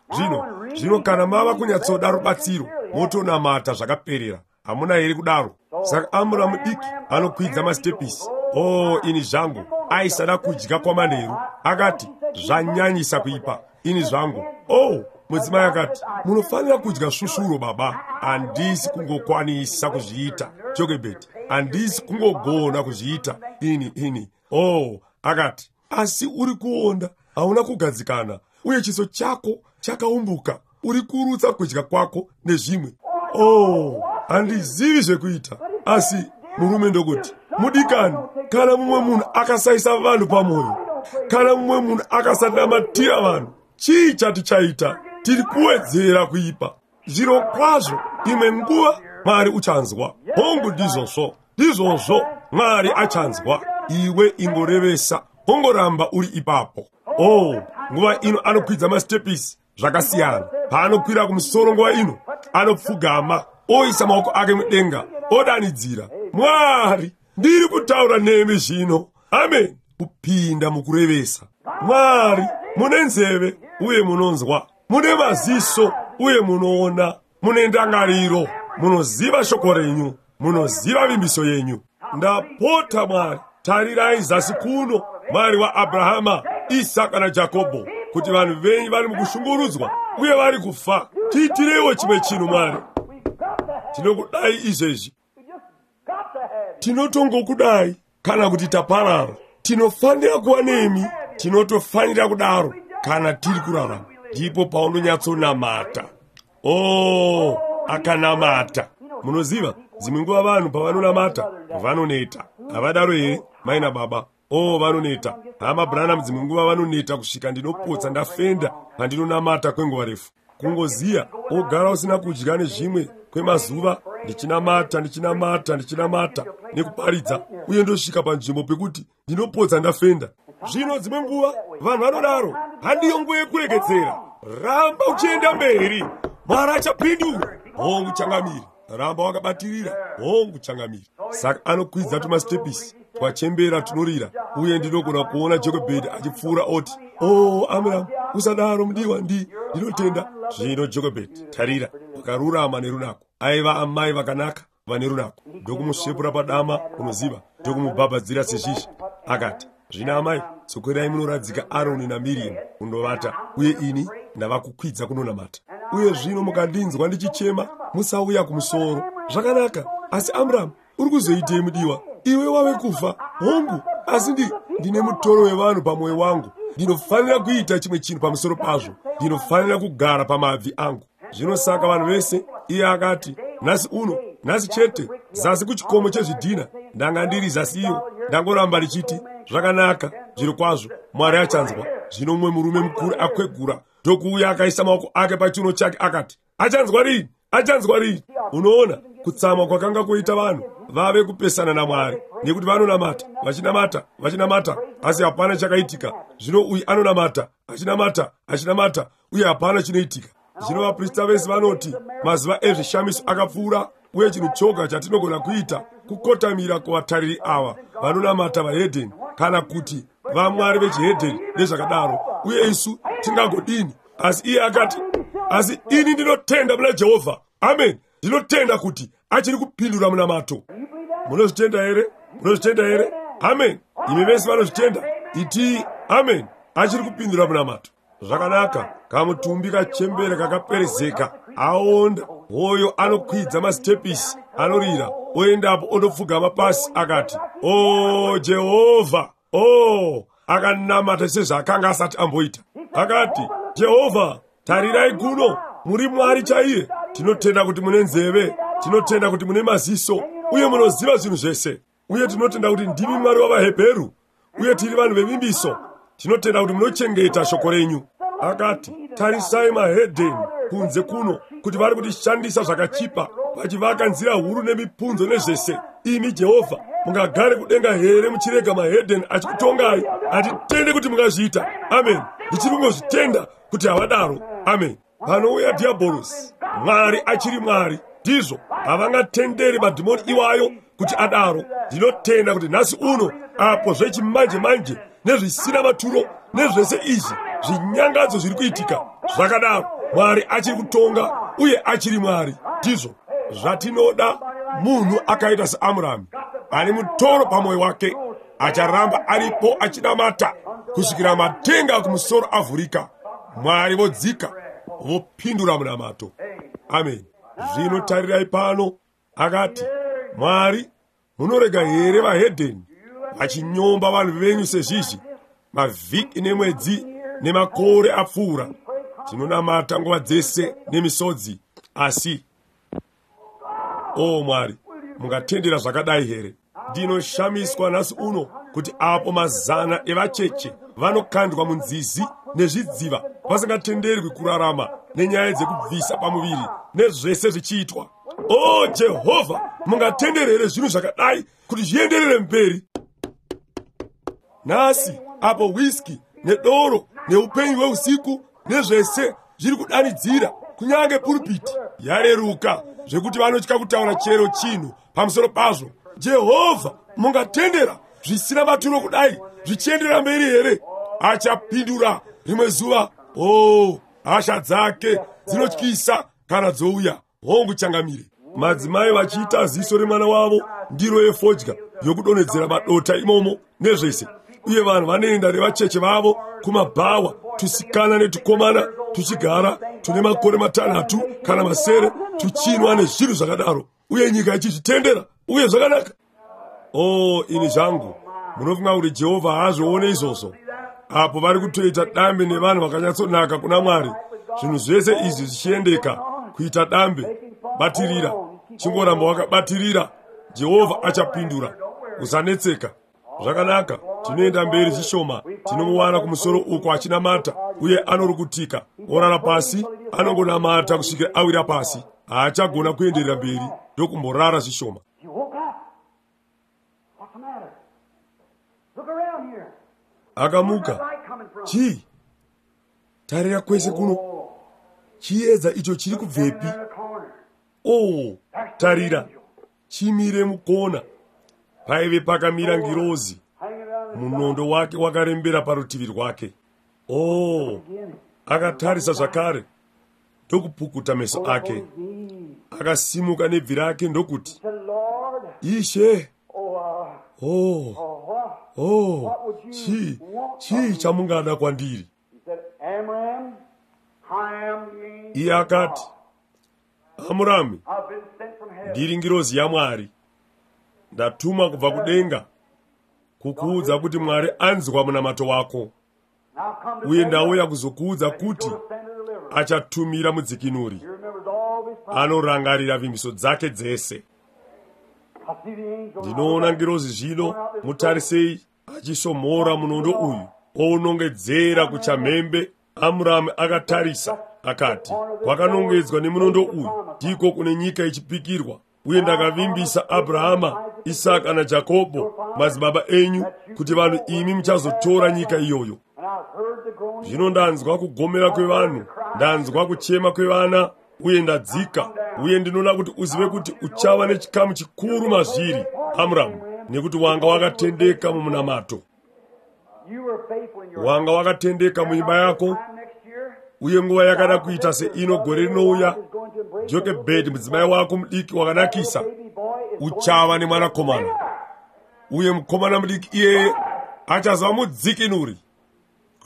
Zvino kana mava kunyatsoda rubatsiro, motonamata zvakaperera. Hamuna here kudaro? Saka Amura mudiki anokwidza masitepisi. Oh, ini zvangu, aisada kudya kwamanheru. Akati, "Zvanyanyisa kuipa, ini zvangu." Oh, mudzimai akati, "Munofanira kudya svusvuro, baba." "Handisi kungokwanisa kuzviita, Jokebhedi. Handisi kungogona kuzviita. Ini." Oh, akati, "Asi uri kuonda, hauna kugadzikana, uye chiso chako chakaumbuka. Uri kurutsa kudya kwako nezvimwe." "Oh, handizivi zvekuita." Asi murume ndokuti, "Mudikani, kana mumwe munhu akasaisa vanhu pamwoyo, kana mumwe munhu akasanamatira vanhu, chii chatichaita? Tiri kuwedzera kuipa. Zviro kwazvo, imwe nguva Mwari uchanzwa." Hongu, ndizvozvo. Ndizvozvo, Mwari achanzwa. Iwe ingorevesa, ongoramba uri ipapo. Oh, nguva ino anokwidza masitepisi zvakasiyana. Paanokwira kumusoro nguva ino, anopfugama, oisa maoko ake mudenga, odanidzira, "Mwari, ndiri kutaura nemi zvino." Amen. Kupinda mukurevesa. Mwari, mune nzeve uye munonzwa, mune maziso uye munoona, mune ndangariro, munoziva shoko renyu, munoziva vimbiso yenyu. Ndapota Mwari, tarirai zasi kuno, Mwari waAbrahama, Isaka naJakobho, kuti vanhu venyu vari mukushungurudzwa uye vari kufa. Tiitireiwo chimwe chinhu, Mwari. Tinokudai izvezvi. Tinotongokudai, kana kuti taparara. Tinofanira kuva nemi. Tinotofanira kudaro kana tiri kurarama. Ndipo paunonyatsonamata. Oh, akanamata. Munoziva, dzimwe nguva vanhu pavanonamata vanoneta. Havadaro here, mai nababa? Oh, vanoneta. Hama Branham, dzimwe nguva vanoneta kusvika ndinopotsa ndafenda pandinonamata kwenguva refu. Kungoziya, ogara usina kudya nezvimwe kwemazuva, ndichinamata, ndichinamata, ndichinamata nekuparidza, uye ndosvika panzvimbo pekuti ndinopotsa ndafenda. Zvino dzimwe nguva vanhu vanodaro. Handiyo nguva yekuregedzera. Ramba uchienda mberi. Mwari achapindura. Hongu, changamiri. Ramba wakabatirira. Hongu, changamiri. Saka anokwidza tumasitepisi twachembera tunorira, uye ndinogona kuona Jokebhedi achipfuura oti, "Oh, Amram, usadaro mudiwa, ndinotenda." Zvino Jokebhedi, tarira, wakarurama nerunako. Aiva amai vakanaka vane runako. Ndokumusvepura padama, unoziva, ndokumubhabhadzira sezvizvi. Akati, "Zvino amai, dzokerai munoradzika Aroni naMiriam kundovata, uye ini ndava kukwidza kunonamata. Uye zvino mukandinzwa ndichichema, musauya kumusoro." Zvakanaka. Asi Amram, uri kuzoitei mudiwa? Iwe wave kufa. Hongu, asi ndine mutoro wevanhu pamwoyo wangu. Ndinofanira kuita chimwe chinhu pamusoro pazvo. Ndinofanira kugara pamabvi angu. Zvino saka vanhu vese, iye akati, nhasi uno, nhasi chete, zasi kuchikomo chezvidhina, ndanga ndiri zasi iyo, ndangoramba ndichiti, zvakanaka, zviro kwazvo, Mwari achanzwa. Zvino mumwe murume mukuru akwegura, ndokuuya akaisa maoko ake pachiuno chake akati, achanzwa rini? Achanzwa rini? Unoona, kutsamwa kwakanga kuita vanhu vave kupesana naMwari, nekuti vanonamata, vachinamata, vachinamata, asi hapana chakaitika. Zvino uyu anonamata, achinamata, achinamata, uye hapana chinoitika. Zvino vaprista vese vanoti mazuva ezvishamiso akapfuura, uye chinhu choga chatinogona kuita kukotamira kuvatariri ava vanonamata vahedheni, kana kuti vamwari vechihedheni nezvakadaro, uye isu tingagodini? Asi iye akati, asi ini ndinotenda muna Jehovha. Amen. Ndinotenda kuti achiri kupindura munamato. Munozvitenda here? Munozvitenda here? Amen. Imi vese vanozvitenda, itii amen. Achiri kupindura munamato. Zvakanaka, kamutumbi kachembere kakaperezeka, aonda, hoyo anokwidza masitepisi, anorira, oendapo ondopfugama pasi akati, O Jehovha, o, akanamata sezvaakanga asati amboita. Akati, Jehovha, tarirai kuno, muri Mwari chaiye. Tinotenda kuti mune nzeve, tinotenda kuti mune maziso, uye munoziva zvinhu zvese. Uye tinotenda kuti ndimi Mwari wavaHebheru, uye tiri vanhu vevimbiso. Tinotenda kuti munochengeta shoko renyu. Akati, tarisai mahedheni kunze kuno, kuti vari kutishandisa zvakachipa, vachivaka nzira huru nemipunzo nezvese. Imi Jehovha, mungagare kudenga here muchirega mahedheni achikutongai? Hatitende kuti mungazviita. Amen. Ndichiri kungozvitenda kuti havadaro. Amen. Panouya dhiabhorosi, Mwari achiri Mwari. Ndizvo, havangatenderi madhimoni iwayo kuti adaro. Ndinotenda kuti nhasi uno, apo zvechimanje manje nezvisina maturo nezvese izvi zvinyangadzo zviri kuitika zvakadaro, Mwari achiri kutonga uye achiri Mwari. Ndizvo zvatinoda, munhu akaita seAmurami ane mutoro pamwoyo wake, acharamba aripo achinamata kusvikira matenga kumusoro avhurika, Mwari vodzika vopindura munamato. Amen. Zvino tarirai pano, akati, Mwari, munorega here vahedheni vachinyomba vanhu venyu sezvizvi? Mavhiki nemwedzi nemakore apfuura, tinonamata nguva dzese nemisodzi, asi o Mwari, mungatendera zvakadai here? Ndinoshamiswa nhasi uno kuti apo mazana evacheche vanokandwa munzizi nezvidziva vasingatenderwi kurarama nenyaya dzekubvisa pamuviri nezvese zvichiitwa. O Jehovha, mungatendera here zvinhu zvakadai kuti zvienderere mberi? Nhasi apo whisky nedoro neupenyu hweusiku nezvese zviri kudanidzira, kunyange pulpiti yareruka zvekuti vanotya kutaura chero chinhu pamusoro pazvo. Jehovha, mungatendera zvisina maturo kudai zvichienderera mberi here? Achapindura rimwe zuva. O, hasha dzake dzinotyisa kana dzouya. Hongu changamire. Madzimai vachiita ziso remwana wavo ndiro yefodya yokudonhedzera madota imomo nezvese, uye vanhu vanoenda nevacheche vavo kumabhawa, tusikana netukomana tuchigara tune makore 6 kana 7 tuchinwa nezvinhu zvakadaro, uye nyika ichizvitendera uye zvakanaka. O, ini zvangu, munofunga kuti Jehovha haazvione izvozvo? Apo vari kutoita dambe nevanhu vakanyatsonaka kuna Mwari, zvinhu zvese izvi zvichiendeka kuita dambe. Batirira, chingoramba wakabatirira, Jehovha achapindura. Usanetseka. Zvakanaka, tinoenda mberi zvishoma, tinomuwana kumusoro uko achinamata, uye anorukutika, orara pasi, anongonamata kusvikira awira pasi. Haachagona kuenderera mberi, ndokumborara zvishoma. Akamuka. Chii? Tarira kwese kuno. Chiedza icho chiri kubvepi? Oh, tarira. Chimire mukona. Paive pakamira ngirozi. Munondo wake wakarembera parutivi rwake. Oh, akatarisa zvakare, ndokupukuta meso ake. Akasimuka nebvi rake ndokuti, Ishe, oh, oh, chii chamungada kwandiri? Iye akati, Amurami, ndiri ngirozi yaMwari. Ndatumwa kubva kudenga kukuudza kuti Mwari anzwa munamato wako, uye ndauya kuzokuudza kuti achatumira mudzikinuri anorangarira vimbiso dzake dzese. Ndinoona ngirozi zvino, mutarisei achisomora munondo uyu ounongedzera kuchamhembe. Amuramu akatarisa akati, kwakanongedzwa nemunondo uyu ndiko kune nyika ichipikirwa, uye ndakavimbisa Abrahama, Isaka naJakobho madzibaba enyu kuti vanhu imi muchazotora nyika iyoyo. Zvino ndanzwa kugomera kwevanhu, ndanzwa kuchema kwevana, uye ndadzika, uye ndinoda kuti uzive kuti uchava nechikamu chikuru mazviri, Amuramu, nekuti wanga wakatendeka mumunamato, wanga wakatendeka muimba yako, uye nguva yakada kuita seino gore rinouya, Jokebhedhi mudzimai wako mudiki wakanakisa uchava nemwanakomana, uye mukomana mudiki iyeye achazova mudzikinuri.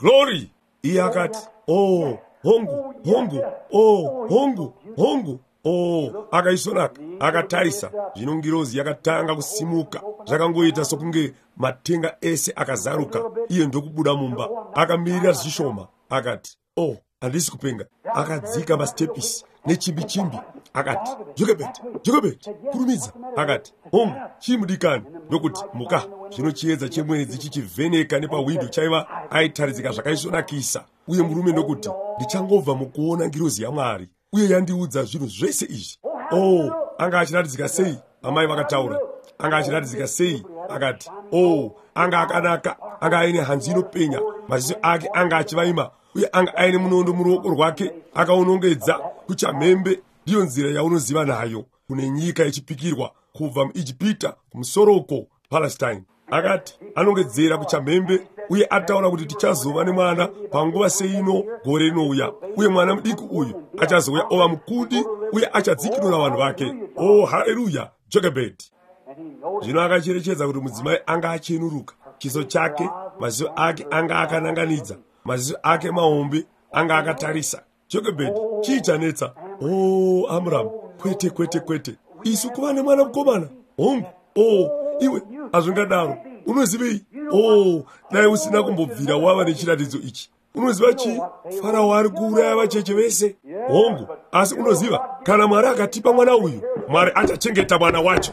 Glory! Iye akati, oh, hongu, hongu, oh, hongu, hongu, oh. Akaisonaka, akatarisa. Zvino ngirozi yakatanga kusimuka, zvakangoita sokunge matenga ese akazaruka. Iye ndokubuda mumba, akamirira zvishoma, akati, oh, handisi kupenga. Akadzika masitepisi nechimbi-chimbi, akati, Jokebhedhi, Jokebhedhi, kurumidza. Akati, hongu, chii mudikani? Ndokuti, muka. Zvino chiedza chemwedzi chichivheneka nepahwindo chaiva aitaridzika zvakaisvonakisa. Uye murume ndokuti, ndichangobva mukuona ngirozi yaMwari, uye yandiudza zvinhu zvese izvi. Oh, anga achiratidzika sei? Amai vakataura. Anga achiratidzika sei? Akati, oh, anga akanaka, anga aine hanzu inopenya, maziso ake anga achivaima, uye anga aine munondo muruoko rwake akaunongedza kuchamhembe. Ndiyo nzira yaunoziva nayo kune nyika yechipikirwa kubva muIjipita kumusoro uko Palestine. Akati anongedzera kuchamhembe, uye ataura kuti tichazova nemwana panguva seino gore rinouya, uye mwana mudiki uyu achazouya ova mukundi uye achadzikinura vanhu vake. Oh, haleluya, Jokebhedhi. Zvino akacherechedza kuti mudzimai anga achenuruka, chiso chake, maziso ake anga akananganidza, maziso ake mahombe anga akatarisa. Jokebhedhi, chii chanetsa? Oh, Amram, kwete, kwete, kwete, isu kuva nemwana mukomana. Hongu, oh, iwe, hazvingadaro. Unozivei? Oh, dai usina kumbobvira wava nechiratidzo ichi. Unoziva chii? Farao ari kuuraya vacheche vese. Hongu, asi unoziva, kana Mwari akatipa mwana uyu, Mwari achachengeta mwana wacho.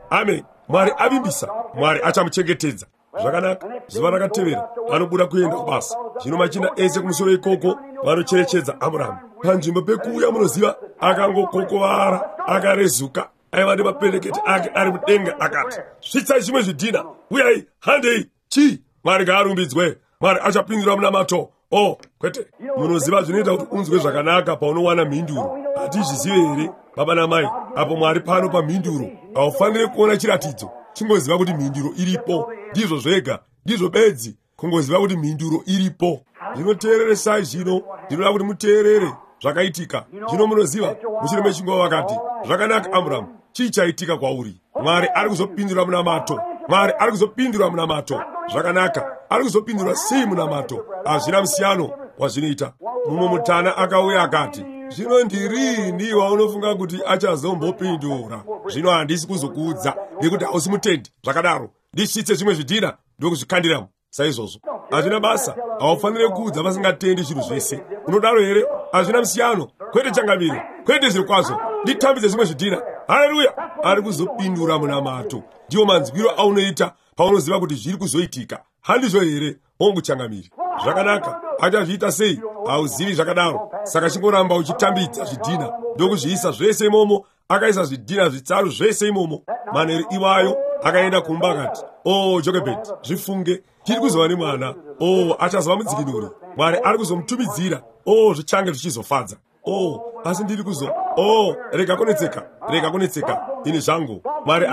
Amen. Mwari avimbisa, Mwari achamuchengetedza. Zvakanaka. Zuva rakatevera anobuda kuenda kubasa. Zvino machinda ese kumusoro ikoko vanocherechedza Amuramu. Panzvimbo pekuuya, munoziva, akangokokovara, akarezuka, aiva nemapendekete ake ari mudenga. Akati, svitsai zvimwe zvidhina, uyai, handei. Chii? Mwari ngaarumbidzwe. Mwari achapindura munamato. Oh, kwete. Munoziva zvinoita kuti unzwe zvakanaka paunowana mhinduro. Hatizvizive here, baba namai? Apo Mwari pano pamhinduro, haufaniri kuona chiratidzo. Chingoziva kuti mhinduro iripo. Ndizvo zvega, ndizvo bedzi, kungoziva kuti mhinduro iripo. Zvinoteereresai zvino, ndinoda kuti muteerere zvakaitika. Zvino munoziva, mushure mechinguva vakati, zvakanaka Amuramu, chii chaitika kwauri? Mwari ari kuzopindura munamato. Mwari ari kuzopindura munamato. Zvakanaka, ari kuzopindura sei munamato? Hazvina musiyano wazvinoita. Mumwe mutana akauya akati, zvino ndirini waunofunga kuti achazombopindura? Zvino handisi kuzokuudza nekuti hausi mutendi. Zvakadaro, ndisvitse zvimwe zvidhina ndokuzvikandiramo. Saizvozvo hazvina basa. Haufaniri kuudza vasingatendi zvinhu zvese. Unodaro here? Hazvina musiyano. Kwete changamire, kwete zviri kwazvo. Nditambidze zvimwe zvidhina. Haleluya! Ari kuzopindura munamato. Ndiwo manzwiro aunoita paunoziva kuti zviri kuzoitika. Handizvo here? Hongu changamire. Zvakanaka. Achazviita sei? Hauzivi zvakadaro. Saka chingoramba uchitambidza zvidhina ndokuzviisa zvese imomo. Akaisa zvidhina zvitsaru zvese imomo. Manheru iwayo akaenda kumba akati, oh, Jokebhedhi, zvifunge, tiri kuzova nemwana. Oh, achazova mudzikinuri. Mwari ari kuzomutumidzira. Oh, zvichange zvichizofadza. Oh, asi ndiri kuzo, oh, rega kunetseka, rega kunetseka, ini zvangu. Mwari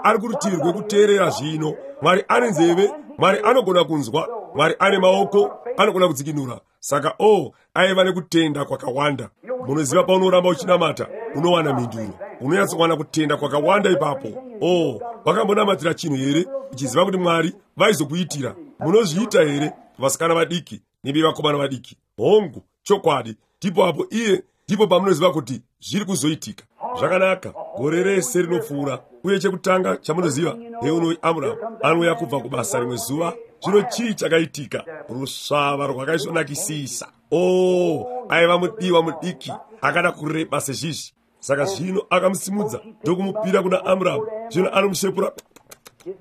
ari kurutivi rwekuteerera zvino. Mwari ane nzeve, Mwari anogona kunzwa, Mwari ane maoko, anogona kudzikinura. Saka, oh, aiva nekutenda kwakawanda. Munoziva, paunoramba uchinamata, unowana mhinduro. Unonyatsowana kutenda kwakawanda ipapo. Oh, wakambonamatira chinhu here uchiziva kuti Mwari vaizokuitira? Munozviita here, vasikana vadiki nemi vakomana vadiki? Hongu, chokwadi. Ndipo apo iye, ndipo pamunoziva kuti zviri kuzoitika. Zvakanaka, gore rese rinopfuura. Uye chekutanga chamunoziva, heunoi Amuramu anouya kubva kubasa rimwe zuva. Zvino chii chakaitika? Rusvava rwakaisvonakisisa. O, aiva mudiwa mudiki akada kureba sezvizvi. Saka zvino akamusimudza ndokumupira kuna Amuramu. Zvino anomushepura,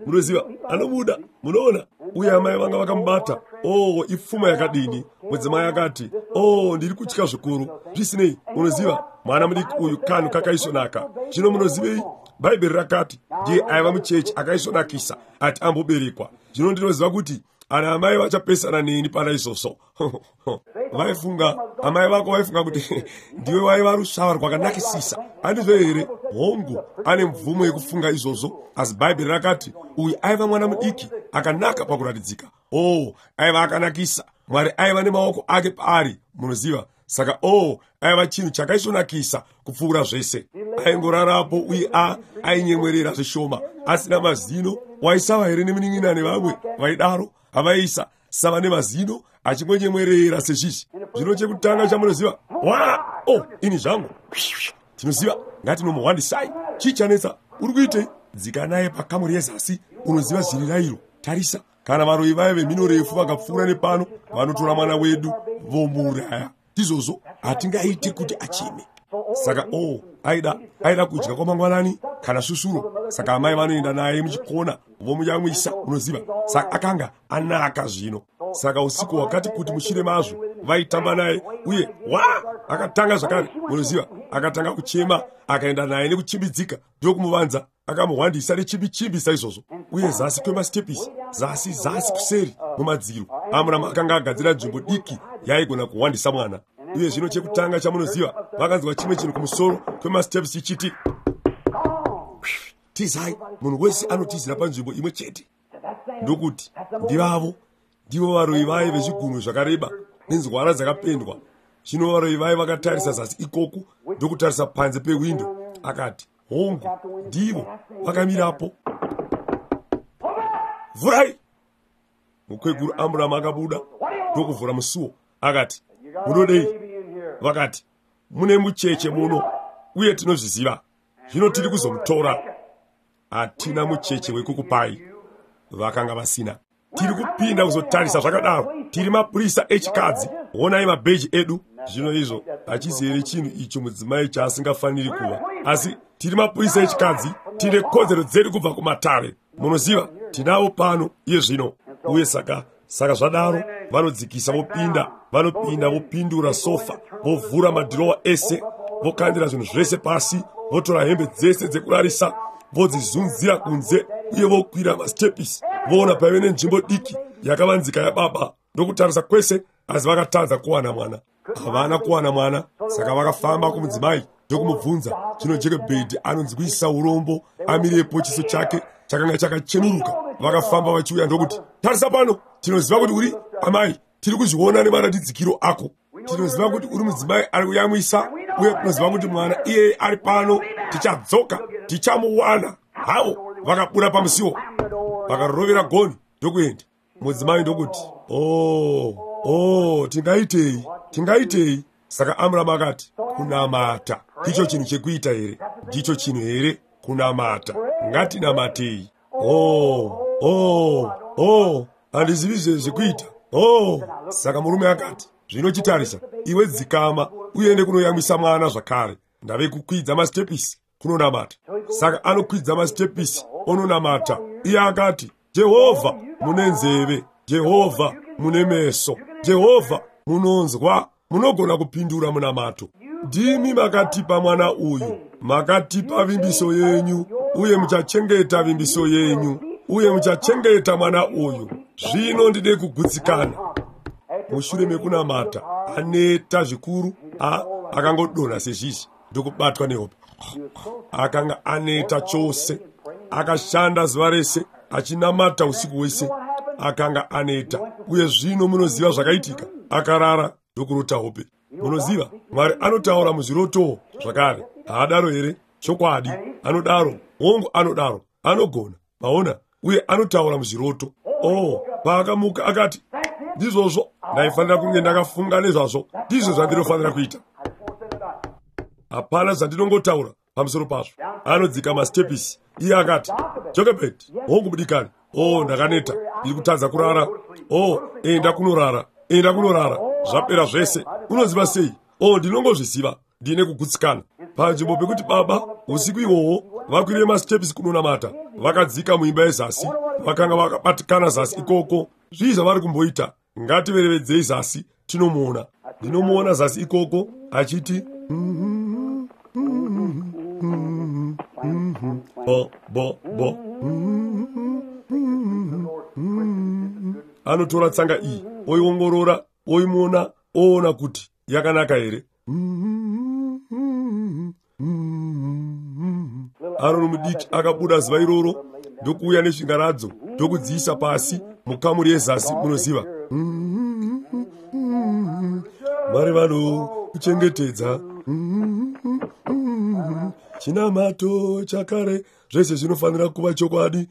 munoziva, anomuda, munoona. Uye amai vanga vakamubata. O, ipfuma yakadini! Mudzimai akati, o, ndiri kutya zvikuru. Zvisinei, unoziva, mwana mudiki uyu kanhu kakaisvonaka. Zvino munozivei? Bhaibheri rakati ndiye aiva muchechi akaisvonakisa ati amboberekwa. Zvino ndinoziva kuti ana amai vachapesana neni pana izvozvo. Vaifunga, amai vako vaifunga kuti ndiwe waiva rusvava rwakanakisisa, handizvo here? Hongu, ane mvumo yekufunga izvozvo, asi Bhaibheri rakati uyu aiva mwana mudiki akanaka pakuratidzika. O, aiva akanakisa. Mwari aiva nemaoko ake paari, munoziva. Saka o, aiva chinhu chakaisvonakisa kupfuura zvese. Aingorarapo uye ainyemwerera zvishoma, asina mazino. Waisava here nemunin'ina nevamwe vaidaro? Havaisa sava nemazino, achingonyemwerera sezvizvi. Zvino chekutanga chamunoziva, wa, o, ini zvangu, tinoziva, ngatinomuhwandisai. Chii chanetsa? Uri kuitei? Dzika naye pakamuri yezasi, unoziva zviri rairo. Tarisa, kana varoyi vaya vemhino refu vakapfuura nepano, vanotora mwana wedu vomuuraya. Ndizvozvo, hatingaiti kuti acheme. Saka o, aida kudya kwamangwanani kana svusvuro. Saka amai vanoenda naye muchikona vomuyamwisa, unoziva. Saka akanga anaka zvino. Saka usiku hwakati kuti mushure mazvo vaitamba naye, uye wa, akatanga zvakare, munoziva, akatanga kuchema. Akaenda naye nekuchimbidzika ndokumuvanza, akamuhwandisa nechimbichimbi saizvozvo. Uye zasi kwemasitepisi, zasi zasi kuseri mumadziro, Amuramu akanga agadzira nzvimbo diki yaigona kuhwandisa mwana. Uye zvino chekutanga chamunoziva, vakanzwa chimwe chinhu kumusoro kwemasitepisi chichiti, tizai. Munhu wese anotizira panzvimbo imwe chete. Ndokuti, ndivavo, ndivo varoyi vaye vezvigunwe zvakareba nenzwara dzakapendwa. Zvino varoyi vaye vakatarisa zasi ikoku ndokutarisa panze pewindo. Akati, hongu, ndivo vakamirapo. Vhurai! Mukweguru Amuramu akabuda ndokuvhura musuo. Akati, munodei? Vakati, mune mucheche muno, uye tinozviziva. Zvino tiri kuzomutora. Hatina mucheche wekukupai. Vakanga vasina. Tiri kupinda kuzotarisa zvakadaro. Tiri mapurisa echikadzi. Honai mabheji edu. Zvino izvo hachizi here chinhu icho mudzimai chaasingafaniri kuva? Asi tiri mapurisa echikadzi, tine kodzero dzedu kubva kumatare. Munoziva, tinavo pano iye zvino. Uye saka zvadaro, vanodzikisa vopinda, vanopinda vopindura sofa, vovhura madhirowa ese, vokandira zvinhu zvese pasi, votora hembe dzese dzekurarisa, vodzizunzira kunze, uye vokwira masitepisi. Voona paive nenzvimbo diki yakavanzika yababa, ndokutarisa kwese, asi vakatadza kuwana mwana. Havana kuwana mwana. Saka vakafamba kumudzimai ndokumubvunza. Zvino Jekebhedhi anonzwisa urombo amirepo, chiso chake chakanga chakachenuruka. Vakafamba vachiuya ndokuti, tarisa pano, tinoziva kuti uri amai, tiri kuzviona nemaratidzikiro ako. Tinoziva kuti uri mudzimai ari kuyamwisa, uye tinoziva kuti mwana iyeye ari pano. Tichadzoka, tichamuwana. Havo vakabuda pamusiwo, vakarovera goni ndokuenda. Mudzimai ndokuti, o, tingaitei, tingaitei? Saka Amuramu akati, kunamata ndicho chinhu chekuita here? Ndicho chinhu here kunamata? Ngatinamatei. O, handizivi zvekuita. O, saka murume akati, zvino chitarisa, iwe dzikama uende kunoyamwisa mwana zvakare. Ndave kukwidza masitepisi kunonamata. Saka anokwidza masitepisi ononamata. Iye akati, Jehovha mune nzeve, Jehovha mune meso, Jehovha munonzwa, munogona kupindura munamato. Ndimi makatipa mwana uyu, makatipa vimbiso yenyu, uye muchachengeta vimbiso yenyu, uye muchachengeta mwana uyu. Zvino ndide kugutsikana. Mushure mekunamata, aneta zvikuru, akangodonha sezvizvi ndokubatwa nehope. Akanga aneta chose, akashanda zuva rese achinamata usiku hwese, akanga aneta. Uye zvino munoziva zvakaitika, akarara ndokurota hope. Munoziva, Mwari anotaura muzvirotowo zvakare. Haadaro here? Chokwadi, anodaro. Hongu, anodaro. Anogona, maona, uye anotaura muzviroto. Oh, paakamuka akati, ndizvozvo, ndaifanira kunge ndakafunga nezvazvo. Ndizvo zvandinofanira kuita. Hapana zvandinongotaura. Pamusoro pazvo anodzika masitepisi. Iye akati, Jokebhedhi, hongu mudikani, o ndakaneta, ndiri kutadza kurara. O, enda kunorara, enda kunorara, zvapera zvese. Unoziva sei? O, ndinongozviziva, ndine kugutsikana. Panzvimbo pekuti baba usiku ihwohwo vakwire masitepisi kunonamata, vakadzika muimba yezasi, vakanga vakabatikana zasi ikoko. Zvii zvavari kumboita? Ngativerevedzei zasi tinomuona. Ndinomuona zasi ikoko achiti bo bo bo. Anotora tsanga iyi, oiongorora, oimuona, oona kuti yakanaka here. Aroni mudiki akabuda zuva iroro ndokuuya nezvingaradzo ndokudziisa pasi mukamuri yezasi, munoziva. Mwari vanokuchengetedza, chinamato chakare, zvese zvinofanira kuva chokwadi.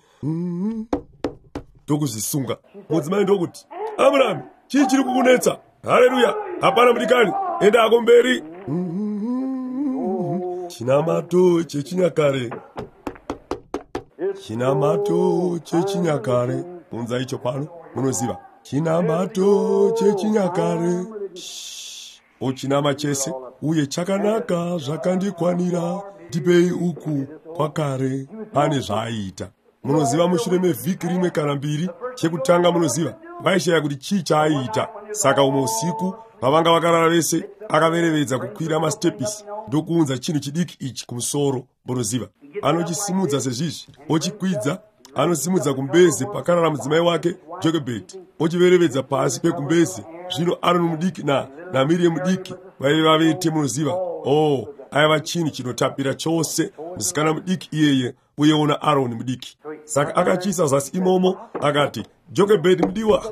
Ndokuzvisunga. Mudzimai ndokuti, Amurami, chii chiri kukunetsa? Haleluya, hapana mudikani, enda ako mberi. Chinamato chechinyakare, chinamato chechinyakare, unza icho pano, munoziva. Chinamato chechinyakare, ochinama chese, uye chakanaka zvakandikwanira, ndipei uku kwakare. Pane zvaaiita. Munoziva, mushure mevhiki rimwe kana mbiri, chekutanga munoziva, vaishaya kuti chii chaaiita. Saka umwe usiku pavanga vakarara vese, akaverevedza kukwira masitepisi ndokuunza chinhu chidiki ichi kumusoro. Munoziva, anochisimudza sezvizvi, ochikwidza, anosimudza kumbeze pakarara mudzimai wake Jokebhedhi, ochiverevedza pasi pekumbeze. Zvino Aroni mudiki naMiriam mudiki vaive vavete, munoziva. Oh, aiva chinhu chinotapira chose, musikana mudiki iyeye, uyewo naAroni mudiki. Saka akachiisa zasi imomo, akati, Jokebhedhi mudiwa.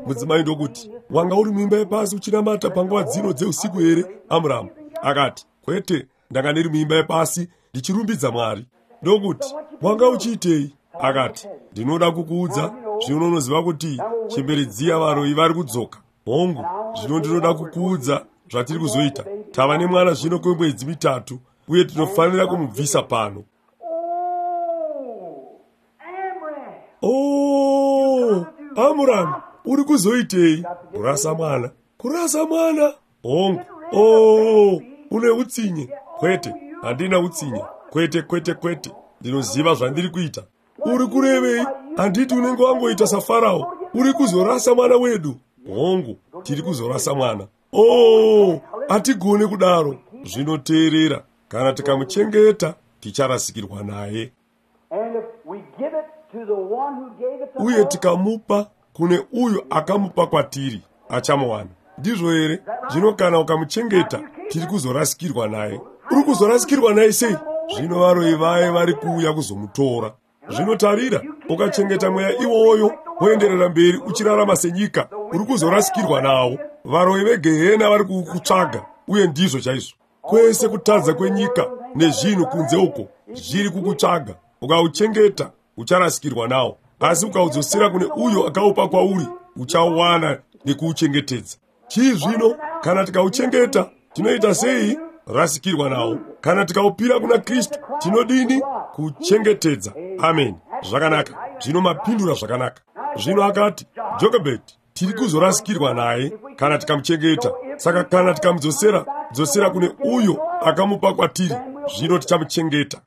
Mudzimai ndokuti, wanga uri muimba yepasi uchinamata panguva dzino dzeusiku here, Amuramu? Akati, kwete, ndanga ndiri muimba yepasi ndichirumbidza Mwari. Ndokuti, wanga uchiitei? Akati, ndinoda kukuudza. Zvino unoziva kuti chembere dziya varoyi vari kudzoka. Hongu, zvino ndinoda kukuudza zvatiri kuzoita. Tava nemwana zvino kwemwedzi mitatu, uye tinofanira kumubvisa pano. Oh, Amuramu, uri kuzoitei? Kurasa mwana. Kurasa mwana? Hongu. Oh, une utsinye? Kwete, handina utsinye. Kwete, kwete, kwete. Ndinoziva zvandiri kuita. Uri kurevei? Handiti unenge wangoita saFarao. Uri kuzorasa mwana wedu. Hongu, tiri kuzorasa mwana. Oh, hatigone kudaro. Zvinoteerera, kana tikamuchengeta, ticharasikirwa naye. Uye tikamupa kune uyu akamupa kwatiri, achamuwana. Ndizvo here? Zvino kana ukamuchengeta, tiri kuzorasikirwa naye. Uri kuzorasikirwa naye sei? Zvino varoyi vaye vari kuuya kuzomutora. Zvino tarira, ukachengeta mweya iwoyo, woenderera mberi uchirarama senyika, uri kuzorasikirwa nawo. Varoyi vegehena vari kukutsvaga, uye ndizvo chaizvo. Kwese kutadza kwenyika nezvinhu kunze uko zviri kukutsvaga. Ukauchengeta, ucharasikirwa nawo. Asi ukaudzosera kune uyo akaupa kwauri, uchauwana nekuuchengetedza. Chii zvino? Kana tikauchengeta, tinoita sei? Rasikirwa nawo. Kana tikaupira kuna Kristu, tinodini? Kuchengetedza. Amen. Zvakanaka. Zvino mapindura zvakanaka. Zvino akati, Jokebhedhi, tiri kuzorasikirwa naye kana tikamuchengeta. Saka kana tikamudzosera, dzosera kune uyo akamupa kwatiri, zvino tichamuchengeta.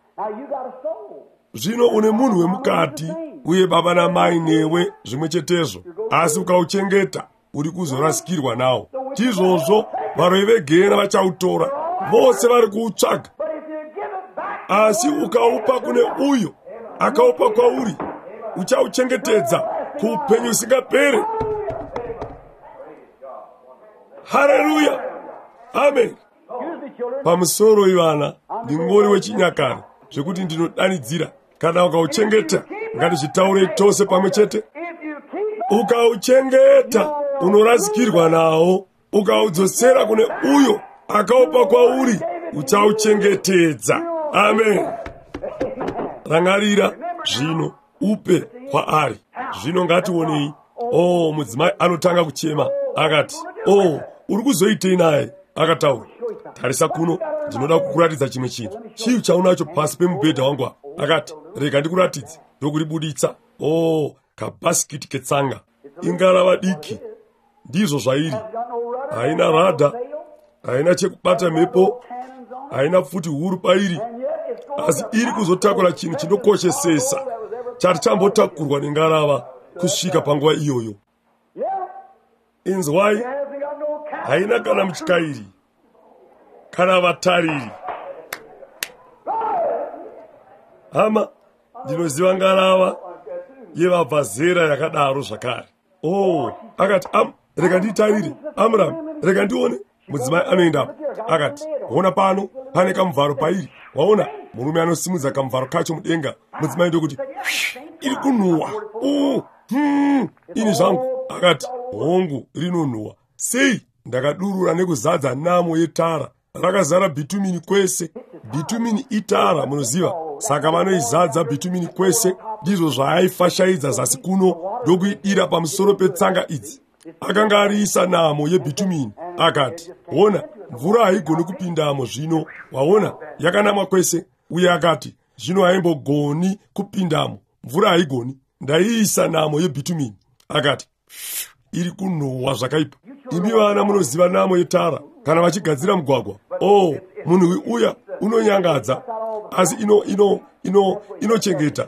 Zvino une munhu wemukati, uye baba namai newe zvimwe chetezvo, asi ukauchengeta, uri kuzorasikirwa nawo. Tizvozvo, varoyi vegehena vachautora, vose vari kuutsvaga. Asi ukaupa kune uyo akaupa kwauri, uchauchengetedza kuupenyu usingaperi. Haleluya, amen. Pamusoro ivana, ndingori wechinyakare zvekuti ndinodanidzira. Kana ukauchengeta, ngatizvitaurei tose pamwe chete. Ukauchengeta, unorasikirwa nawo. Ukaudzosera kune uyo akaupa kwauri, uchauchengetedza. Amen. Rangarira zvino, upe kwaari. Zvino ngationei. Oh, mudzimai anotanga kuchema. Akati, oh, uri kuzoitei naye? Akataura, tarisa kuno, Ndinoda kukuratidza chimwe chinhu. Chii chaunacho pasi pemubhedha wangu apa? Akati, rega ndikuratidze. Ndokuribuditsa. Oh, kabhasikiti ketsanga. Ingarava diki. Ndizvo zvairi. Haina radha, haina chekubata mhepo, haina pfuti huru pairi, asi iri kuzotakura chinhu chinokoshesesa chati chambotakurwa nengarava kusvika panguva iyoyo. Inzwai, haina kana mutyairi kana vatariri. Hama, ndinoziva ngarava yevabva zera yakadaro zvakare. Oh, akati, rega ndiitarire. Amram, rega ndione. Mudzimai anoendapo. Akati, ona pano, pane kamuvharo pairi. Waona, murume anosimudza kamuvharo kacho mudenga. Mudzimai ndokuti, iri kunhuhwa. Oh, ini zvangu. Akati, hongu, rinonhuhwa. Sei? Ndakadurura nekuzadza namo yetara. Rakazara bhitumini kwese. Bhitumini itara, munoziva. Saka vanoizadza bhitumini kwese. Ndizvo zvaaifashaidza zasi kuno ndokuidira pamusoro petsanga idzi. Akanga ariisa namo yebhitumini. Akati, ona, mvura haigoni kupindamo zvino. Waona, yakanamwa kwese. Uye akati, zvino haimbogoni kupindamo. Mvura haigoni. Ndaiisa namo yebhitumini. Akati, iri kunhuhwa zvakaipa. Imi vana munoziva namo yetara kana vachigadzira mugwagwa. Oh, munhuwi uya unonyangadza, asi inochengeta,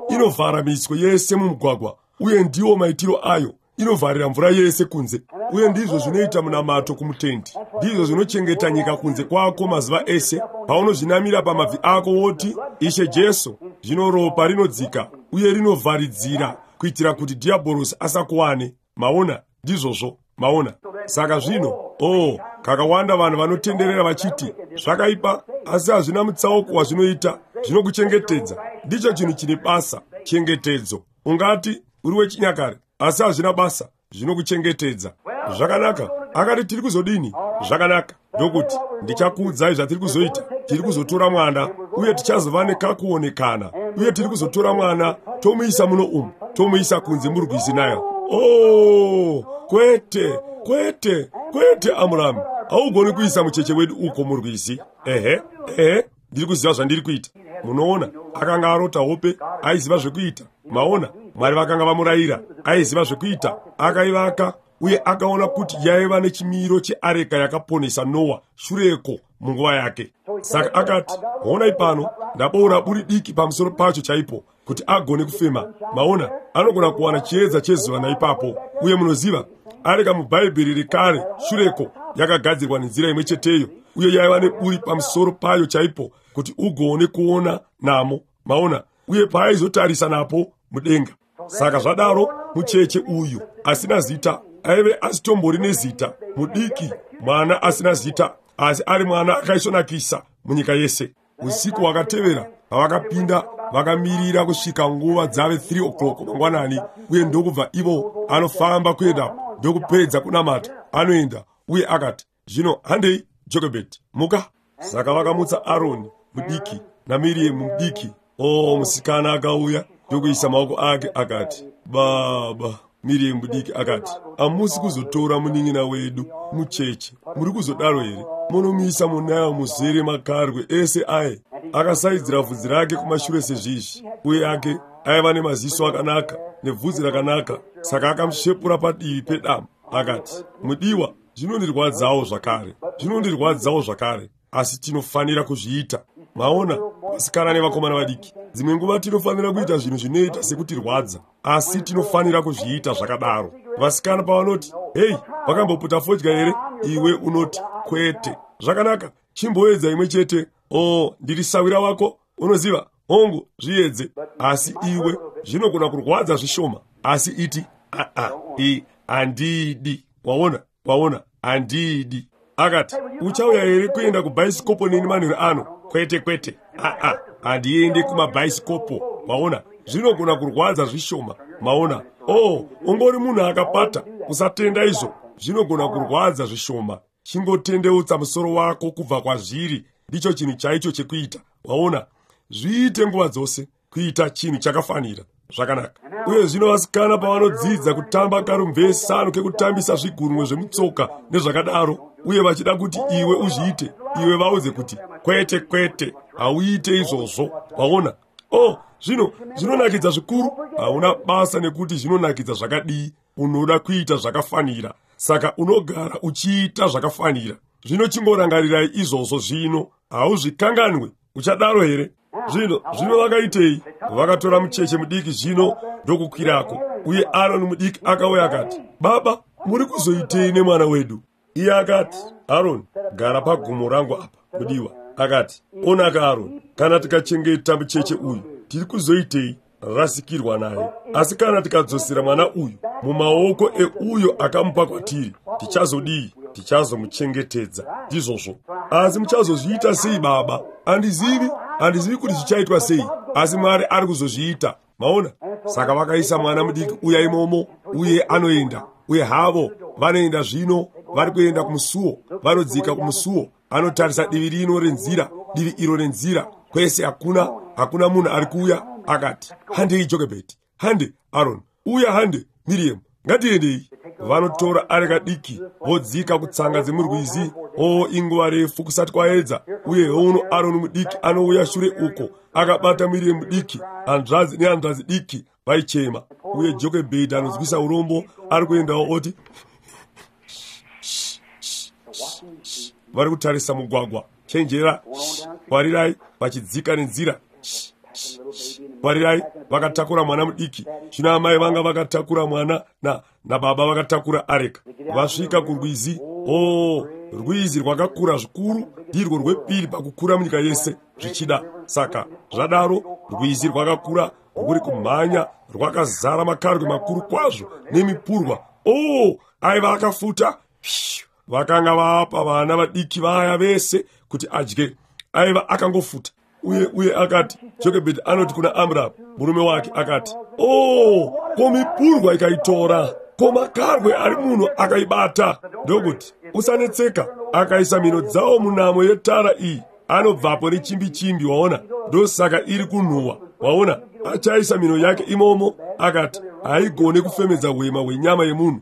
inovhara miswe yese mumugwagwa, uye ndiwo maitiro ayo. Inovharira mvura yese kunze. Uye ndizvo zvinoita munamato kumutendi. Ndizvo zvinochengeta nyika kunze kwako mazuva ese. Paunozvinamira pamabvi ako woti, Ishe Jesu, zvino ropa rinodzika uye rinovharidzira kuitira kuti dhiabhorosi asakuwane. Maona, ndizvozvo. Maona. Saka zvino, oh, kakawanda vanhu vanotenderera vachiti zvakaipa, asi hazvina mutsauko wazvinoita. Zvinokuchengetedza. Ndicho chinhu chine basa, chengetedzo. Ungati uri wechinyakare, asi hazvina basa, zvinokuchengetedza. Zvakanaka. Akati, tiri kuzodini? Zvakanaka. Ndokuti, ndichakuudzai zvatiri kuzoita. Tiri kuzotora mwana, uye tichazova nekakuonekana. Uye tiri kuzotora mwana, tomuisa muno umu, tomuisa kunze murwizi Nile. Oh, kwete, kwete, kwete, Amram. Haugoni kuisa mucheche wedu uko murwizi. Ehe, ehe, ndiri kuziva zvandiri kuita. Munoona, akanga arota hope, aiziva zvekuita. Maona, Mwari vakanga vamurayira, aiziva zvekuita. Akaivaka uye akaona kuti yaiva nechimiro cheareka yakaponesa Noa shureko munguva yake. Saka akati, honai pano, ndaboora buri diki pamusoro pacho chaipo kuti agone kufema. Maona, anogona kuwana chiedza chezuva naipapo. Uye munoziva, areka muBhaibheri rekare shureko yakagadzirwa nenzira imwe cheteyo, uye yaiva neburi pamusoro payo chaipo kuti ugone kuona namo. Maona, uye paaizotarisa napo mudenga. Saka zvadaro, mucheche uyu asina zita, aive asitombori nezita, mudiki, mwana asina zita, asi ari mwana akaisvonakisa munyika yese. Usiku hwakatevera pavakapinda, vakamirira kusvika nguva dzave 3 o'clock mangwanani, uye ndokubva ivo anofamba kuendapo, ndokupedza kunamata, anoenda, uye akati, zvino handei, Jochebed, muka. Saka vakamutsa Aroni mudiki naMiriam mudiki. Oh, musikana akauya ndokuisa maoko ake akati, baba. Miriam mudiki akati, hamusi kuzotora munin'ina wedu mucheche, muri kuzodaro here? Munomuisa muNile muzere makarwe ese aye. Akasaidzira vhudzi rake kumashure sezvizvi, uye ake aiva nemaziso akanaka nebvudzi rakanaka. Saka akamushepura padivi pedamu akati, mudiwa, zvinondirwadzawo zvakare, zvinondirwadzawo zvakare, asi tinofanira kuzviita. Maona, vasikana nevakomana vadiki, dzimwe nguva tinofanira kuita zvinhu zvinoita sekutirwadza, asi tinofanira kuzviita zvakadaro. Vasikana pavanoti, hei, wakamboputa fodya here? Iwe unoti, kwete. Zvakanaka, chimboedza imwe chete. Oh, ndiri sawira wako, unoziva, hongu, zviedze. Asi iwe, zvinogona kurwadza zvishoma, asi iti, a-a, handidi. Waona, waona, handidi. Akati, uchauya here kuenda kubhaisikopo neni manheru ano? Kwete, kwete, a-a, handiendi kumabhaisikopo. Waona, zvinogona kurwadza zvishoma. Maona, oh, ungori munhu akapata, usatenda izvo, zvinogona kurwadza zvishoma. Chingotendeutsa musoro wako kubva kwazviri, ndicho chinhu chaicho chekuita. Waona, zviite nguva dzose, kuita chinhu chakafanira. Zvakanaka. Uye zvino vasikana pavanodzidza kutamba karumvesano kekutambisa zvigunwe zvemutsoka nezvakadaro, uye vachida kuti iwe uzviite, Iwe vaudze kuti kwete, kwete, hauite izvozvo. Waona? Oh, zvino zvinonakidza zvikuru. Hauna basa nekuti zvinonakidza zvakadii, unoda kuita zvakafanira. Saka unogara uchiita zvakafanira. Zvino chingorangarirai izvozvo zvino, hauzvikanganwe. Uchadaro here? Zvino vakaitei? Vakatora mucheche mudiki zvino ndokukwirako. Uye Aroni mudiki akauya akati, "Baba, muri kuzoitei nemwana wedu?" Iye akati, "Aroni, gara pagumo rangu apa, mudiwa." Akati, "Onaka Aroni, kana tikachengeta mucheche uyu, tiri kuzoitei? Rasikirwa naye. Asi kana tikadzosera mwana uyu mumaoko euyo akamupa kwatiri, tichazodii? Tichazomuchengetedza." Ndizvozvo. Asi muchazozviita sei, baba? Handizivi kuti zvichaitwa sei, asi Mwari ari kuzozviita. Maona? Saka vakaisa mwana mudiki uya imomo, uye anoenda. Uye havo vanoenda zvino, vari kuenda kumusuo, vanodzika kumusuo. Anotarisa divi rino renzira, divi iro renzira, kwese hakuna munhu ari kuuya. Akati, "Handei Jokebhedi, hande Aroni, uya hande Miriam, ngatiendei." Vanotora areka diki, vodzika kutsanga dzemurwizi. O, inguva refu kusati kwaedza. Uye uno Aroni mudiki anouya shure uko, akabata Miriam mudiki, hanzvadzi nehanzvadzi diki vaichema. Uye Jokebhedi anonzwisa urombo, ari kuendawo oti, vari kutarisa mugwagwa, chenjera, kwarirai, vachidzika nenzira, kwarirai, vakatakura mwana mudiki. Zvino amai vanga vakatakura mwana nababa vakatakura areka. Vasvika kurwizi. O, rwizi rwakakura zvikuru, ndirwo rwepiri pakukura munyika yese zvichida. Saka zvadaro, rwizi rwakakura rwuri kumhanya, rwakazara makarwe makuru kwazvo nemipurwa. O, aiva akafuta. Vakanga vapa vana vadiki vaya vese kuti adye. Aiva akangofuta. Uye akati, Jokebhedi anoti kuna Amram murume wake, akati, "Oh, ko mipurwa ikaitora, ko makarwe ari munhu akaibata." Ndokuti, "Usanetseka." Akaisa mhino dzawo munamo yetara iyi, anobvapo nechimbi-chimbi. Waona? Ndosaka iri kunhuhwa. Waona? Achaisa mhino yake imomo. Akati, haigone kufemedza hwema hwenyama yemunhu.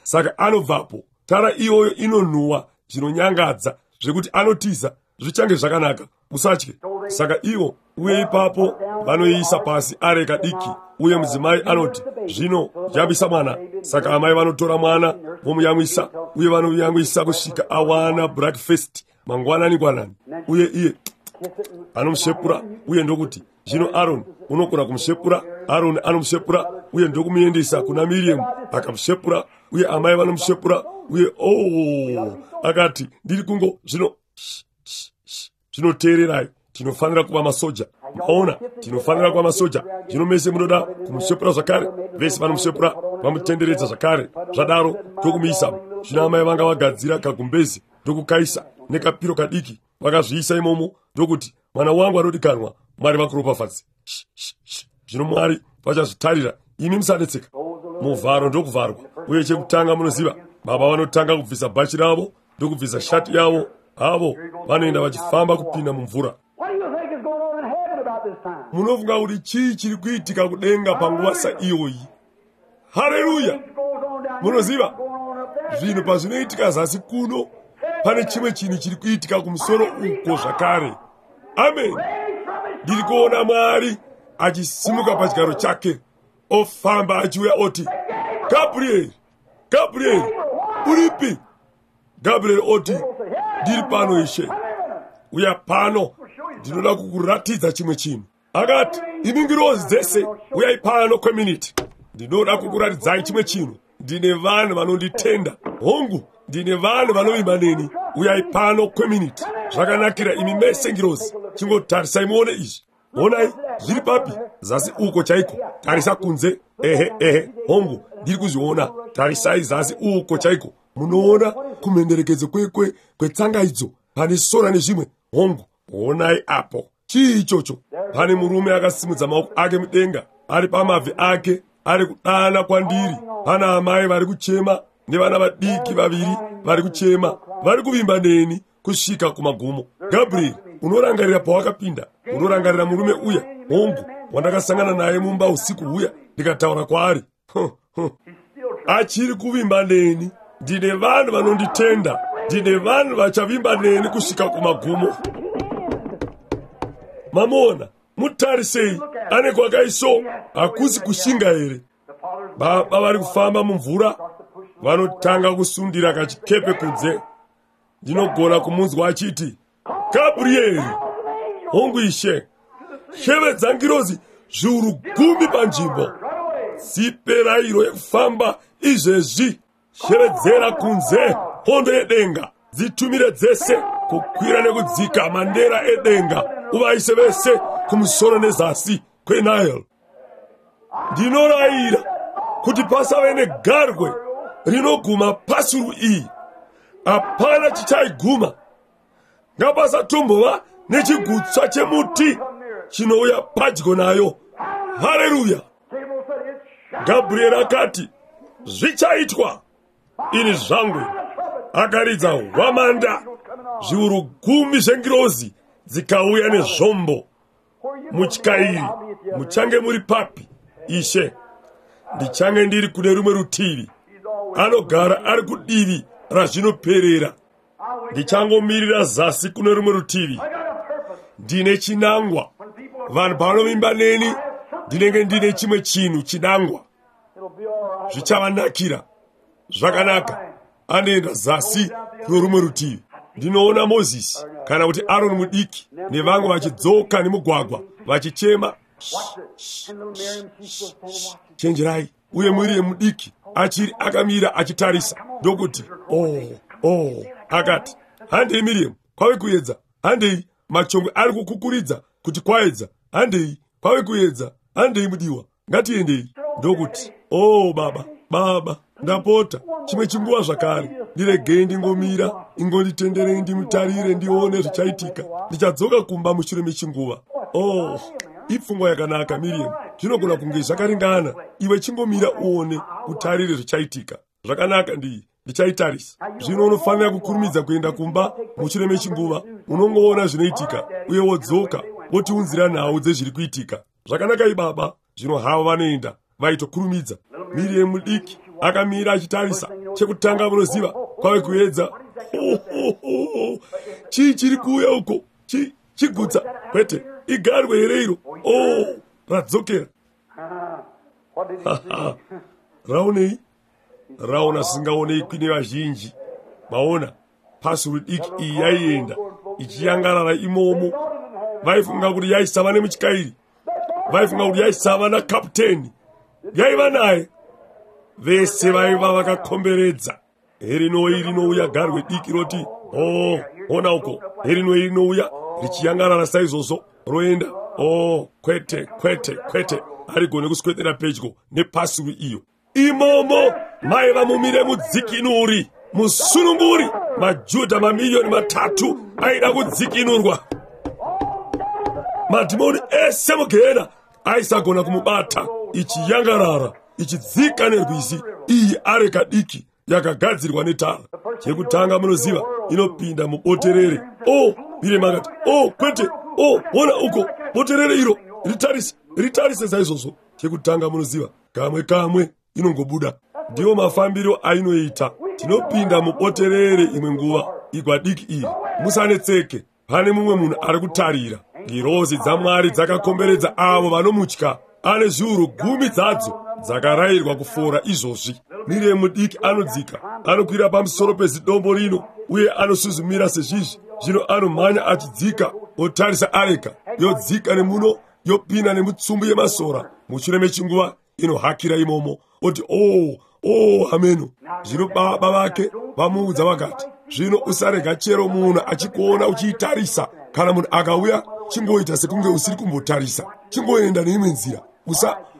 Saka anobvapo. Tara iyoyo inonhuhwa zvinonyangadza zvekuti anotiza. Zvichange zvakanaka, usatye. Saka ivo, uye ipapo vanoiisa pasi areka diki. Uye mudzimai anoti, "Zvino yamwisa mwana." Saka amai vanotora mwana vomuyamwisa, uye vanomuyamwisa kusvika awana breakfast mangwanani ngwanani. Uye iye anomushepura, uye ndokuti, "Zvino Aroni unogona kumushepura." Aroni anomushepura, uye ndokumuendesa kuna Miriam, akamushepura, uye amai vanomushepura. Uye oh, akati, "Ndiri kungo zvino zvinoteererai, tinofanira kuva masoja." Maona, tinofanira kuva masoja. Zvino mese munoda kumushepura zvakare. Vese vanomushepura, vamutenderedza zvakare. Zvadaro ndokumuisa. Zvino amai vanga vagadzira kagumbezi, ndokukaisa nekapiro kadiki, vakazviisa imomo, ndokuti, "Mwana wangu anodikanwa, Mwari vakuropafadze." Zvino Mwari vachazvitarira, imi musanetseka. Muvharo ndokuvharwa. Uye chekutanga munoziva, baba vanotanga kubvisa bhachi ravo ndokubvisa shati yavo. Havo vanoenda vachifamba kupinda mumvura. Munofunga kuti chii chiri kuitika kudenga panguva saiyoyi? Haleluya! Munoziva, zvinhu pazvinoitika zasi kuno, pane chimwe chinhu chiri kuitika kumusoro uko zvakare. Amen. Ndiri kuona Mwari achisimuka pachigaro chake, ofamba achiuya oti, "Gabrieri, Gabrieri, uripi?" Gabrieri oti, "Ndiri pano, Ishe. Uya pano, ndinoda kukuratidza chimwe chinhu." Akati, "Imi ngirozi dzese, uyai pano kweminiti. Ndinoda kukuratidzai chimwe chinhu. Ndine vanhu vanonditenda. Hongu, ndine vanhu vanovimba neni. Uyai pano kweminiti. Zvakanakira imi mese ngirozi. Chingotarisai muone izvi. Onai, zviri papi? Zasi uko chaiko. Tarisa kunze. Ehe, ehe, hongu, ndiri kuzviona. Tarisai zasi uko chaiko. Munoona kumhenderekedzo kwetsanga idzo, pane sora nezvimwe. Hongu, onai apo. Chii ichocho? Pane murume akasimudza maoko ake mudenga, ari pamabvi ake, ari kudana kwandiri. Pana amai vari kuchema nevana vadiki vaviri vari kuchema, vari kuvimba neni kusvika kumagumo. Gabriel, unorangarira pawakapinda? Unorangarira murume uya, hongu, wandakasangana naye mumba usiku huya ndikataura kwaari? Achiri kuvimba neni. Ndine vanhu vanonditenda. Ndine vanhu vachavimba neni kusvika kumagumo. Mamuona, mutarisei, ane kwakaiso, hakusi kushinga here? Baba vari kufamba mumvura, vanotanga kusundira kachikepe kunze. Ndinogona kumunzwa achiti, Gabrieri, hongu ishe, shevedza ngirozi zviuru gumi panzvimbo, dzipe rayiro yekufamba izvezvi, shevedzera kunze hondo yedenga, dzitumire dzese kukwira nekudzika mandera edenga, uvaise vese kumusoro nezasi kweNile. Ndinorayira kuti pasave negarwe rinoguma pasuru iyi, hapana chichaiguma. Ngapasatombova nechigutswa chemuti chinouya padyo nayo. Haleluya! Gabrieri akati, zvichaitwa. Ini zvangu. Akaridza hwamanda, zviuru gumi zvengirozi dzikauya nezvombo. Mutyairi, muchange muri papi, Ishe? Ndichange ndiri kune rumwe rutivi. Anogara ari kudivi razvinoperera. Ndichangomirira zasi kune rumwe rutivi. Ndine chinangwa. Vanhu pavanovimba neni, ndinenge ndine chimwe chinhu chinangwa. Zvichavanakira. Zvakanaka. Anoenda zasi kuno rumwe rutivi. Ndinoona Mozisi kana kuti Aroni mudiki nevamwe vachidzoka nemugwagwa vachichema, chenjerai. Uye Miriam mudiki achiri akamira achitarisa, ndokuti, oh, oh, akati, handei Miriam, kwave kuedza, handei, machongwe ari kukukuridza kuti kwaedza, handei, kwave kuedza, handei mudiwa, ngatiendei. Ndokuti, oh baba, baba, ndapota, chimwe chinguva zvakare, ndiregei ndingomira, ingonditenderei ndimutarire ndione zvichaitika. Ndichadzoka kumba mushure mechinguva. Oh, ipfungwa yakanaka Miriam, zvinogona kunge zvakaringana. Iwe chingomira uone, utarire zvichaitika. Zvakanaka, ndichaitarisa. Zvino unofanira kukurumidza kuenda kumba mushure mechinguva. Unongoona zvinoitika uye wodzoka wotiunzira nhau dzezviri kuitika. Zvakanaka ibaba. Zvino havo vanoenda vaitokurumidza. Miriam mudiki akamira achitarisa. Chekutanga munoziva, kwave kuedza. Chii chiri kuuya uko? Chigutsa? Kwete, igarwe here iro? Oh, radzokera. Raonei? Raona zvisingaonekwi nevazhinji. Maona, pasuru diki iyi yaienda ichiyangarara imomo. Vaifunga kuti yaisava nemutyairi, vaifunga kuti yaisava nakaputeni, yaiva naye. Vese vaiva vakakomberedza. Herinoi rinouya garwe diki roti, oh, ona uko. Herinoi rinouya richiyangarara saizvozvo, roenda. Oh, kwete, kwete, kwete, harigone kuswedera pedyo nepasuru iyo. Imomo maiva mumire mudzikinuri, musununguri. MaJudha mamiliyoni 3 aida kudzikinurwa. Madhimoni ese mugehena aisagona kumubata. Ichiyangarara ichidzika nerwizi, iyi areka diki yakagadzirwa netara. Chekutanga munoziva, inopinda muboterere. Oh, Miriam akati, oh, kwete, oh, ona uko, boterere iro, ritarise, ritarise saizvozvo. Chekutanga munoziva, kamwe kamwe inongobuda. Ndiwo mafambiro ainoita. Tinopinda muboterere imwe nguva, igwa diki iri. Musanetseke, pane mumwe munhu ari kutarira. Ngirozi dzaMwari dzakakomberedza avo vanomutya. Ane zviuru gumi dzadzo dzakarayirwa kufora izvozvi. Miriam mudiki anodzika, anokwira pamusoro pezidombo rino uye anosuzumira sezvizvi. Zvino anomhanya achidzika, otarisa areka, yodzika nemuno, yopinda nemutsumbu yemasora. Mushure mechinguva inohakira imomo, oti, oh, oh, ameno. Zvino baba vake vamuudza vakati, zvino usarega chero munhu achikuona uchiitarisa. Kana munhu akauya, chingoita sekunge usiri kumbotarisa, chingoenda neimwe nzira.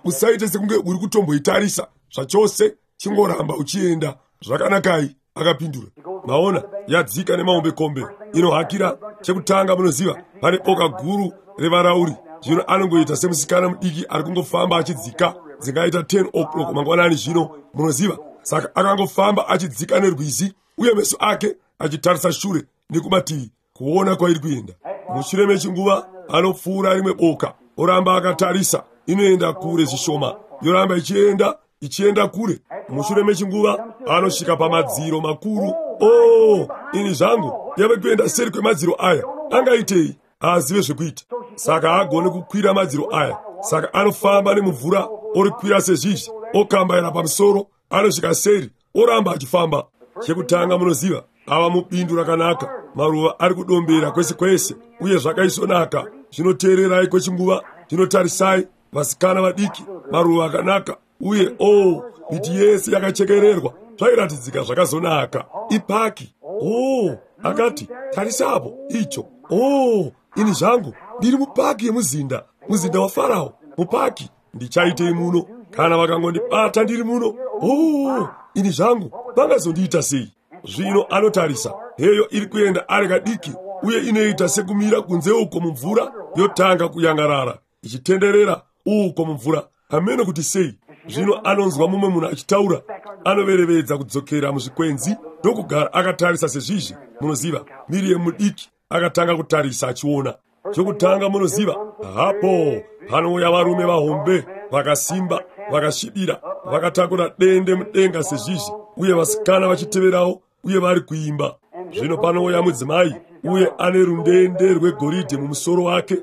Usaite sekunge uri kutomboitarisa zvachose, chingoramba uchienda. Zvakanakai, akapindura. Maona, yadzika nemahombekombe, inohakira. Chekutanga munoziva, pane boka guru revarauri. Zvino anongoita semusikana mudiki ari kungofamba achidzika. Dzingaita 10 o'clock mangwanani zvino, munoziva. Saka akangofamba achidzika nerwizi, uye meso ake achitarisa shure nekumativi kuona kwairi kuenda. Mushure mechinguva anopfuura rimwe boka, oramba akatarisa. Inoenda kure zvishoma, yoramba ichienda. ichienda kure. Mushure mechinguva anosvika pamadziro makuru. Oh, ini zvangu, yave kuenda seri kwemadziro aya. Angaitei? Haazive zvekuita. Saka haagoni kukwira madziro aya. Saka anofamba nemumvura, orikwira sezvizvi, okambaira pamusoro, anosvika seri, oramba achifamba. Chekutanga munoziva, ava mubindu rakanaka, maruva ari kudombera kwese kwese, uye zvakaisvonaka. Zvinoteererai kwechinguva, zvinotarisai vasikana vadiki, maruva akanaka, uye oh, miti yese yakachekererwa, zvairatidzika zvakazonaka. Ipaki. Oh, akati, tarisapo icho. Oh, ini zvangu, ndiri mupaki yemuzinda, muzinda waFarao, mupaki. Ndichaitei muno? Kana vakangondibata ndiri muno, oh, ini zvangu, vangazondiita sei? Zvino anotarisa, heyo iri kuenda areka diki, uye inoita sekumira kunze uko mumvura, yotanga kuyangarara, ichitenderera uko mumvura. Hameno kuti sei. Zvino anonzwa mumwe munhu achitaura, anoverevedza kudzokera muzvikwenzi ndokugara akatarisa sezvizvi. Munoziva, Miriam mudiki akatanga kutarisa achiona. Chokutanga munoziva, hapo panouya varume vahombe vakasimba, vakasvibira, vakatakura dende mudenga sezvizvi, uye vasikana vachiteverawo, uye vari kuimba. Zvino panouya mudzimai, uye ane rundende rwegoridhe mumusoro wake,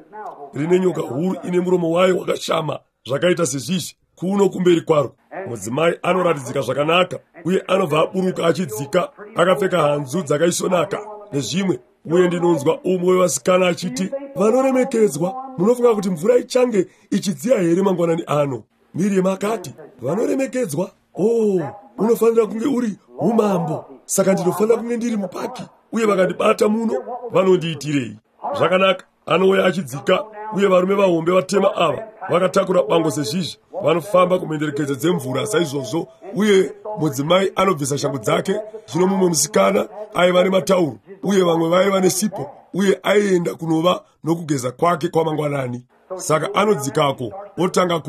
rine nyoka huru ine muromo wayo wakashama zvakaita sezvizvi kuno kumberi kwaro. Mudzimai anoratidzika zvakanaka, uye anobva aburuka achidzika akapfeka hanzu dzakaisvonaka nezvimwe. Uye ndinonzwa umwe wevasikana achiti, vanoremekedzwa, munofunga kuti mvura ichange ichidziya here mangwanani ano? Miriam akati, vanoremekedzwa, oh, unofanira kunge uri umambo, saka ndinofanira kunge ndiri mupaki, uye vakandibata muno vanondiitirei? Zvakanaka. Anouya achidzika, uye varume vahombe vatema ava vakatakura bango sezvizvi, vanofamba kumhenderekedzo dzemvura saizvozvo, uye mudzimai anobvisa shangu dzake. Zvino mumwe musikana aiva nematauro, uye vamwe vaiva nesipo, uye aienda kunova nokugeza kwake kwamangwanani. Saka anodzikako otanga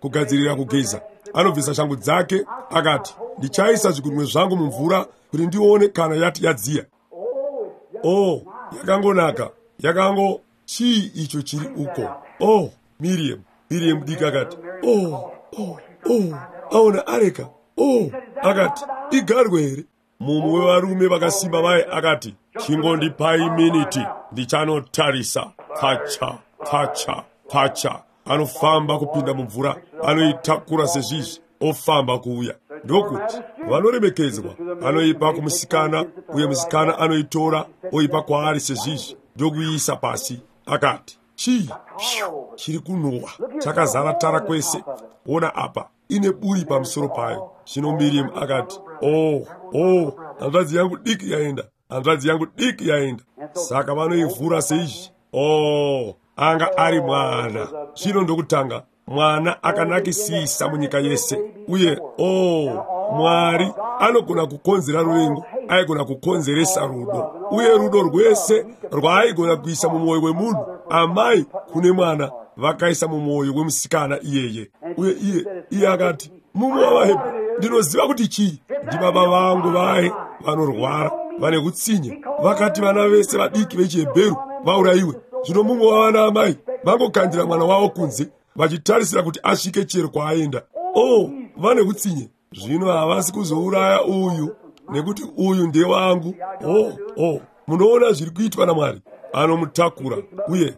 kugadzirira kugeza. Anobvisa shangu dzake, akati, ndichaisa zvigunwe zvangu mumvura kuti ndione kana yati yadziya. Oh, yakangonaka, yakango chii icho chiri uko? Oh, Miriam, Miriam mudiki akati, oh, oh, oh, aona areka. Oh, akati, igarwe here? Mumwe wevarume vakasimba vaye akati, chingondipai miniti, ndichanotarisa. Pacha, pacha, pacha. Anofamba kupinda mumvura, anoitakura sezvizvi, ofamba kuuya. Ndokuti, vanoremekedzwa, anoipa kumusikana, uye musikana anoitora, oipa kwaari sezvizvi, ndokuiisa pasi. Akati, chii? Chiri kunhuhwa, chakazara tara kwese. Ona apa, ine buri pamusoro payo. Zvino Miriam akati, oh, oh, hanzvadzi yangu diki yaenda, hanzvadzi yangu diki yaenda. Saka vanoivhura seizvi. Oh, anga ari mwana. Zvino ndokutanga, mwana akanakisisa munyika yese. Uye, oh, Mwari anogona kukonzera ruvengo, aigona kukonzeresa rudo. Uye rudo rwese rwaaigona kuisa mumwoyo wemunhu, amai kune mwana, vakaisa mumwoyo wemusikana iyeye. Uye iye akati, mumwe wavaHebheru, ndinoziva kuti chii, ndibaba vangu vaye vanorwara, vane utsinye, vakati vana vese vadiki vechiHebheru vaurayiwe. Zvino mumwe wavana amai vangokandira mwana wavo kunze, vachitarisira kuti asvike chero kwaaenda. Oh, vane utsinye. Zvino havasi kuzouraya uyu, nekuti uyu ndewangu. Oh, oh, munoona zviri kuitwa naMwari. Anomutakura uye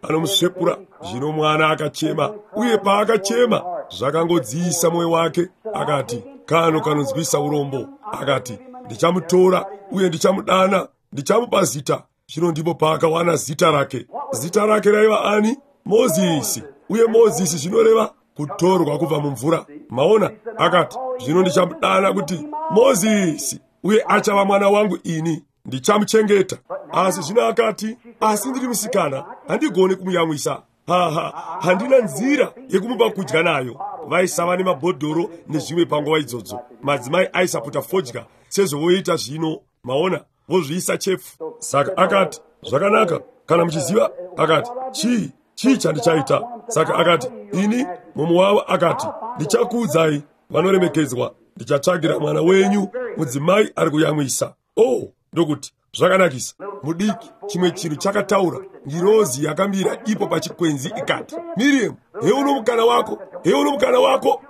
anomusvepura. Zvino mwana akachema, uye paakachema zvakangodziisa mwoyo wake. Akati, kano kanonzwisa urombo. Akati, ndichamutora uye ndichamudana, ndichamupa zita. Zvino ndipo paakawana zita rake. Zita rake raiva ani? Mozisi. Uye Mozisi zvinoreva kutorwa kubva mumvura. Maona? Akati, zvino ndichamudana kuti Mozisi, uye achava mwana wangu ini, ndichamuchengeta. Asi zvino akati, asi ndiri musikana, handigoni kumuyamwisa. Handina nzira yekumupa kudya nayo. Vaisava nemabhodhoro nezvimwe panguva idzodzo. Madzimai aisaputa fodya sezvovoita zvino. Maona? Vozviisa chepfu. Saka akati, zvakanaka, kana muchiziva. Akati, chii chandichaita? Saka akati, ini, mumwe wavo akati, ndichakuudzai, vanoremekedzwa, ndichatsvagira mwana wenyu mudzimai ari kuyamwisa. Oh, ndokuti, zvakanakisa. Mudiki, chimwe chinhu chakataura, ngirozi yakamira ipo pachikwenzi ikati, Miriam, heuno mukana wako, heuno mukana wako.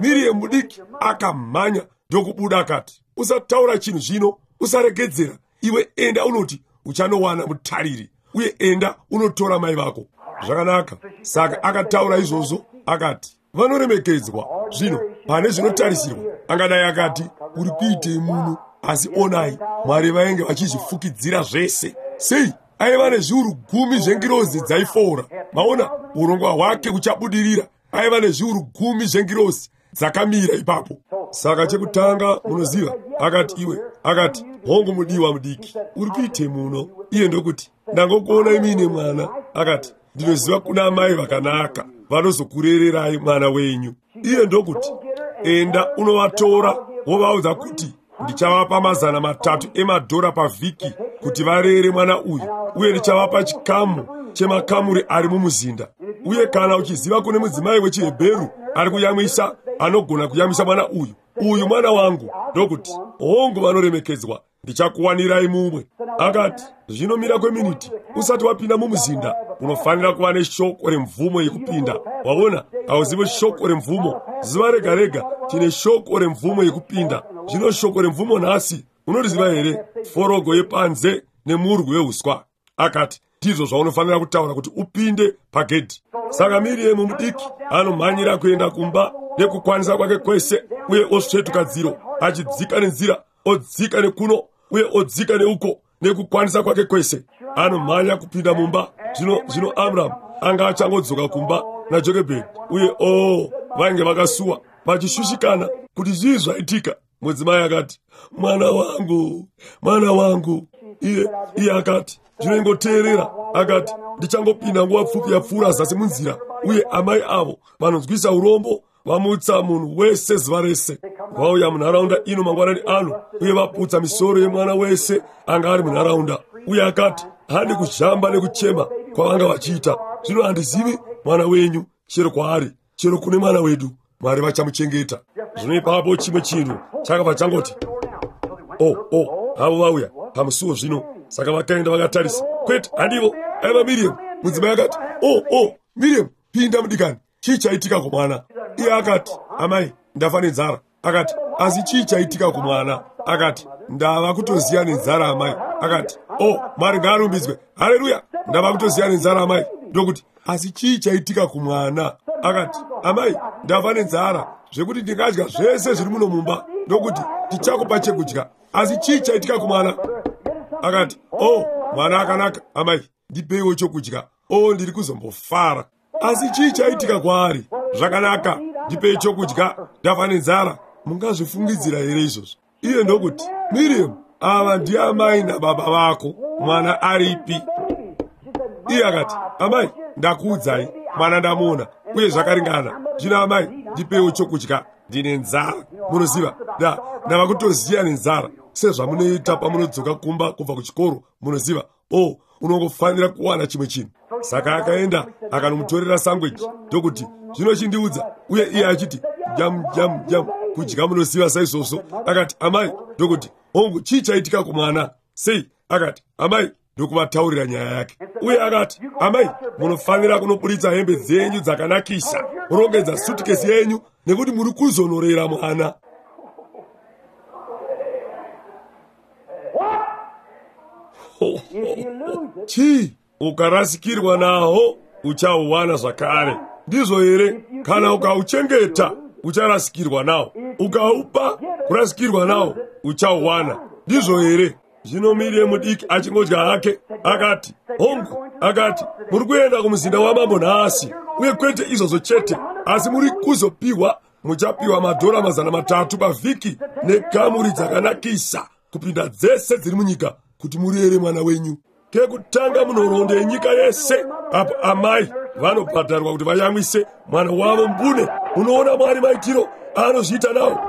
Miriam mudiki akamhanya ndokubuda akati, usataura chinhu zvino, usaregedzera. Iwe enda unoti uchanowana mutariri, uye enda unotora mai vako. Zvakanaka. Saka akataura izvozvo akati, vanoremekedzwa. Zvino pane zvinotarisirwa angadai akati, uri kuitei muno? Asi onai, Mwari vainge vachizvifukidzira zvese. Sei? Aiva nezviuru 10 zvengirozi dzaifora. Maona, urongwa hwake huchabudirira. Aiva nezviuru 10 zvengirozi dzakamira ipapo. Saka chekutanga munoziva, akati iwe, akati, hongu mudiwa mudiki, uri kuitei muno? Iye ndokuti, ndangokuona imine mwana. Akati, ndinoziva kuna amai vakanaka vanozokurererai mwana wenyu. Iye ndokuti, enda unovatora wovaudza kuti ndichavapa $300 pavhiki kuti varere mwana uyu, uye ndichavapa chikamu chemakamuri ari mumuzinda. Uye kana uchiziva kune mudzimai wechiHebheru ari kuyamwisa, anogona kuyamwisa mwana uyu, uyu mwana wangu. Ndokuti, hongu vanoremekedzwa, ndichakuwanirai mumwe. Akati, zvinomira kweminiti usati wapinda mumuzinda, unofanira kuva neshoko remvumo yekupinda. Waona, hauzivi shoko remvumo. Zuva rega rega tine shoko remvumo yekupinda. Zvino shoko remvumo nhasi unoriziva here? Forogo yepanze nemurwi weuswa. Akati, ndizvo zvaunofanira kutaura kuti upinde pagedhi. Saka Miriam mudiki anomhanyira kuenda kumba nekukwanisa kwake kwese, uye osvetuka dziro achidzika nenzira, odzika nekuno uye odzika neuko nekukwanisa kwake kwese. Anomhanya kupinda mumba. Zvino Amram anga achangodzoka kumba naJokebhedi, uye vainge vakasuwa vachishushikana kuti zvii zvaitika. Mudzimai akati, mwana wangu, mwana wangu. Iye akati, ndinongoteerera. Akati, ndichangopinda nguva pfupi yapfuura zasi munzira, uye amai avo vanonzwisa urombo vamutsa munhu wese zuva rese. Vauya munharaunda ino mangwanani ano, uye vaputsa misoro yemwana wese anga ari munharaunda. Uye akati, handi kuzhamba nekuchema kwavanga vachiita. Zvino handizivi mwana wenyu, chero kwaari, chero kune mwana wedu. Mwari vachamuchengeta. Zvino ipapo chimwe chinhu chakabva changoti, avo vauya pamusuwo zvino. Saka vakaenda vakatarisa. Kwete, handivo, aiva Miriam. Mudzimai akati, Miriam, pinda mudikani. Chii chaitika kumwana? Iye akati, amai, ndafa nenzara. Akati, asi chii chaitika kumwana? Akati, ndava kutoziya nenzara amai. Akati, Mwari ngaarumbidzwe. Haleluya, ndava kutoziya nenzara amai. Ndokuti, asi chii chaitika kumwana? Akati, amai, ndafa nenzara zvekuti ndingadya zvese zviri muno mumba. Ndokuti, tichakupa chekudya. Asi chii chaitika kumwana? Akati, mwana akanaka amai, ndipeiwo chokudya. Ndiri kuzombofara. Asi chii chaitika kwaari? Zvakanaka, ndipei chokudya, ndafa nenzara. Mungazvifungidzira here izvozvo? Iye ndokuti, Miriam, ava ndiamai nababa vako, mwana aripi? Iye akati, amai, ndakuudzai, mwana ndamuona, uye zvakaringana. Zvino amai, ndipeiwo chokudya, ndine nzara. Munoziva, ndava kutoziya nenzara, sezvamunoita pamunodzoka kumba kubva kuchikoro. Munoziva, unongofanira kuwana chimwe chinhu. Saka akaenda akanomutorera sangweji, ndokuti, zvino chindiudza. Uye iye achiti, jam jam jam, kudya munoziva saizvozvo. Akati, amai, ndokuti, hongu, chii chaitika kumwana? Sei? Akati, amai, ndokuvataurira nyaya yake. Uye akati, amai, munofanira kunoburitsa hembe dzenyu dzakanakisa, murongedza sutukesi yenyu, nekuti muri kuzonorera mwana. Chii? Ukarasikirwa naho uchauwana zvakare. Ndizvo here? Kana ukauchengeta ucharasikirwa nawo, ukaupa kurasikirwa nawo uchauwana. Ndizvo here? Zvino Miriam mudiki achingodya hake akati, hongu, akati, muri kuenda kumuzinda wamambo nhasi, uye kwete izvozvo chete, asi muri kuzopiwa, muchapiwa $300 pavhiki nekamuri dzakanakisa kupinda dzese dziri munyika kuti murere mwana wenyu. Kekutanga munhoroondo yenyika yese apo amai vanobhadharwa kuti vayamwise mwana wavo mbune. Unoona Mwari maitiro anozviita nawo.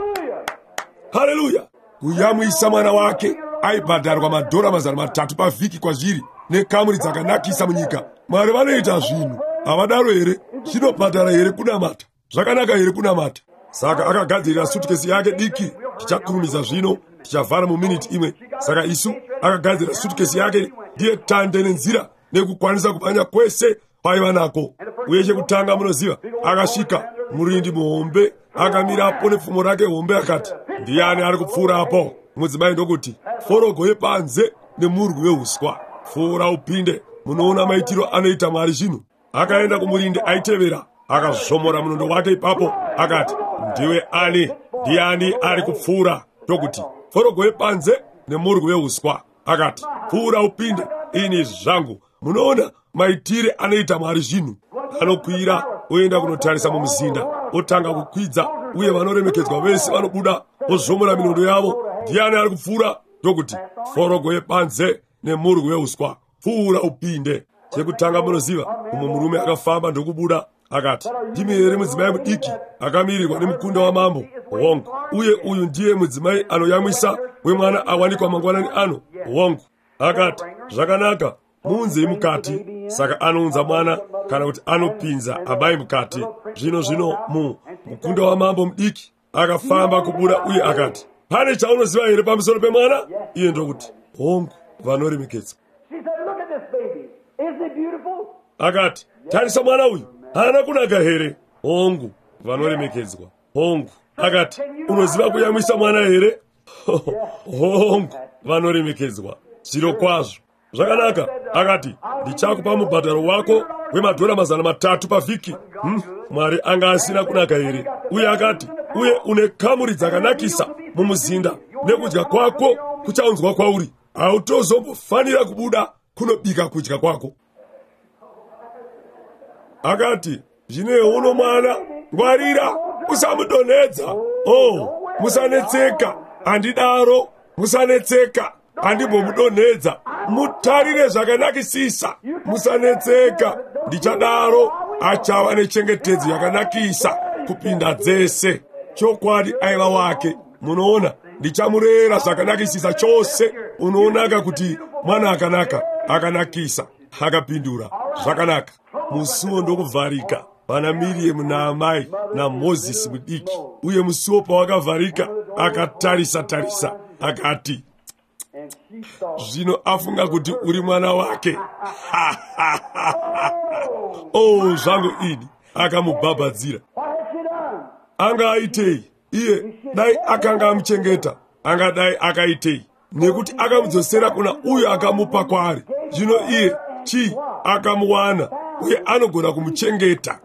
Haleluya! Kuyamwisa mwana wake aibhadharwa $300 pavhiki kwazviri nekamuri dzakanakisa munyika. Mwari vanoita zvinhu, havadaro here? Zvinobhadhara here kunamata? Zvakanaka here kunamata? Saka akagadzirira sutukesi yake diki. Tichakurumidza zvino, tichavhara muminiti imwe. Saka isu akagadzira sutukesi yake ndiye tande nenzira nekukwanisa kumhanya kwese kwaiva nako. Uye chekutanga munoziva, akasvika Murindi muhombe akamirapo nepfumo rake hombe akati, "Ndiani ari kupfuurapo?" Mudzimai ndokuti, "Forogo yepanze nemurwi weuswa. Pfuura upinde." Munoona maitiro anoita Mwari zvino. Akaenda kumurindi aitevera, akazvomora munondo wake ipapo, akati, "Ndiwe ani? Ndiani ari kupfuura?" Ndokuti, "Forogo yepanze nemurwi weuswa." Akati, "Pfuura upinde, ini zvangu." Munoona maitire anoita Mwari zvinhu. Anokwira oenda kunotarisa mumuzinda, otanga kukwidza, uye vanoremekedzwa vese vanobuda, vozvomora minondo yavo. "Ndiani ari kupfuura?" Ndokuti, "Forogo yepanze nemurwi weuswa. Pfuura upinde." Chekutanga munoziva, mumwe murume akafamba ndokubuda, akati, "Ndimi here mudzimai mudiki akamirirwa nemukunda wamambo?" "Hongu." "Uye uyu ndiye mudzimai anoyamwisa wemwana awanikwa mangwanani ano?" "Hongu." Akati, "Zvakanaka, muunzei mukati." Saka anounza mwana, kana kuti anopinza amai mukati. Zvino mukunda wamambo mudiki akafamba kubuda uye akati, "Pane chaunoziva here pamusoro pemwana?" Iye ndokuti, "Hongu, vanoremekedzwa." Akati, "Tarisa mwana uyu, haana kunaka here?" "Hongu, vanoremekedzwa. Hongu." Akati, "Unoziva kuyamwisa mwana here?" "Hongu, vanoremekedzwa. Zviro kwazvo." "Zvakanaka." Akati, "Ndichakupa mubhadharo wako wemadhora 300 pavhiki." Mwari anga asina kunaka here? Uye akati, "Uye une kamuri dzakanakisa mumuzinda, nekudya kwako kuchaunzwa kwauri. Hautozombofanira kubuda kunobika kudya kwako." Akati, "Zvino uno mwana, ngwarira, usamudonhedza. Oh, musanetseka, handidaro, musanetseka, handimbomudonhedza. Mutarire zvakanakisisa, musanetseka, ndichadaro, achava nechengetedzo yakanakisa kupinda dzese." Chokwadi aiva wake. Munoona, ndichamurera zvakanakisisa chose. Unoonaka kuti mwana akanaka, akanakisa. Akapindura, "Zvakanaka." Musuwo ndokuvharika pana Miriam naamai naMozisi mudiki. Uye musuwo pawakavharika, akatarisa tarisa, akati, "Zvino afunga kuti uri mwana wake." Oh, zvangu ini. Akamubhabhadzira. Anga aitei? Iye dai akanga amuchengeta, angadai akaitei? Nekuti akamudzosera kuna uyo akamupa kwaari. Zvino iye chii? Akamuwana, uye anogona kumuchengeta.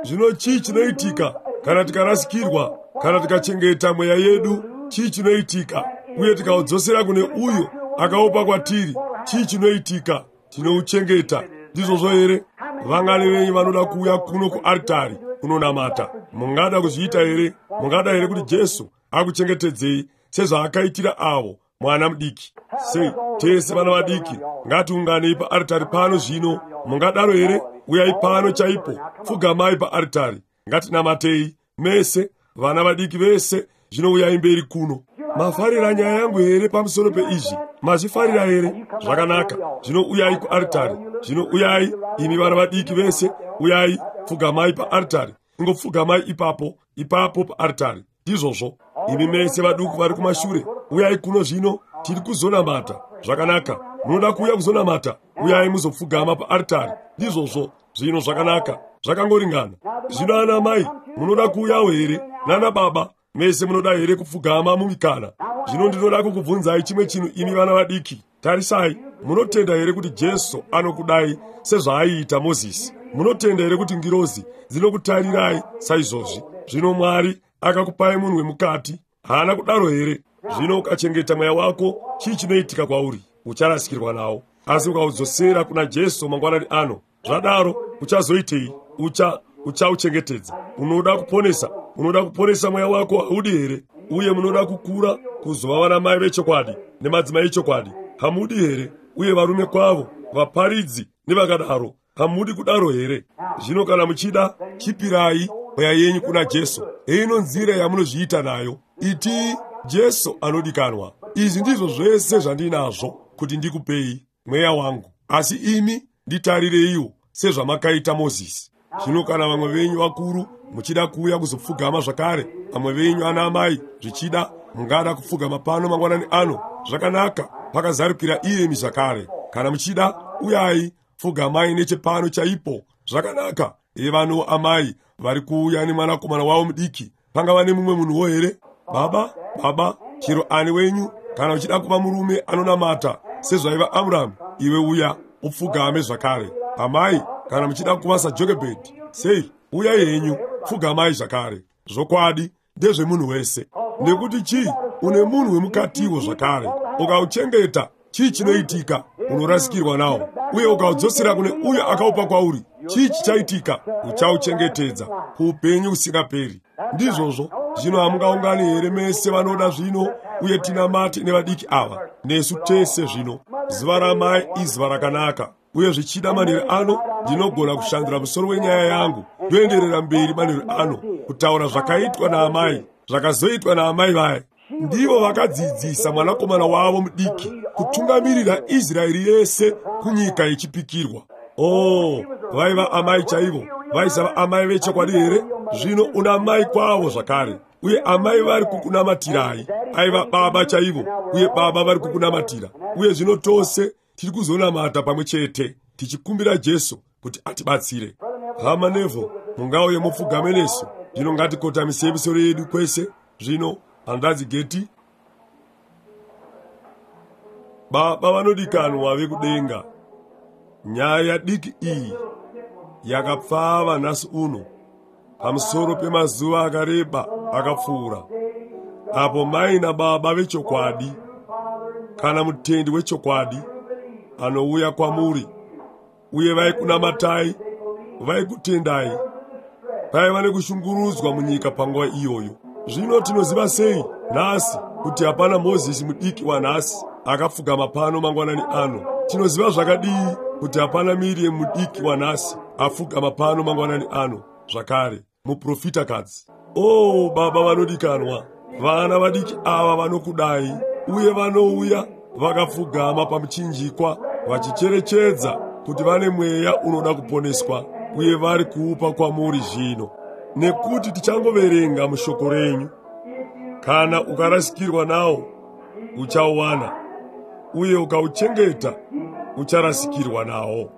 Zvino chii chinoitika kana tikarasikirwa, kana tikachengeta mweya yedu? Chii chinoitika? Uye tikaudzosera kune uyo akaupa kwatiri, chii chinoitika? Tinouchengeta. Ndizvozvo here? Vangani venyu vanoda kuuya kuno kuaritari kunonamata? Mungada kuzviita here? Mungada here kuti Jesu akuchengetedzei sezvaakaitira avo mwana mudiki? Sei, tese vana vadiki ngatiunganei paaritari pano zvino. Mungadaro here? Uyai pano chaipo, pfugamai paaritari, ngatinamatei mese, vana vadiki vese. Zvino uyai mberi kuno. Mafarira nyaya yangu here pamusoro peizvi? Mazvifarira here? Zvakanaka. Zvino uyai kuaritari. Zvino uyai, imi vana vadiki vese, uyai, pfugamai paaritari. Ingopfugamai ipapo, ipapo paaritari. Ndizvozvo. Imi mese vaduku vari kumashure, uyai kuno zvino, tiri kuzonamata. Zvakanaka. Munoda kuuya kuzonamata? Uyai muzopfugama paaritari. Ndizvozvo. Zvino zvakanaka. Zvakangoringana. Zvino ana mai, munoda kuuyawo here? Nana baba, mese munoda here kupfugama mumikana? Zvino ndinoda kukubvunzai chimwe chinhu, imi vana vadiki. Tarisai, munotenda here kuti Jesu anokudai sezvaaiita Mozisi? Munotenda here kuti ngirozi dzinokutarirai saizvozvi? Zvino Mwari akakupai munhu wemukati, haana kudaro here? Zvino ukachengeta mweya wako, chii chinoitika kwauri? Ucharasikirwa nawo. Asi ukaudzosera kuna Jesu mangwanani ano, zvadaro uchazoitei? Uchauchengetedza. Unoda kuponesa, unoda kuponesa mweya wako, haudi here? Uye munoda kukura kuzova vana mai vechokwadi nemadzimai echokwadi, hamudi here? Uye varume kwavo, vaparidzi nevakadaro, hamudi kudaro here? Zvino kana muchida, chipirai mweya yenyu kuna Jesu. Heino nzira yamunozviita nayo. Itii, "Jesu anodikanwa, izvi ndizvo zvese zvandinazvo kuti ndikupei mweya wangu, asi imi nditarireiwo sezvamakaita Mozisi." Zvino kana vamwe venyu vakuru muchida kuuya kuzopfugama zvakare, vamwe venyu ana amai zvichida mungada kupfugama pano mangwanani ano, zvakanaka, pakazarukira iyemi zvakare. Kana muchida, uyai, pfugamai nechepano chaipo. Zvakanaka. Evano amai vari kuuya nemwanakomana wavo mudiki. Pangava nemumwe munhuwo here? Baba, baba, chero ani wenyu, kana uchida kuva murume anonamata sezvaiva Amuramu, iwe uya upfugame zvakare. Amai, kana muchida kuva saJokebhedhi, sei, uyai henyu, pfugamai zvakare. Zvokwadi ndezvemunhu wese. Nekuti chii? Une munhu wemukatiwo zvakare. Ukauchengeta, chii chinoitika? Unorasikirwa nawo. Uye ukaudzosera kune uyo akaupa kwauri, chii chichaitika? Uchauchengetedza kuupenyu husingaperi. Ndizvozvo. Zvino hamungaungani here mese vanoda zvino, uye tinamate nevadiki ava nesu tese zvino. Zuva ramai izuva rakanaka, uye zvichida manheru ano ndinogona kushandura musoro wenyaya yangu ndoenderera mberi manheru ano kutaura zvakaitwa naamai, zvakazoitwa naamai vaya. Ndivo vakadzidzisa mwanakomana wavo mudiki kutungamirira Israeri yese kunyika yechipikirwa. Oh, vaiva amai chaivo. Vaisava amai vechokwadi here? Zvino una mai kwavo zvakare, uye amai vari kukunamatirai. Aiva baba chaivo, uye baba vari kukunamatira. Uye zvino tose tiri kuzonamata pamwe chete, tichikumbira Jesu kuti atibatsire. Hama Neville, mungauye mupfugame nesu. Zvino ngatikotamisei misoro yedu kwese. Zvino hanzvadzi Geti, Baba vanodikanwa vekudenga, nyaya diki iyi yakapfava nhasi uno pamusoro pemazuva akareba akapfuura, apo mai nababa vechokwadi, kana mutendi wechokwadi anouya kwamuri, uye vaikunamatai, vaikutendai. Paiva nekushungurudzwa munyika panguva iyoyo. Zvino tinoziva sei nhasi kuti hapana Mozisi mudiki wanhasi akapfugama pano mangwanani ano? Tinoziva zvakadii kuti hapana Miriam mudiki wanhasi apfugama pano mangwanani ano zvakare, muprofitakadzi. Oh, Baba vanodikanwa, vana vadiki ava vanokudai, uye vanouya vakapfugama pamuchinjikwa vachicherechedza kuti vane mweya unoda kuponeswa, uye vari kuupa kwamuri zvino. Nekuti tichangoverenga mushoko renyu, kana ukarasikirwa nawo uchauwana, uye ukauchengeta ucharasikirwa nawo.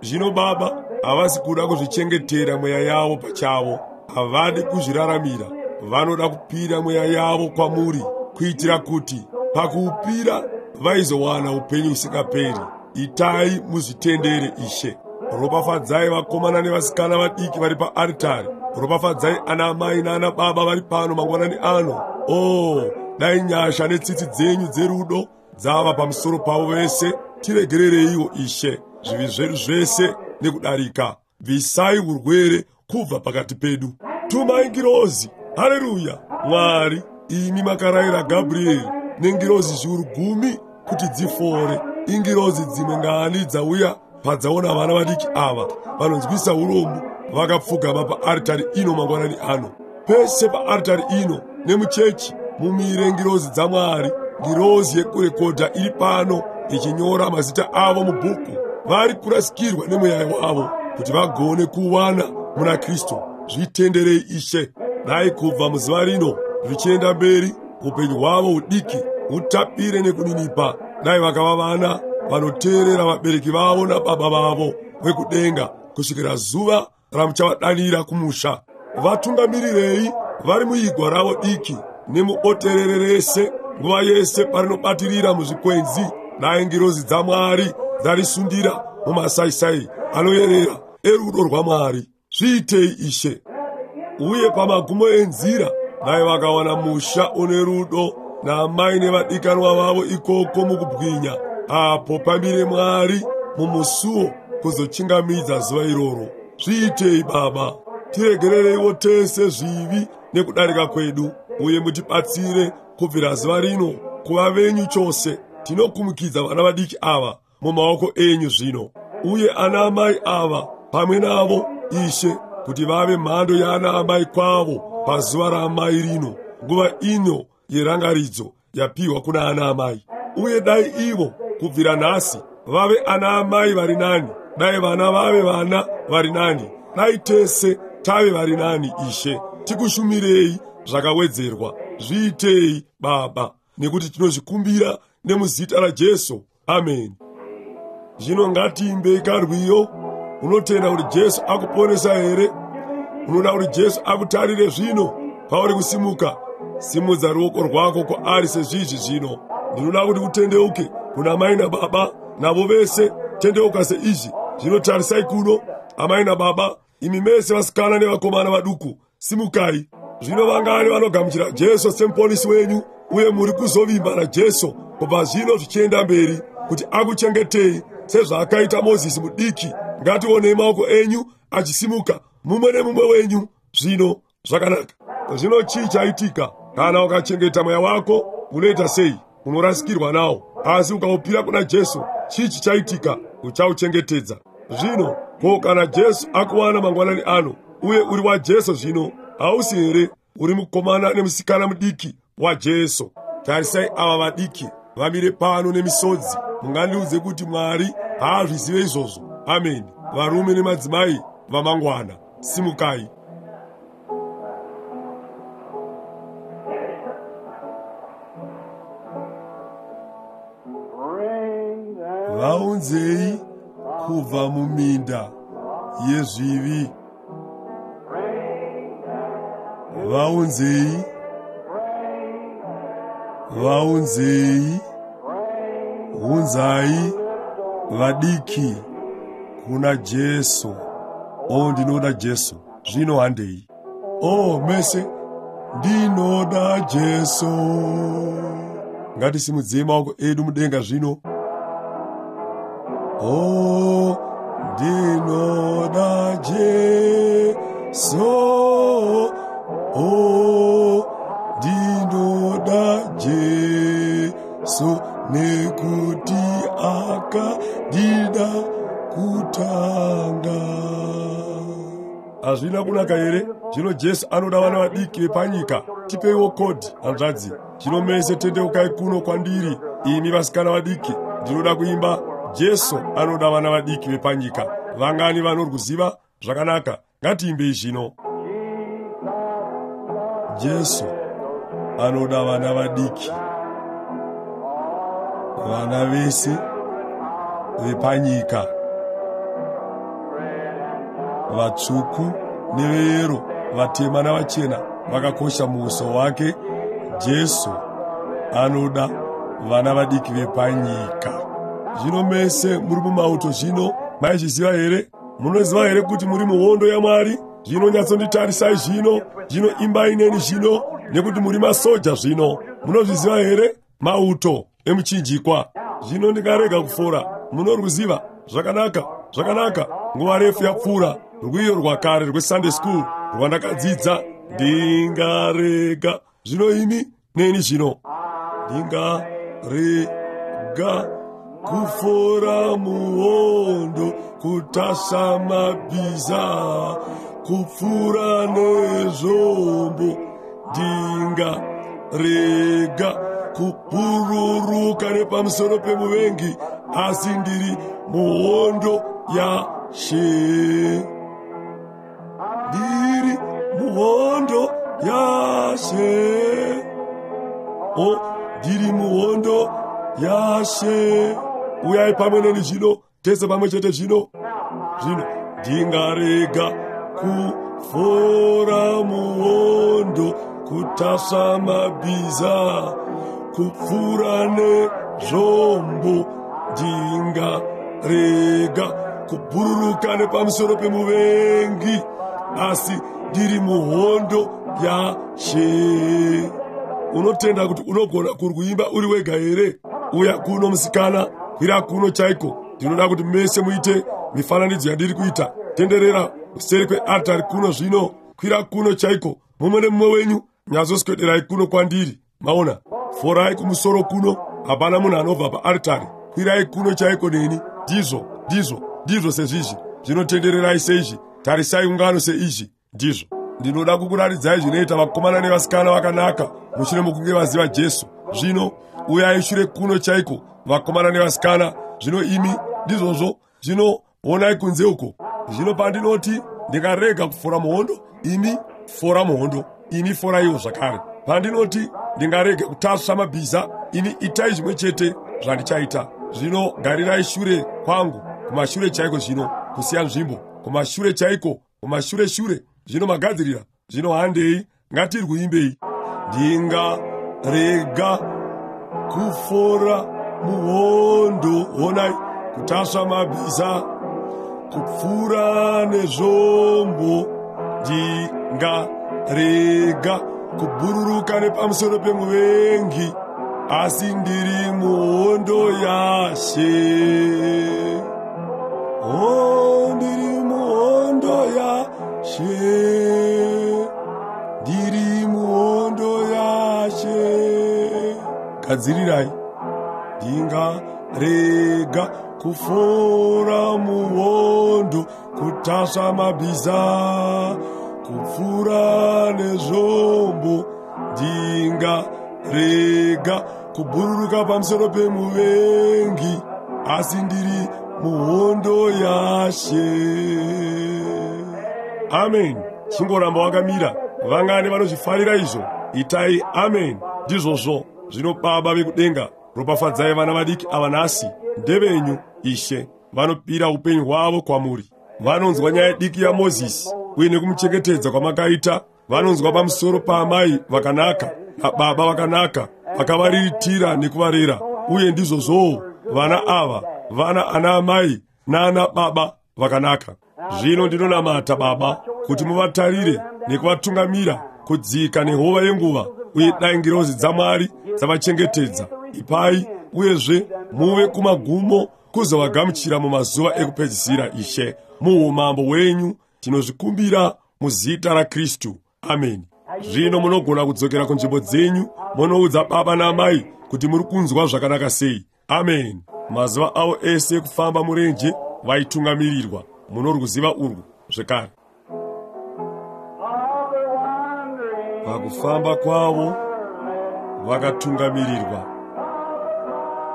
Zvino Baba, havasi kuda kuzvichengetera mweya yavo pachavo, havadi kuzviraramira, vanoda kupira mweya yavo kwamuri, kuitira kuti pakuupira vaizowana upenyu husingaperi. Itai muzvitendere, Ishe. Ropafadzai vakomana nevasikana vadiki vari paaritari. Ropafadzai ana amai naana baba vari pano mangwanani ano. Oh, dai nyasha netsitsi dzenyu dzerudo dzava pamusoro pavo vese. Tiregerereiwo, Ishe, zvivi zvedu zvese nekudarika. Bvisai urwere kubva pakati pedu. Tumai ngirozi. Haleluya! Mwari, imi makarayira Gabrieri nengirozi zviuru gumi kuti dzifore. Ingirozi dzimwe ngani dzauya padzaona vana vadiki ava vanonzwisa urombo vakapfugama paaritari ino mangwanani ano. Pese paaritari ino nemuchechi mumire ngirozi dzaMwari, ngirozi yekurekodha iri pano ichinyora mazita avo mubhuku. Vari kurasikirwa nemweya wavo kuti vagone kuwana muna Kristu. Zvitenderei, Ishe. Dai kubva muzuva rino zvichienda mberi, upenyu hwavo hudiki hutapire nekuninipa. Dai vakava vana vanoteerera vabereki vavo nababa vavo vekudenga kusvikira zuva ramuchavadanira kumusha. Vatungamirirei vari muigwa ravo diki nemuboterere rese, nguva yese parinobatirira muzvikwenzi. Dai ngirozi dzaMwari dzarisundira mumasaisai anoyerera erudo rwaMwari. Zviitei, Ishe. Uye pamagumo enzira, dai vakawana musha une rudo naamai nevadikanwa vavo ikoko mukubwinya, apo pamire Mwari mumusuo kuzochingamidza zuva iroro. Zviitei, Baba. Tiregerereiwo tese zvivi nekudarika kwedu, uye mutibatsire kubvira zuva rino kuva venyu chose. Tinokumikidza vana vadiki ava mumaoko enyu zvino, uye ana amai ava pamwe navo, Ishe, kuti vave mhando yaana amai kwavo pazuva raamai rino, nguva ino yerangaridzo yapiwa kuna ana amai. Uye dai ivo kubvira nhasi vave ana amai vari nani, dai vana vave vana vari nani, dai tese tave vari nani, Ishe. Tikushumirei zvakawedzerwa. Zviitei, Baba, nekuti tinozvikumbira nemuzita raJesu. Amen. Zvino ngatiimbei karwiyo. Unotenda kuti Jesu akuponesa here? Unoda kuti Jesu akutarire zvino pauri kusimuka? Simudza ruoko rwako kwaari sezvizvi zvino. Ndinoda kuti utendeuke kuna mai nababa navo vese. Tendeuka seizvi zvino. Tarisai kuno, amai nababa, imi mese vasikana nevakomana vaduku, simukai zvino. Vangani vanogamuchira Jesu semuponisi wenyu uye muri kuzovimba naJesu kubva zvino zvichienda mberi kuti akuchengetei sezvaakaita Mozisi mudiki? Ngationei maoko enyu achisimuka, mumwe nemumwe wenyu zvino. Zvakanaka. Zvino chii chaitika? Kana ukachengeta mweya wako, unoita sei? Unorasikirwa nawo. Asi ukaupira kuna Jesu, chii chichaitika? Uchauchengetedza. Zvino ko kana Jesu akuwana mangwanani ano uye uri waJesu zvino, hausi here? Uri mukomana nemusikana mudiki waJesu. Tarisai ava vadiki vamire pano nemisodzi. Mungandiudze kuti Mwari haazvizive izvozvo? Ameni. Varume nemadzimai vamangwana, simukai. Bring them. Vaunzei kubva muminda yezvivi. Vaunzei, vaunzei, unzai vadiki kuna Jesu. O, ndinoda Jesu. Zvino handei. O, mese, ndinoda Jesu. Ngatisimudzei maoko edu mudenga zvino. O, ndinoda Jesu. O, ndinoda Jesu, nekuti akandida kutanga. Hazvina kunaka here? Zvino Jesu anoda vana vadiki vepanyika. Tipeiwo kodhi, hanzvadzi. Zvino mese tendeukai kuno kwandiri, imi vasikana vadiki. Ndinoda kuimba Jesu anoda vana vadiki vepanyika. Vangani vanorwuziva? Zvakanaka, ngatiimbei zvino. Jesu anoda vana vadiki, vana vese vepanyika, vatsvuku neveyero, vatema navachena, vakakosha muuso wake. Jesu anoda vana vadiki vepanyika. Zvino mese muri mumauto zvino, maizviziva here? Munoziva here kuti muri muhondo yaMwari? Zvino nyatsonditarisai zvino. Zvino imbai neni zvino, nekuti muri masoja zvino. Munozviziva here? Mauto emuchinjikwa. Zvino ndingarega kufora? Munorwuziva? Zvakanaka, zvakanaka. Nguva refu yapfuura, rwiyo rwakare rweSunday school rwandakadzidza. Ndingarega zvino imi neni zvino. Ndingarega kufora muhondo, kutasva mabhiza, kupfura nezvombo. Ndingarega kupururuka nepamusoro pemuvengi, asi ndiri muhondo yaShe. Ndiri muhondo yaShe. O, ndiri muhondo yaShe. Uyai pamwe neni zvino, tese pamwe chete zvino. Zvino ndingarega kufora muhondo, kutasva mabhiza, kupfura nezvombo. Ndingarega kubhururuka nepamusoro pemuvengi, asi ndiri muhondo yaShe. Unotenda kuti unogona kurwuimba uri wega here? Uya kuno, musikana, kwira kuno chaiko. Ndinoda kuti mese muite mifananidzo yandiri kuita. Tenderera kuseri kweartari kuno zvino. Kwira kuno chaiko, mumwe nemumwe wenyu. Nyatsoswederai kuno kwandiri. Maona? Forai kumusoro kuno. Hapana munhu anobva paartari. Kwirai kuno chaiko neni. Ndizvo, ndizvo, ndizvo sezvizvi. Zvinotendererai seizvi. Tarisai ungano seizvi. Ndizvo. Ndinoda kukuratidzai zvinoita vakomana nevasikana vakanaka mushure mokunge vaziva Jesu. Zvino uyai shure kuno chaiko, vakomana nevasikana. Zvino imi, ndizvozvo. Zvino onai kunze uko. Zvino pandinoti ndingarega kufora muhondo, imi fora muhondo, imi foraiwo zvakare. Pandinoti ndingarege kutasva mabhiza, ini itai zvimwe chete zvandichaita. Zvino garirai shure kwangu, kumashure chaiko zvino. Kusiya nzvimbo kumashure chaiko, kumashure shure. Zvino magadzirira. Zvino handei, ngatirwuimbei. Ndingarega kufora muhondo, honai, kutasva mabhiza, kupfuura nezvombo. Ndingarega kubhururuka nepamusoro pemuvengi, asi ndiri muhondo yaShe. Oh, ndiri muhondo yaShe, ndiri muhondo yaShe. Gadzirirai. Ndingarega kufora muhondo, kutasva mabhiza, kupfuura nezvombo. Ndingarega kubhururuka pamusoro pemuvengi, asi ndiri muhondo yaShe. Amen. Chingoramba wakamira. Vangani vanozvifarira izvo? Itai amen. Ndizvozvo. Zvino Baba vekudenga, ropafadzai vana vadiki ava nhasi. Ndevenyu, Ishe. Vanopira upenyu hwavo kwamuri. Vanonzwa nyaya diki yaMozisi uye nekumuchengetedza kwamakaita. Vanonzwa pamusoro paamai vakanaka nababa vakanaka vakavariritira nekuvarera. Uye ndizvozvowo vana ava vana ana amai naana baba vakanaka. Zvino ndinonamata, Baba, kuti muvatarire nekuvatungamira kudzika nehova yenguva, uye dai ngirozi dzaMwari dzavachengetedza. Ipai uyezve muve kumagumo kuzovagamuchira mumazuva ekupedzisira, Ishe, muumambo hwenyu. Tinozvikumbira muzita raKristu. Ameni. Zvino munogona kudzokera kunzvimbo dzenyu munoudza baba naamai kuti muri kunzwa zvakanaka sei. Ameni. Mazuva avo ese ekufamba murenje vaitungamirirwa. Munorwuziva urwu zvekare. Pakufamba kwavo vakatungamirirwa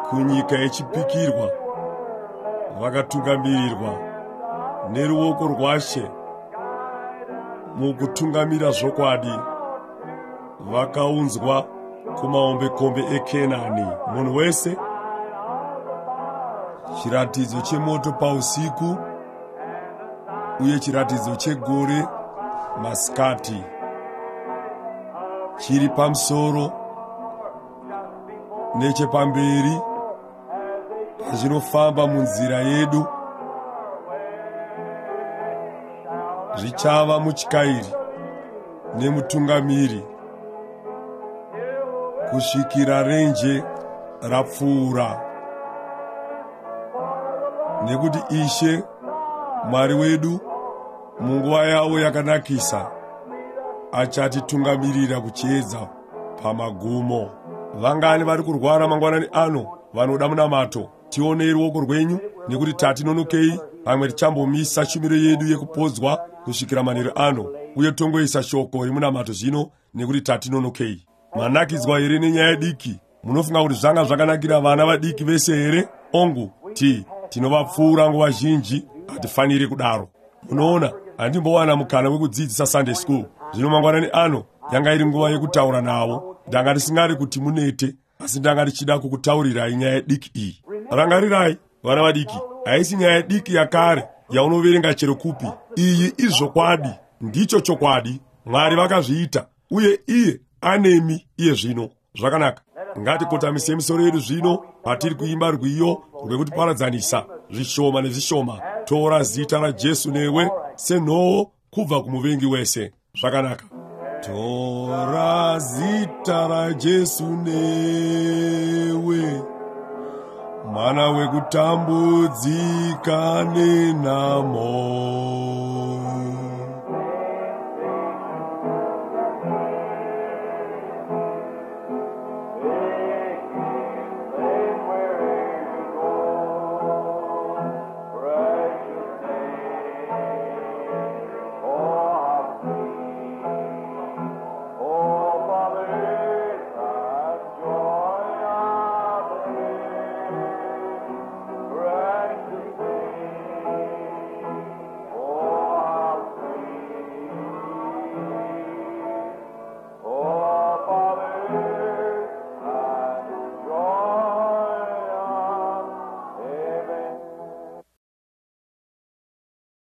kunyika yechipikirwa, vakatungamirirwa neruoko rwaShe mukutungamira zvokwadi, vakaunzwa kumahombekombe eKenani. Munhu wese, chiratidzo chemoto pausiku uye chiratidzo chegore masikati, chiri pamusoro nechepamberi pazvinofamba munzira yedu, zvichava mutyairi nemutungamiri kusvikira renje rapfuura. Nekuti Ishe Mwari wedu munguva yavo yakanakisa achatitungamirira kuchiedza pamagumo. Vangani vari kurwara mangwanani ano vanoda munamato? Tionei ruoko rwenyu, nekuti tatinonokei. Pamwe tichambomisa shumiro yedu yekupodzwa kusvikira manheru ano, uye tongoisa shoko remunamato zvino, nekuti tatinonokei. Manakidzwa here nenyaya diki? Munofunga kuti zvanga zvakanakira vana vadiki vese here? Ongu, tinovapfuura nguva zhinji. Hatifaniri kudaro. Munoona, handimbowana mukana wekudzidzisa Sunday school. Zvino mangwanani ano yanga iri nguva yekutaura navo. Ndanga ndisingari kuti munete, asi ndanga ndichida kukutaurirai nyaya diki iyi. Rangarirai, vana vadiki, haisi nyaya diki yakare yaunoverenga chero kupi. Iyi izvokwadi, ndicho chokwadi. Mwari vakazviita, uye iye anemi iye zvino. Zvakanaka. Ngatikotamisei misoro yedu zvino patiri kuimba rwiyo rwekutiparadzanisa zvishoma nezvishoma. Tora zita raJesu newe senhoo kubva kumuvengi wese. Zvakanaka. Tora zita raJesu newe, mwana wekutambudzika nenhamo.